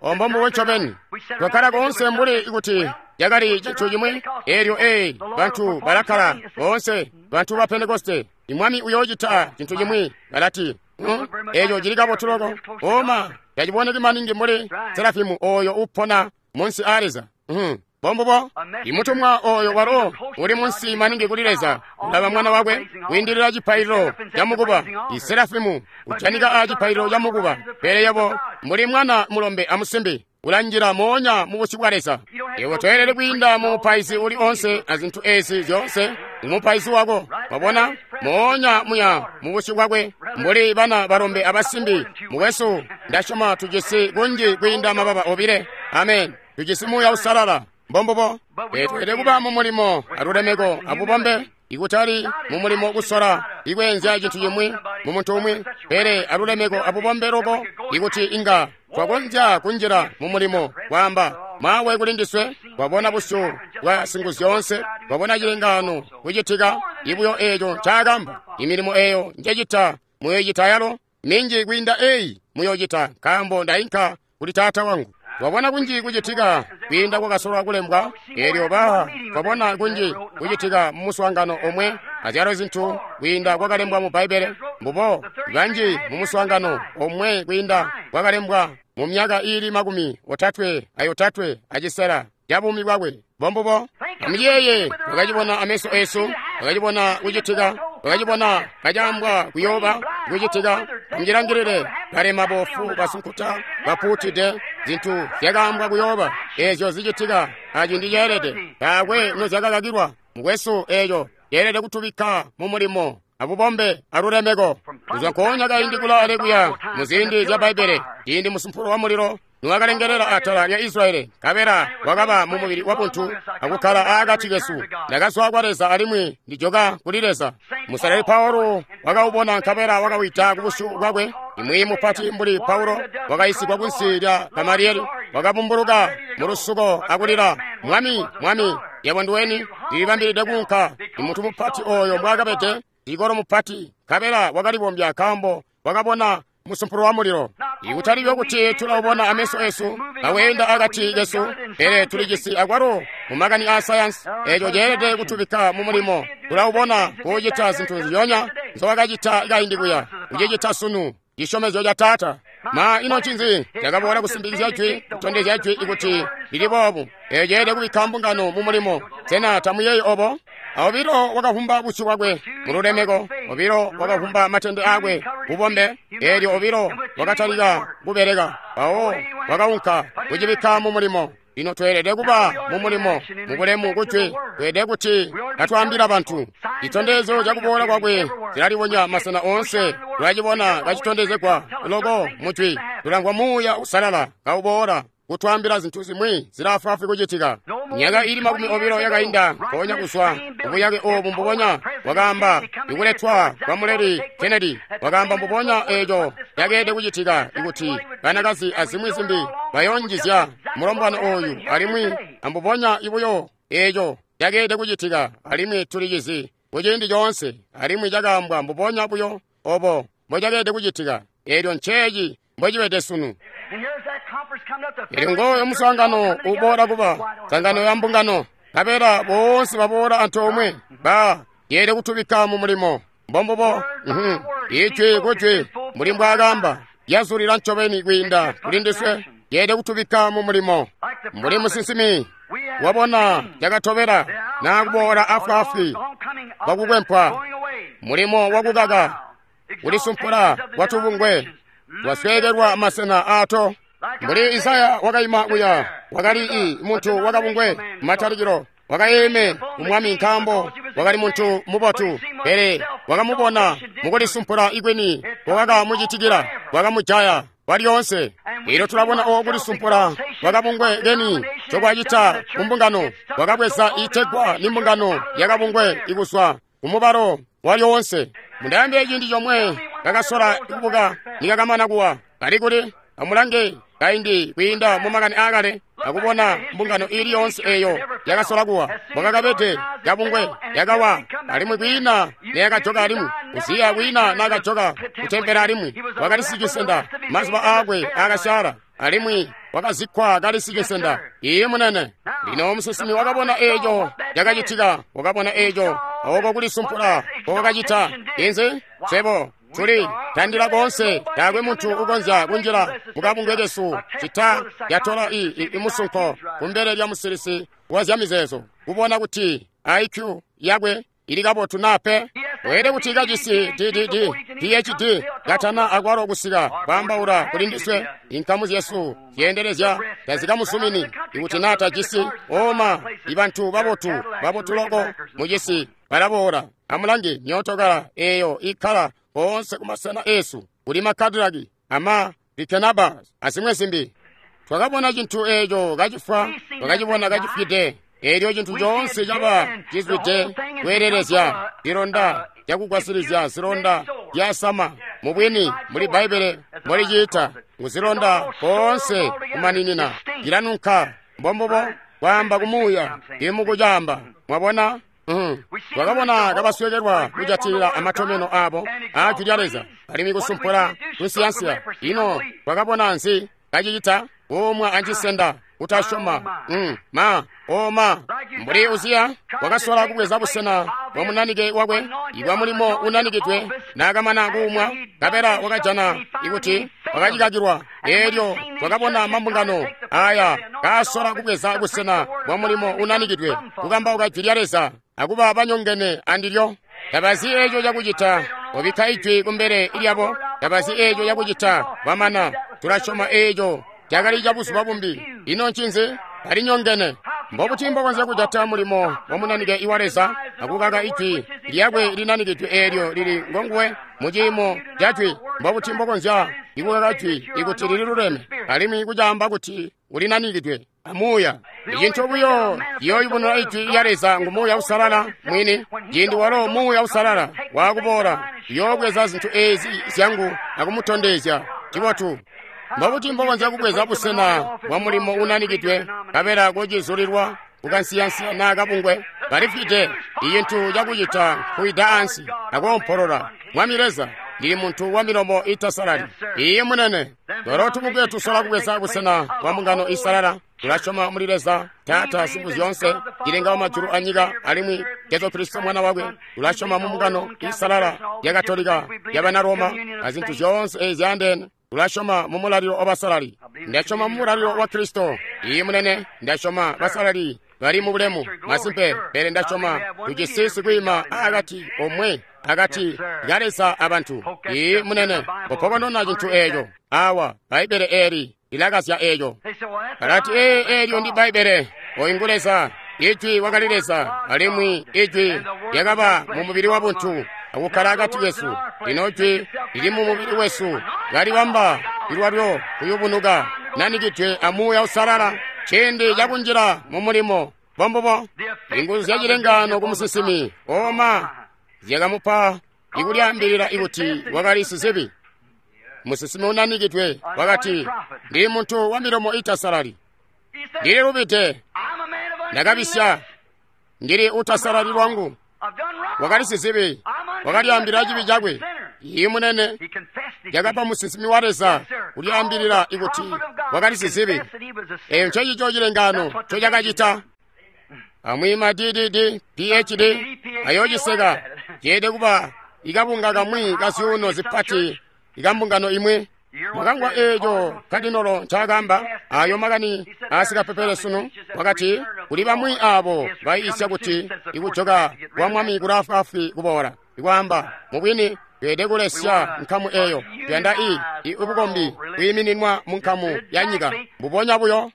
Ombo mbubo ncobeni. Twakkala koonse mbuli kuti yakali cintu cimwi. Eelyo ee, bantu balakkala boonse, bantu ba Pentekoste. Imwami uyoocita cintu cimwi, balati, hmm? Eeco cili kabotu loko. Oma, taciboneki maningi mbuli Serafimu oyo upona munsi a Leza. Hmm. Bombubo, imutumwa oyo walo uli munsi maningi kuli Leza, ulaba mwana wakwe kwiindilila cipaililo ca mukuba. Iserafimu ujanika a cipaililo ca mukuba, pele yebo mbuli mwana mulombe amusimbi ulanjila moonya mu busyu bwa Leza. Yebo toyelede kwiinda mu mupaizi uli onse azintu ezi zyoonse, umupaizi wako, wabona, moonya muya mu busyu bwakwe, mbuli bana balombe abasimbi. Mukwesu, ndasyoma tujisi kunji kwiinda mababa obile. Amen. Tujisi Muuya Uusalala. Mbombubo, tweelede kuba mu mulimo alulemeko abubombe, ikutali mu mulimo kusola ikweenzya cintu cimwi mu muntu umwi, pele alulemeko abubombe loko, ikuti inga twakonzya kunjila mu mulimo kwaamba mawe kuli ndiswe. Twabona busyu bwa Singuzyoonse, twabona cilengaano kucitika, ibuyo eeco ncaakamba. Imilimo eeyo njecita muyoicita yalo, minji kwiinda eyi muyoocita, nkaambo ndainka kuli Taata wangu. Twabona kunji kucitika kwiinda kwakasolwa kulembwa. Eelyo ba twabona kunji kucitika mu muswaangano omwe azyalo zintu kwiinda kwakalembwa mu Bbaibbele. Mbubo banji mu muswaangano omwe kwiinda kwakalembwa mu myaka iili makumi otatwe ayotatwe acisela ya buumi bwakwe. Bombubo, amuyeeye, twakacibona ameso eesu, twakacibona kucitika, twakacibona kacaambwa kuyooba kucitika. Amujilangilile, balema, bofu, basunkuta, bapuutide, zintu zyakaambwa kuyooba eezyo zicitika aciindi ceelede. Taakwe nozyakakakilwa. Mukwesu, eeco ceelede kutubikka mu mulimo abubombe alulemeko. Kuzwa nkoonya kaindi kulaale kuya mu ziindi zya Bbaibbele, ciindi musumpulo wa mulilo niwakalengelela atala lya Israeli, nkabela wakaba mu mubili wa buntu akukkala aakati kesu. Ndakazwa kwa Leza alimwi ndijoka kuli Leza. Musalali Paulo wakaubona nkabela wakawita ku busyu bwakwe. Imwiyi mupati mbuli Paulo wakayisigwa kunsi lya Gamalieli, wakabumbuluka mu lusuko akulila, Mwami, Mwami, yebo nduweni? Ndilibambilide kuunka. Imuntu mupati oyo mbwaakabede, ikolo mupati, nkabela wakalibombya nkaambo wakabona musumpulo wa mulilo. Ikutali buyo kuti tulaubona ameso esu kaweenda akati kesu, pele tulijisi akwalo mu makani a sayansi. Eeco ceelede kutubikka mu mulimo. Tulaubona kucita zintu nzyonya nzowakacita kaindi kuya, kucicita sunu. Cisyomezyo ca Taata. Ma ino ncinzi cakaboola kusimbikizya jwi, kutondezya jwi ikuti lili boobu? Eeco ceelede kubikka mbungano mu mulimo. Sena tamuyeeyi obo? Obilo wakavumba busyu bwakwe mu lulemeko, obilo wakavumba matende aakwe bubombe, eelyo obilo wakatalika kubeleka. Mpawo wakaunka kucibikka mu mulimo. Lino tweelede kuba mu mulimo mubulemu kujwi. Tweelede kuti katwaambila bantu citondezyo cakuboola kwakwe cilalibonya masena oonse. Tulacibona kacitondezegwa loko mujwi. Tulamvwa Muuya Uusalala kauboola kutwaambila zintu zimwi zilaafwaafwi kucitika. Myaka ili makumi obilo yakainda, mpoonya kuzwa kubuyake oobu mbubonya wakaamba ikuletwa kwa Muleli Kennedy. Wakaamba mbubonya eeco cakeelede kucitika, ikuti banakazi azimwi zimbi bayoonjizya mulombwana ooyu, alimwi ambubonya ibuyo eeco cakeelede kucitika, alimwi tulicizi kuciindi coonse, alimwi cakaambwa mbubonya buyo obo mbocakeelede kucitika. Eelyo nceeci mbocibede sunu. And here's that conference coming up. The Ili ngooyo muswaangano uboola kuba sangano ya mbungano Nkabela boonse baboola antoomwe. Ba yeelede kutubikka mu mulimo. Mbombubo. Ijwi kujwi mbuli mbwaakamba yazulila ncobeni kwiinda kuli ndiswe. Yeelede kutubikka mu mulimo. Mbuli musinsimi wabona cakatobela naa kuboola afwaafwi kwakukwempwa, mulimo wakukaka kulisumpula kwatubungwe twasweekelwa masena aato. Mbuli Isaya wakaima kuya, wakali i muntu wakabungwe matalikilo, wakayeeme kumwami nkaambo wakali muntu mubotu, pele wakamubona mukulisumpula ikwini kwakamucitikila, wakamujaya kwalyoonse. Elyo tulabona oo kulisumpula kwakabungwe keni ncokwacita kumbungano, wakabweza itegwa nimbungano yakabungwe ikuzwa kumubalo walyoonse. Mundaambe ciindi comwe kakasola kubuka nikakamana kuwa kali kuli. Amulange kaindi kwiinda mumakani aakale akubona mbungano iili yoonse eyo yakasola kuwa mwakakabede kabungwe yakawa, alimwi kwiina neyakajoka alimwi. Uziya kwiina naakajoka kutempele alimwi, wakali sicisenda mazuba aakwe aakasyaala, alimwi wakazikkwa kali sicisenda. Iye munene. Lino musinsimi wakabona eeco cakacitika, wakabona eeco oko kulisumpula kwakacita. Inzi swebo tuli tandila koonse, taakwe muntu ukonzya kunjila mukabungwe kesu cita yatola i, i, imusunko kumbele lya musilisi wa zyamizeezo kubona kuti I Q yakwe ili kabotu naa pe. Weelede kuti kajisi D D D P H D katana akwalo kusika kwaambaula kuli ndiswe. Inkamu zyesu zyeendelezya tazikamusumini ikuti naa tajisi oma. Ibantu babotu babotu loko mucisi balaboola. Amulange myootokala eeyo ikkala koonse kumasena eesu kuli makadilaki ama likenaba azimwe zimbi. Twakabona cintu eeco kacifwa, twakacibona kacifwide. Eelyo cintu coonse caba cizwide kweelelezya zilonda zyakugwasilizya zilonda zyasama. Mubwini muli Bbaibbele mboliciita ngu zilonda koonse kumaninina, cilanunka. Mbombubo kwaamba kumuuya imukucaamba. Mwabona? Twakabona kabaswekelwa kujatilila amatomeno aabo aajwi lya Leza alimwi kusumpula tunsiyansiya. Ino twakabona nzi kacicita? Kuumwa ancisenda, kutasyoma. Mm, ma oma mbuli Uziya wakasola kubweza busena bwa munanike wakwe ibwa mulimo unanikidwe, naakamana kuumwa nkabela wakajana ikuti wakacikakilwa. Eelyo twakabona mambungano aya kaasola kubweza busena bwa mulimo unanikidwe, kukambauka jwi lya Leza akuba banyongene andilyo. Tabazi eeco cakucita, obikka ijwi kumbele lyabo. Tabazi eeco cakucita, bamana tulasyoma eeco cakali ca buzuba bumbi. Ino ncinzi? Balinyongene. Mbobuti mbokonzya kujata mulimo wa munanike iwa Leza akukaka ijwi lyakwe linanikidwe eelyo lili ngonguwe muciimo ca jwi? Mbobuti mbokonzya ikukaka jwi ikuti lililuleme alimwi kucaamba kuti ulinanikidwe amuuya? Icintu buyo ciyooyubununa ijwi lya Leza ngu Muuya Uusalala mwini. Ciindi walo Muuya Uusalala waakuboola, uyoobweza zintu eezi zyangu akumutondezya cibotu. Mbobuti mbokonzya kubweza busena bwa mulimo unanikidwe nkabela kucizulilwa kukansiyansiya naa kabungwe? Balifwide. Icintu cakucita nkuwida ansi akoompolola, Mwami Leza, ndili muntu wa milomo itasalali. Iye munene. Twalo tubungwe tusola kubweza busena bwa mbungano isalala. Tulasyoma muli Leza Taata Singuzyoonse, cilenga wamajulu anyika, alimwi Jesu Kristo Mwana wakwe. Tulasyoma mu mbungano isalala ya Katolika yabana Roma azintu zyoonse eezi zyaandeene. Tulasyoma mu mulalilo wabasalali. Ndasyoma mu mulalilo wa Kristo. Iye munene, ndasyoma basalali bali mu bulemu masimpe, pele ndasyoma tujisi sikwiima akati omwe akati ka Leza abantu. Iye munene, popokonona cintu eeco. Awa Bbaibbele eeli lilakazya eeco. Balati ee eelyo ndi Bbaibbele. Oyu ngu Leza. Ijwi wakali Leza, alimwi Ijwi lyakaba mu mubili wa buntu akukkala akati kesu. Lino Jwi lili mu mubili wesu, kalibamba lwalyo kuyubunuka, nanikidwe a Muuya Uusalala, ciindi cakunjila mu mulimo. Bombubo inguzu zya cilengaano ku musinsimi oma zyakamupa ikulyaambilila ikuti wakali sizibi. Musinsimi unanikidwe wakati, ndili muntu wa milomo itasalali, ndili lubide, ndakabisya, ndili utasalali lwangu. Wakali sizibi, wakalyaambilila cibi cakwe. Iye munene, yakapa musinsimi wa Leza kulyaambilila ikuti wakali sizibi. Eyo ncecico cilengaano ncocakacita. Amwi ma D D D P H D ayociseka. Ceelede kuba ikabunga kamwi ka zyuuno zipati ikambungano imwi. Mwakamvwa eeco kadinolo ncaakaamba ayo makani aasikapepele sunu. Wakati kuli bamwi aabo bayiisya kuti ikujoka kwa Mwami kulaafwaafwi kuboola. Ikwaamba mubwini tweelede kulesya nkamu eeyo. Tuyanda i ibukombi bwiimininwa mu nkamu ya nyika. Mbubonya buyo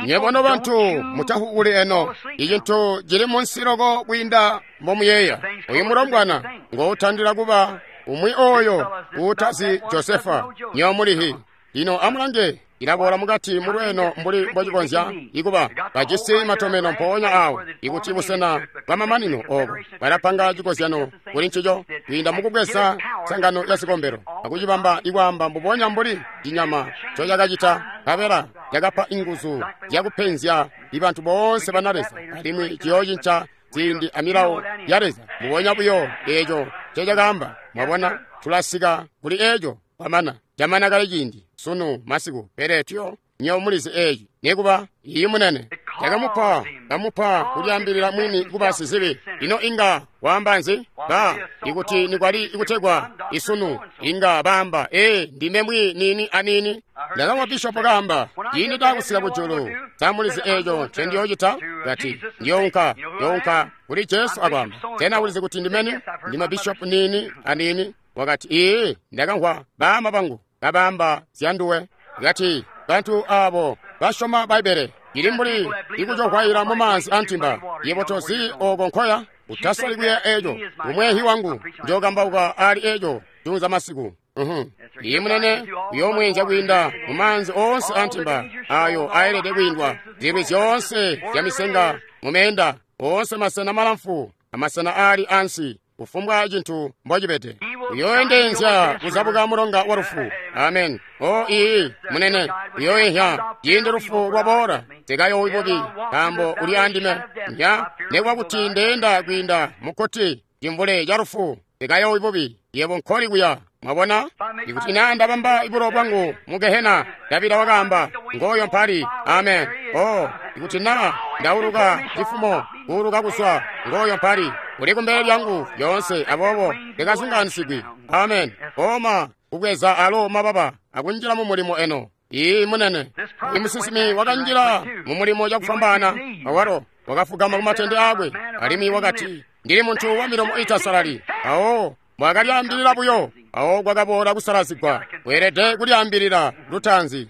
nywebo nobantu mutahuuli eno. Icintu cili munsi loko kwiinda mbomuyeeya. Uyu mulombwana ngoutandila kuba umwi oyo uutazi Josefa. Nywebo mulihi. Lino amulange, ilaboola mukati mulweeno mbuli mbocikonzya ikuba bajisi matomeno mpoonya awo ikuti busena bwamamanino obo balapanga cikozyano kuli ncico kwiinda mukubweza sangano ya zikombelo akucibamba ikwaamba mbubonya mbuli cinyama ncocakacita. Nkabela cakapa inguzu zyakupenzya ibantu boonse bana Leza, alimwi ciyoocinca ziindi amilawo ya Leza mbubonya buyo eeco ncecakaamba. Mwabona, tulasika kuli eeco kwamana. Camana kale ciindi sunu masiku, pele tuyo nywebo mulizi eeci. Nikuba iyi munene cakamupa kamupa kulyaambilila mwini kuba sizibi. Ino inga waamba nzi? Ba ikuti nikwali ikutegwa isunu inga baamba ee ndime mwi nini anini. Ndakamwa bishopo kaamba ciindi ndakusika kujulu samulizi eeco ncendiyoocita. Kati ndiyounka ndiyounka kuli Jesu akwaamba sena ulizi kuti ndimeni ndime bishopu nini anini. Wakati ee ndakamvwa baama bangu kabaamba zyanduwe. Kati bantu aabo basyoma Bbaibbele ili mbuli ikucohwaila mumaanzi antimba. Yebo tozi oko nkoya utasoli kuya eeco. Umwehi wangu njokambauka ali eeco juunza masiku. Uhum. Iye munene uyoomwenzya kwiinda mumaanzi oonse antimba ayo aelede kwiindwa zilwi zyoonse zya misenga mumeenda oonse masena malamfu amasena aali ansi kufumbwa cintu mbocibede. Uyoendenzya kuzabuka mulonga wa lufu. Amen. O ii munene uyoehya ciindi lufu lwaboola. Tekayowi bubi nkaambo uli andime. Nya nekuba kuti ndeenda kwiinda mukkuti cimvule ca lufu, tekayowi bubi. Yebo nkoli kuya. Mwabona, ikuti na ndabamba ibulo bwangu mu Gehena, Davida wakaamba ngoyo mpali. Amen. O ikuti na ndauluka cifumo kuuluka kuswa, ngoyo mpali uli kumbele lyangu yoonse, aboobo ndikazungaanisigwi. Amen. Oma kubweza alo mababa akunjila mu mulimo eno. Ii munene imusisimi wakanjila mu mulimo cakufwambaana. Awalo wakafugama kumatende akwe alimwi wakati ndili muntu wa milomo itasalali. Awo mwakalyaambilila buyo awo kwakaboola kusalazigwa. Weelede kulyaambilila lutaanzi.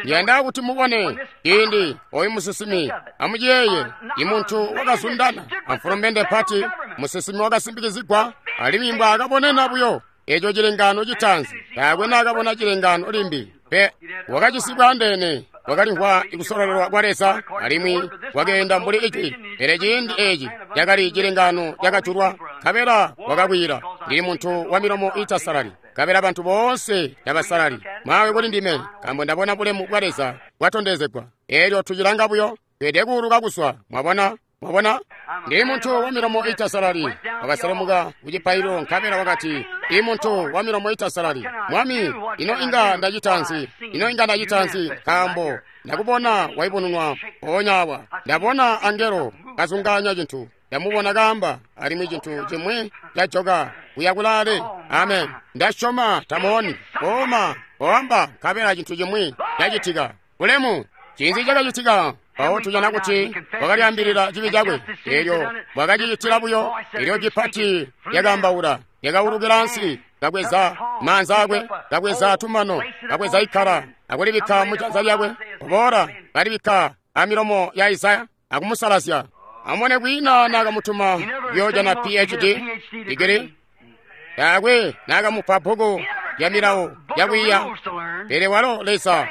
Ndiyanda kuti mubone ciindi oyu musisimi amuciyeeye imuntu wakazundana amfulumende mpati. Musisimi wakasimbikizigwa alimwi mbwaakabonena buyo eco cilengano citaanzi. Taakwe naakabona cilengano limbi pe. Wakacisibwa andeene, wakalimvwa ikusololelwa kwa Leza alimwi wakeenda mbuli ijwi. Pele ciindi eeci cakali cilengano cakajulwa. Nkabela wakakwila ndili muntu wa milomo itasalali, nkabela bantu boonse tabasalali. Mawe kuli ndime, nkaambo ndabona bulemu bwa Leza bwatondezegwa. Eelyo tucilanga buyo tweelede kuuluka kuswa. Mwabona, mwabona, ndili muntu wa milomo itasalali. Wakaselemuka kucipaililo nkabela wakati i muntu wa milomo itasalali, Mwami, ino inga ndacita nzi? Ino inga ndacita nzi? Nkaambo ndakubona waibununwa mpoonya awa. Ndabona angelo kazungaanya cintu. Ndamubona kaamba alimwi cintu cimwi cajoka kuya kulaale. Amen. Ndasyoma tamuoni. Oma oamba nkabela cintu cimwi cacitika. Bulemu. Cinzi cakacitika? Mpawo tujana kuti wakalyaambilila cibi cakwe. Eelyo bwakacicitila buyo. Eelyo cipati lyakaambaula lyakaulukila ansi, kabweza maanza akwe, kabweza tumano, kabweza ikkala akulibikka mujanza lyakwe. Kuboola kalibikka amilomo ya Isaya akumusalazya. Amone kwiina naakamutuma kuyoojana P H D digiri. Taakwe naakamupa bbuku lya milawo yakwiiya. Pele walo Leza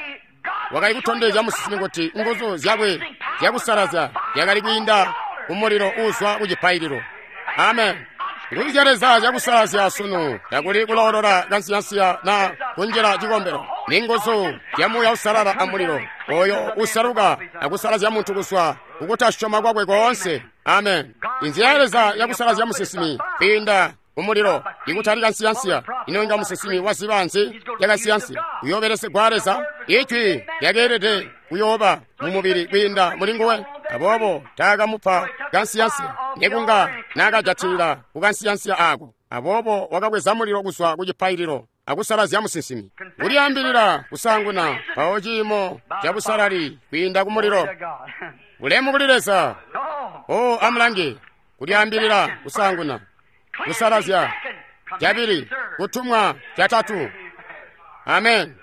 wakali kutondezya musisimi kuti nguzu zyakwe zyakusalazya zyakali kwiinda kumulilo uuzwa kucipaililo. Amen. Nguzu zya Leza zyakusalazya sunu takuli kuloolola kansiyansiya na kunjila cikombelo. Ni nguzu zya Muuya Uusalala amulilo oyo usaluka akusalazya muntu kuzwa kukutasyoma kwakwe koonse. Amen. Inzila ya Leza yakusalazya musisimi kwiinda kumulilo ikutali kansiyansiya. Ino inga musisimi waziba nzi yakansiyansiya? Uyoobelesegwa Leza. Ijwi lyakeelede kuyooba mumubili kwiinda muli nguwe. Aboobo taakamupa kansiyansiya, nekunga naakajatilila ku kansiyansiya aako. Aboobo wakabweza mulilo kuzwa ku cipaililo akusalazya musinsimi. Kulyaambilila kusaanguna, mpawo ciimo cabusalali kwiinda ku mulilo. Bulemu kuli Leza. Oh, amulange. Kulyaambilila kusaanguna, kusalazya cabili, kutumwa catatu. Amen.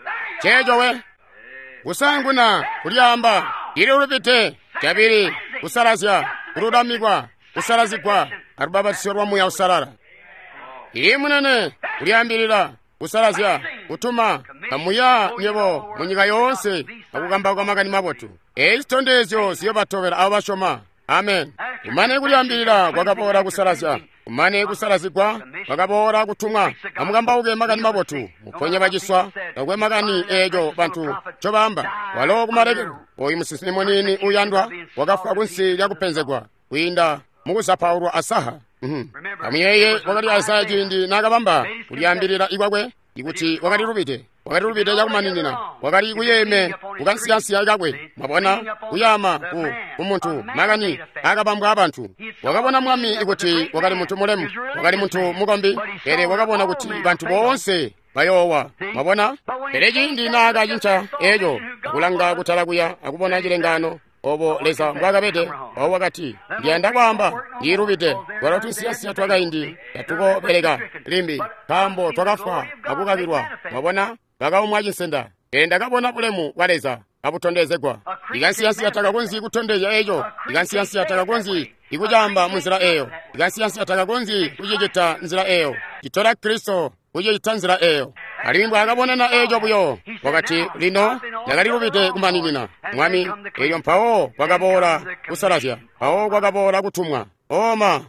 Ceeco we. Kusaanguna kulyaamba ililubide, cabili kusalazya, kululamikwa, kusalazigwa alubapatizyo lwa Muuya Uusalala. Ii munene, kulyaambilila, kusalazya, kutuma, kamuya nywebo munyika yoonse akukambauka makani mabotu. Eeci zitondezyo ziyobatobela abo basyoma. Amen. Kumane kulyaambilila kwakaboola kusalazya, kumane kusalazigwa kwakaboola kutumwa. Amukambauke makani mabotu, muponye baciswa, takwe makani eeco bantu ncobaamba. Walo kumalekelo, oyu musinsimi muniini uyandwa wakafwa kunsi lyakupenzegwa kwiinda mukuzapaulwa asaha. Amuyeeye wakali Isaya ciindi naakabamba kulyaambilila ikwakwe ikuti wakali lubide, wakali lubide cakumaninina, wakali kuyeeme kukansiyansiya kakwe. Mwabona, kuyaama ku, ku muntu, makani akabambwa abantu. Wakabona mwami ikuti wakali muntu mulemu, wakali muntu mukombi, pele wakabona kuti bantu boonse bayoowa. Mwabona, pele ciindi naakacinca eeco, akulanga kutala kuya akubona cilengaano obo Leza mbwaakabede, mpawo wakati, ndiyanda kwaamba ndiilubide, twalo tunsiyansiya twakaindi tatukobeleka limbi, nkaambo twakafwa akukakilwa. Mwabona, bakaumwa cinsenda. Pele ndakabona bulemu bwa Leza kabutondezegwa. Ikansiyansiya takakonzyi kutondezya eco. Ikansiyansiya takakonzyi ikucaamba munzila eyo. Ikansiyansiya takakonzyi kucicita nzila eyo. Citola Kristo kucicita nzila eyo. Alimwi mbwaakabonana eeco buyo, wakati, lino ndakalilubide kumaninina, Mwami. Eelyo mpawo kwakaboola kusalazya, mpawo kwakaboola kutumwa. Oma.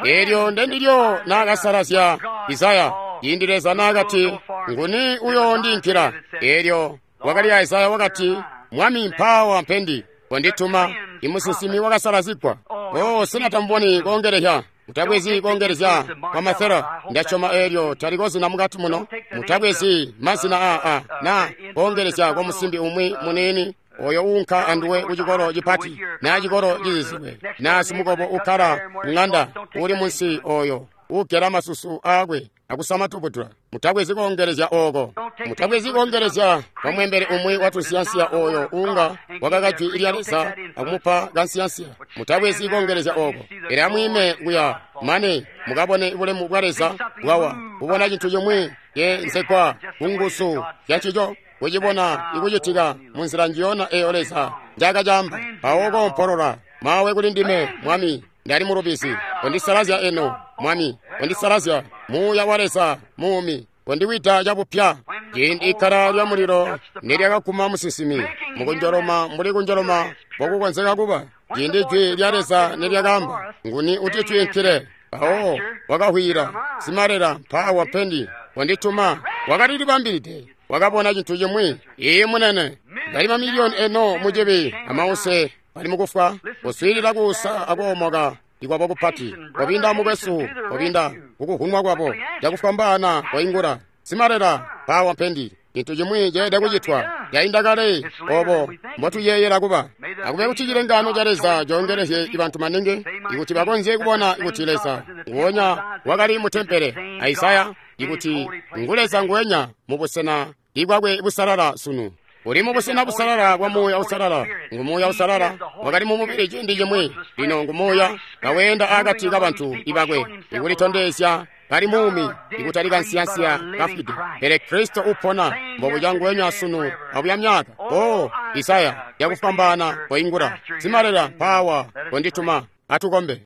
Eelyo ndendilyo naakasalazya Isaya, ciindi Leza naakati, nguni uyoondiinkila? Eelyo wakali Isaya wakati, Mwami, mpaawa mpendi, kondituma. Imusinsimi wakasalazigwa. Oh, sena tamuboni koongelehya? Mutabwezi koongelezya kwa masela. Ndasyoma eelyo taliko zina mukati muno. Mutabwezi mazina a a na koongelezya kwa musimbi umwi muniini oyo uunka anduwe ku cikolo cipati na cikolo cizizilwe na simukobo ukkala mung'anda uli munsi oyo ugela masusu aakwe akusama tubudula. Mutabwezi koongelezya ooko. Mutabwezi koongelezya kwa mwembele umwi wa tunsiyansiya oyo uunga wakaka jwi lya Leza akumupa kansiyansiya. Mutabwezi koongelezya ooko. Pele amwiime kuya mane mukabone bulemu bwa Leza bwawa, kubona cintu cimwi ceenzegwa ku nguzu zyancico, kucibona ikucitika munzila njiyona eyo Leza njaakacaamba. Mpawo koompolola, mawe kuli ndime, Mwami, ndali mulubizi. Kondisalazya eno, Mwami, kondisalazya. Muuya wa Leza muumi kondiwida cabupya. Ciindi ikkala lya mulilo nilyakaguma musinsimi mukunjoloma mbuli kunjoloma mbokukonzeka kuba, ciindi jwi lya Leza nilyakaamba, nguni utitwiinkile? Mpawo wakahwila, simalela, mpaawa mpendi, kondituma. Wakalilibambilide, wakabona cintu cimwi. Ii munene, bali mamiliyoni eno mucibi amause bali mukufwa, kuswiilila kuusa akoomoka ikwabo kupati. Kobinda mukwesu, kobinda kukuhunwa kwabo cakufwambaana koingula, simalela, mpaawa mpendi. Cintu cimwi ceelede kucitwa. Yainda kale obo mbotuyeeyela kuba. Akube kuti cilengaano ca Leza coongelezye bantu maningi, ikuti bakonzye kubona kuti Leza nguwonya wakali mu tempele a Isaya, ikuti ngu Leza nguwenya mu busena ibwakwe busalala sunu. Uli mu busena busalala bwa Muuya Uusalala. Ngu Muuya Uusalala wakali mu mubili ciindi cimwi, lino ngu Muuya kaweenda akati kabantu ibakwe, ikulitondezya kali muumi, ikutali kansiyansiya kafwide, pele Kristo upona mbobuca nguwenya sunu abuya myaka. Oh, Isaya yakufwambaana koingula, simalela, mpaawa kondituma. Atukombe.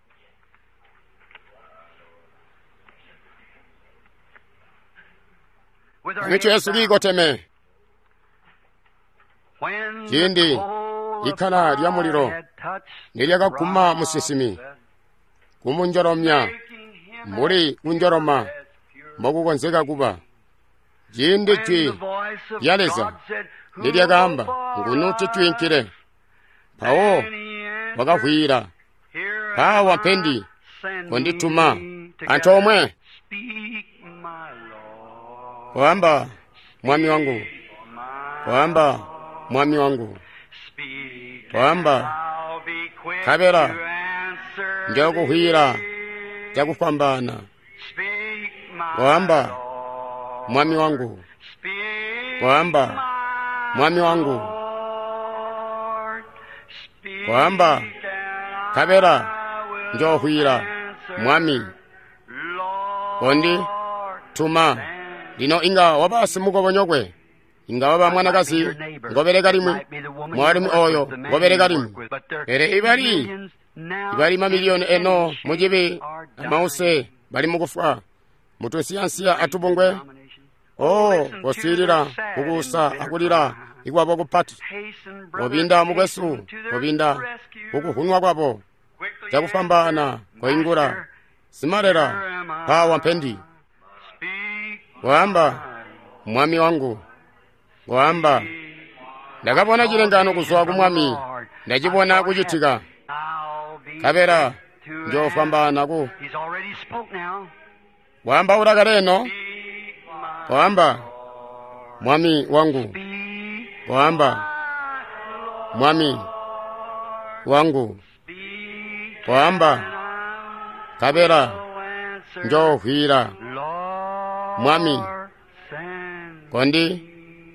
Mitu yesu kiikoteme. Ciindi ikkala lya mulilo nilyakaguma musinsimi kumunjolomya mbuli kunjoloma mbokukonzeka kuba, ciindi jwi lya Leza nilyakaamba, nguni utitwiinkile? Mpawo wakahwila, mpaawa mpendi, kondituma. Antoomwe koamba, Mwami wangu, koamba, Mwami wangu. Kwaamba, nkabela njookuhwila cakufwambaana. Kwaamba, Mwami wangu. Kwaamba, Mwami wangu. Kwaamba, nkabela njoohwila, Mwami. Kondi tuma. Lino inga waba simukobonyokwe, inga waba mwanakazi ngobeleka limwi, mwaalumi oyo ngobeleka limwi. Pele ibali ibali mamiliyoni eno mucibi amause bali mukufwa mutunsiyansiya atubungwe. Oh, koswiilila kukuusa akulila ikwabo kupati. Kobinda mukwesu, kobinda kukuhunwa kwabo cakufwambaana. Koingula simalela, mpawa mpendi. Kwaamba, Mwami wangu. Kwaamba, ndakabona cilengano kuzwa ku Mwami, ndacibona kucitika. Nkabela njoofwambaana ku waambaula kale eno. Kwaamba, Mwami wangu. Kwaamba, Mwami wangu. Kwaamba, nkabela njoohwila, Mwami. Kondi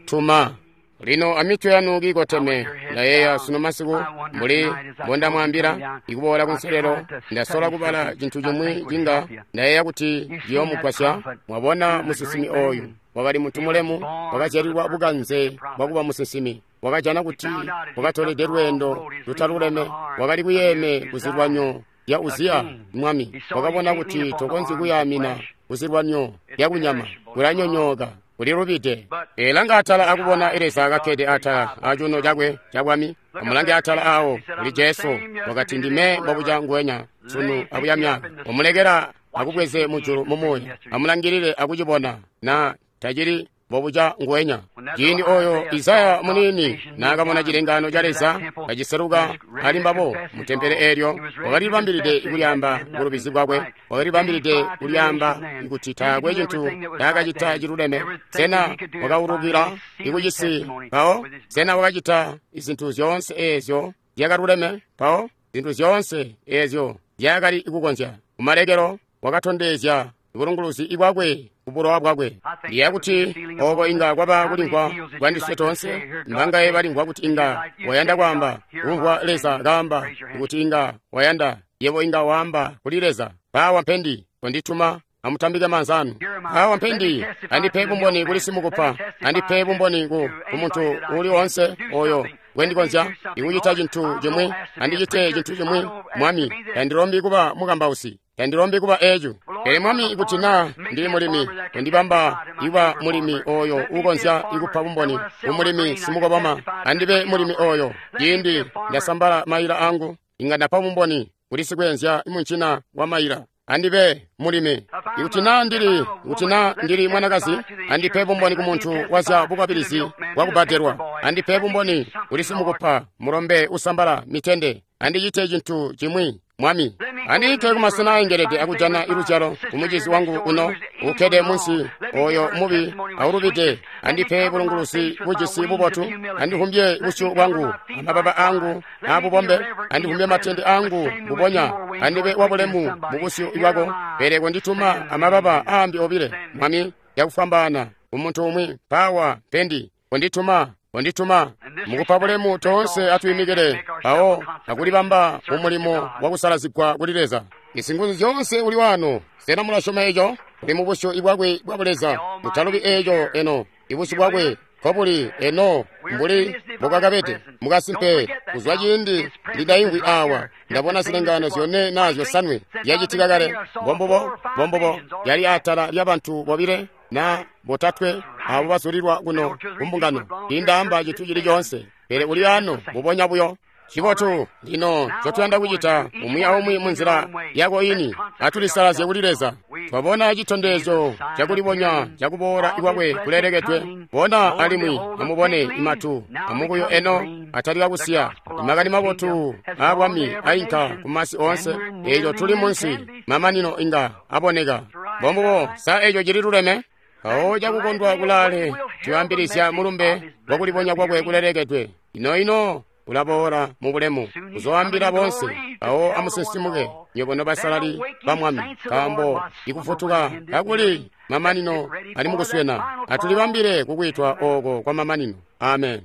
tuma. Lino amitwe yanu kiikoteme. Ndayeeya sunu masiku mbuli mbondamwaambila ikuboola kunselelo, ndasola kubala cintu cimwi cinga ndayeeya kuti ciyoomugwasya. Mwabona musinsimi oyu wakali muntu mulemu, wakazyalilwa bukanze bwakuba musinsimi. Wakajana kuti wakatolede lweendo lutaluleme, wakali kuyeeme kuzilwanyo lya Uziya mwami. Wakabona kuti tokonzyi kuyaamina kuzilwanyo lya kunyama, kulanyonyooka, kulilubide. Elanga atala akubona Leza kakkede atala acuuno cakwe cabwami. Amulange atala awo kuli Jesu, wakati, ndime mbobuca nguwenya sunu abuya myaka. Umulekela akubweze mujulu mumuuya, amulangilile akucibona na tacili mbobuca nguwenya. Ciindi oyo Isaya muniini naakamona cilengano ca Leza kaciseluka ali mbabo mu tempele eelyo, wakalibambilide kulyaamba bulubizi bwakwe, wakalibambilide kulyaamba kuti taakwe cintu ncaakacita ciluleme. Sena wakaulukila ikucisi mpawo? Sena wakacita zintu zyoonse eezyo zyakaluleme mpawo? Zintu zyoonse eezyo zyakali kukonzya. Kumalekelo wakatondezya bulunguluzi bwakwe kubulowa bwakwe. Ndiya kuti oko inga kwaba kulimvwa kwandiswe toonse. Mbangaye balimvwa kuti inga wayanda kwaamba kumvwa Leza kaamba kuti inga wayanda yebo inga waamba kuli Leza, mpawa mpendi, kondituma. Amutambike maanza anu. Mpawa mpendi, andipe bumboni kuli simukupa, andipe bumboni ku muntu uli onse oyo gwendikonzya ikucita cintu cimwi, andicite cintu cimwi. Mwami, tandilombi kuba mukambausi, tandilombi kuba ecu. Pele Mwami, ikuti naa ndili mulimi, kondibamba iba mulimi oyo uukonzya ikupa bumboni kumulimi simukoboma. Andibe mulimi oyo. Ciindi ndasambala maila angu, inga ndapa bumboni kuli sikweenzya muncina wa maila. Andibe mulimi. Ikuti naa ndili, ikuti naa ndili mwanakazi, andipe bumboni ku muntu wazya bukwabilizi bwakubbadelwa. Andipe bumboni kuli simukupa mulombe usambala mitende. Andicite cintu cimwi, Mwami. Andiike kumasena aengelede akujana iluzyalo kumucizi wangu uno ukkede munsi oyo mubi aulubide. Andipe bulunguluzi bujisi bubotu. Andihumbye busyu bwangu amababa angu abubombe. Andihumbye matende angu bubonya. Andibe wabulemu mubusyu bwako. Pele kondituma amababa aambi obile, Mwami, yakufwambaana umuntu umwi. Mpawa mpendi, kondituma, kondituma. Mukupa bulemu toonse atwiimikile mpawo akulibamba mumulimo wakusalazigwa kuli Leza. Isinguzu zyoonse uli wano. Sena mulasyoma eco? Uli mubusyu bwakwe bwa Buleza. Mutalubi eco eno. Ibusyu bwakwe nkobuli eno mbuli mbubwakabede. Mukasimpe kuzwa ciindi ndindaimvwi awa ndabona zilengano zyone naa zyosanwe zyacitika kale. Mbombubo, mbombubo yali atala lyabantu bobile na botatwe abo bazulilwa kuno kumbungano. Tindaamba cintu cili coonse, pele uli ano mbubonya buyo. Cibotu lino ncotuyanda kucita umwi aumwi munzila yako ini, atulisalazye kuli Leza. Twabona citondezyo cakulibonya cakuboola kwakwe kulelekedwe. Bona alimwi amubone imatu amukuyu eno atalika kusiya. Imakani mabotu aabwami ainka kumasi oonse. Eeco tuli munsi mamanino inga aboneka. Mbombubo, sa eeco cili luleme? Mpawo cakukondwa kulaale tuyambilizya mulumbe wakulibonya kwakwe kulelekedwe. Ino ino ulaboola mu bulemu kuzoambila bonse. Awo amusinsimuke nywebo nobasalali ba Mwami, nkaambo ikufutuka kakuli mamanino ali mukuswena. Atulibambile kukwitwa oko kwa mamanino. Amen.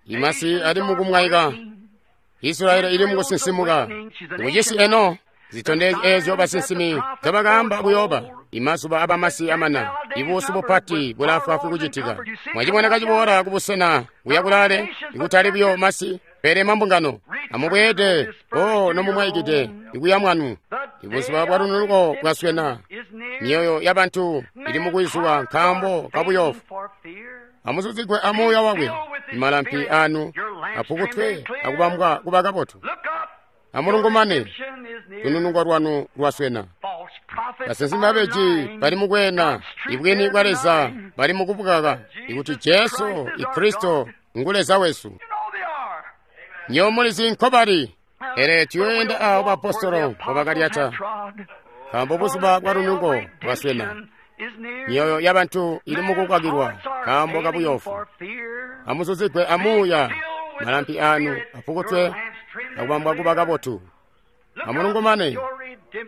Imasi ali mukumwaika, Israeli ili mukusinsimuka. Kucisi eno zitondezyo ezyo basinsimi nzobakaamba kuyoba. Imazuba abamasi amana, ibuusu bupati bulaafwaafwi kucitika. Mwacibona kaciboola kubusena kuya kulaale, ikutali buyo masi pele mambungano. Amubweede o nomumwaikide ikuya mwanu. Ibuzuba bwa lununuko bwaswena, myoyo yabantu ili mukwizuwa nkaambo kabuyofu. Amuzuzigwe amuuya wakwe, imalampi anu apukutwe akubambwa kuba kabotu. Amulungumane, lununuko lwanu lwaswena. Basinsimi babeji bali mukwena ibwini bwa Leza, bali mukubukaka ikuti Jesu Kristo ngu Leza wesu. Nyo mulizi nkobali, pele tuyoenda awo baapostolo mbobakalyata, nkaambo buzuba bwa lununuko bwaswena. Myoyo yabantu ili mukukwakilwa nkaambo kabuyofu. Amuzuzigwe amuuya, malampi anu apukutwe akubambwa kuba kabotu. Amulungumane,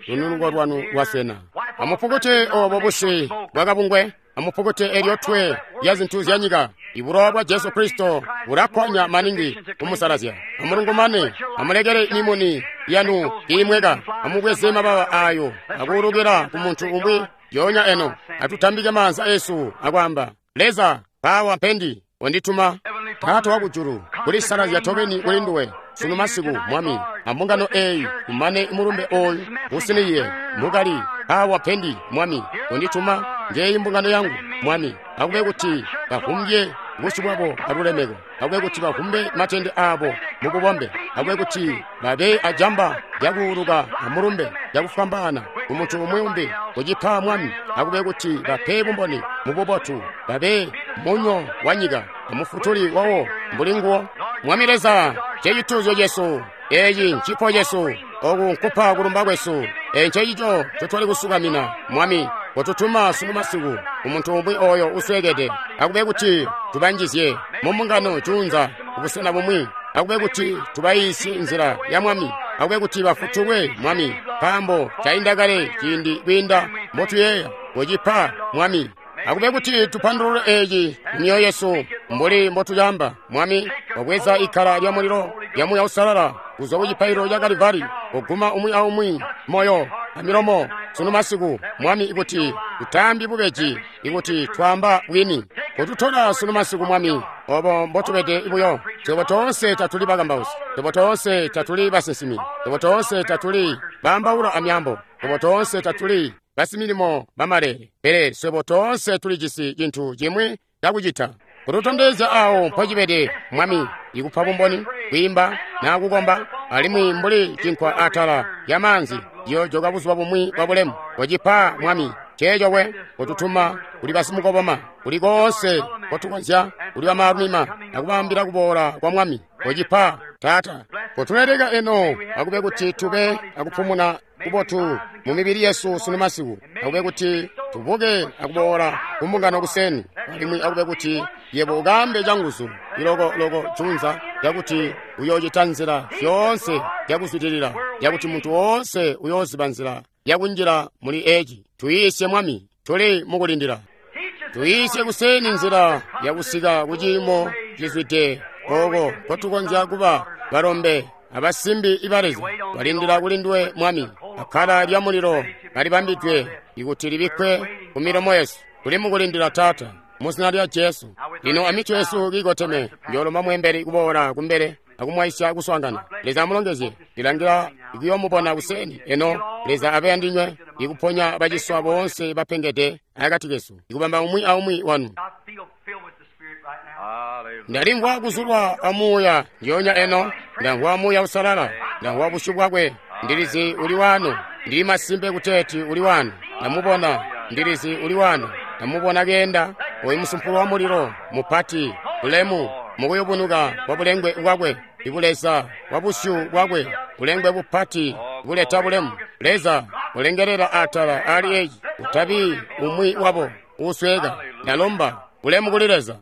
lununuko lwanu lwaswena. Amupukute obo busi bwakabungwe, amupukute elyo twe lya zintu zya nyika. Ibulowa bwa Jesu Kristo bulakkwanya maningi kumusalazya. Amulungumane, amulekele mimuni yanu kiimweka. Amubweze mabawa ayo akuulukila ku muntu umwi yonya eno. Atutambike maanza esu akwaamba, Leza, pawa mpendi wandituma. Taata wakujulu, kulisalazya tobeni kuli nduwe sunu masiku, Mwami. Ambungano eyi kumane mulumbe oyu usiniye mukali awa pendi, Mwami, wandituma. Ngeyi mbungano yangu, Mwami. Akube kuti bavumbye busyu bwabo alulemeko, akube kuti bavumbe matende abo mububombe, akube kuti babe ajamba lyakuuluka amulumbe lyakufwambaana kumuntu umwi umbi kucipa, Mwami. Akube kuti bape bumboni mububotu, babe munyo wa nyika amufutuli wawo mbuli nguwo. Mwami Leza, cecituuzyo cesu, eeci ncipo cesu, oku nkupa kulumba kwesu. Eeci ncecico ncotwali kusukamina, Mwami. Kotutuma sunu masiku umuntu umwi oyo uswekede. Akube kuti tubanjizye mumbungano juunza kubusena bumwi. Akube kuti tubayiisye nzila ya Mwami. Akube kuti bafutulwe, Mwami, nkaambo cainda kale ciindi kwiinda mbotuyeeya. Kocipa, Mwami. Akube kuti tupandulule eeci mumyoyo yesu mbuli mbotuyamba, Mwami. Wabweza ikkala lya mulilo lya Muuya Uusalala kuzwa ku cipaililo ca Kalivari, kuguma umwi aumwi moyo amilomo sunu masiku, Mwami, ikuti tutaambi bubeji, ikuti twaamba bwini. Kotutola sunu masiku, Mwami, obo mbotubede buyo. Twebo toonse tatuli bakambausi, twebo toonse tatuli basinsimi, twebo toonse tatuli baambaula amyaambo, twebo toonse tatuli basimilimo bamalele, pele swebo toonse tulijisi cintu cimwi cakucita. Kututondezya awo mpocibede, Mwami, ikupa bumboni, kwiimba na kukomba, alimwi mbuli cinkwa atala lya maanzi ciyojoka buzuba bumwi bwa bulemu. Kocipa, Mwami, ceeco we kututuma kuli basimukoboma, kuli koonse kotukonzya, kuli bamaalumima, akubambila kuboola kwa Mwami. Kocipa, Taata. Kotuleleka eno, akube kuti tube akupumuna kubotu mu mibili yesu sunu masiku. Akube kuti tubuke akuboola kumbungano kuseni, alimwi akube kuti yebo ukambe canguzu ilokoloko junza yakuti uyoocita nzila zyoonse zyakuzwidilila, yakuti muntu woonse uyooziba nzila yakunjila muli eci. Tuyiisye, Mwami, tuli mukulindila. Tuyiisye kuseni nzila yakusika kuciimo cizwide oko kotukonzya kuba balombe abasimbi iba Leza. Balindila kuli nduwe, Mwami. Akkala lya mulilo kalibambidwe ikuti libikkwe ku milomo yesu. Tuli mukulindila, Taata, mu zina lya Jesu. Lino amitwe yesu kiikoteme, njoolomba mweembeli kuboola kumbele akumwaisya kuswaangana. Leza amulongezye. Ndilangila ikuyoomubona kuseni eno. Leza abe andinywe, ikuponya baciswa boonse bapengede akati kesu, ikubamba umwi aumwi wanu. Ndalimvwa kuzulwa amuuya ndyonya eno. Ndamvwa Muuya Uusalala, ndamvwa busyu bwakwe. Ndilizi uli wano, ndili masimpe kuteeti uli wano. Ndamubona, ndilizi uli wano. Ndamubona keenda oyu musumpulo wa mulilo mupati bulemu mukuyubunuka kwa bulengwe bwakwe, ibuleza bwa busyu bwakwe, bulengwe bupati buleta bulemu. Leza ulengelela atala ali eci, utabi umwi wabo usweka. Ndalomba bulemu kuli Leza.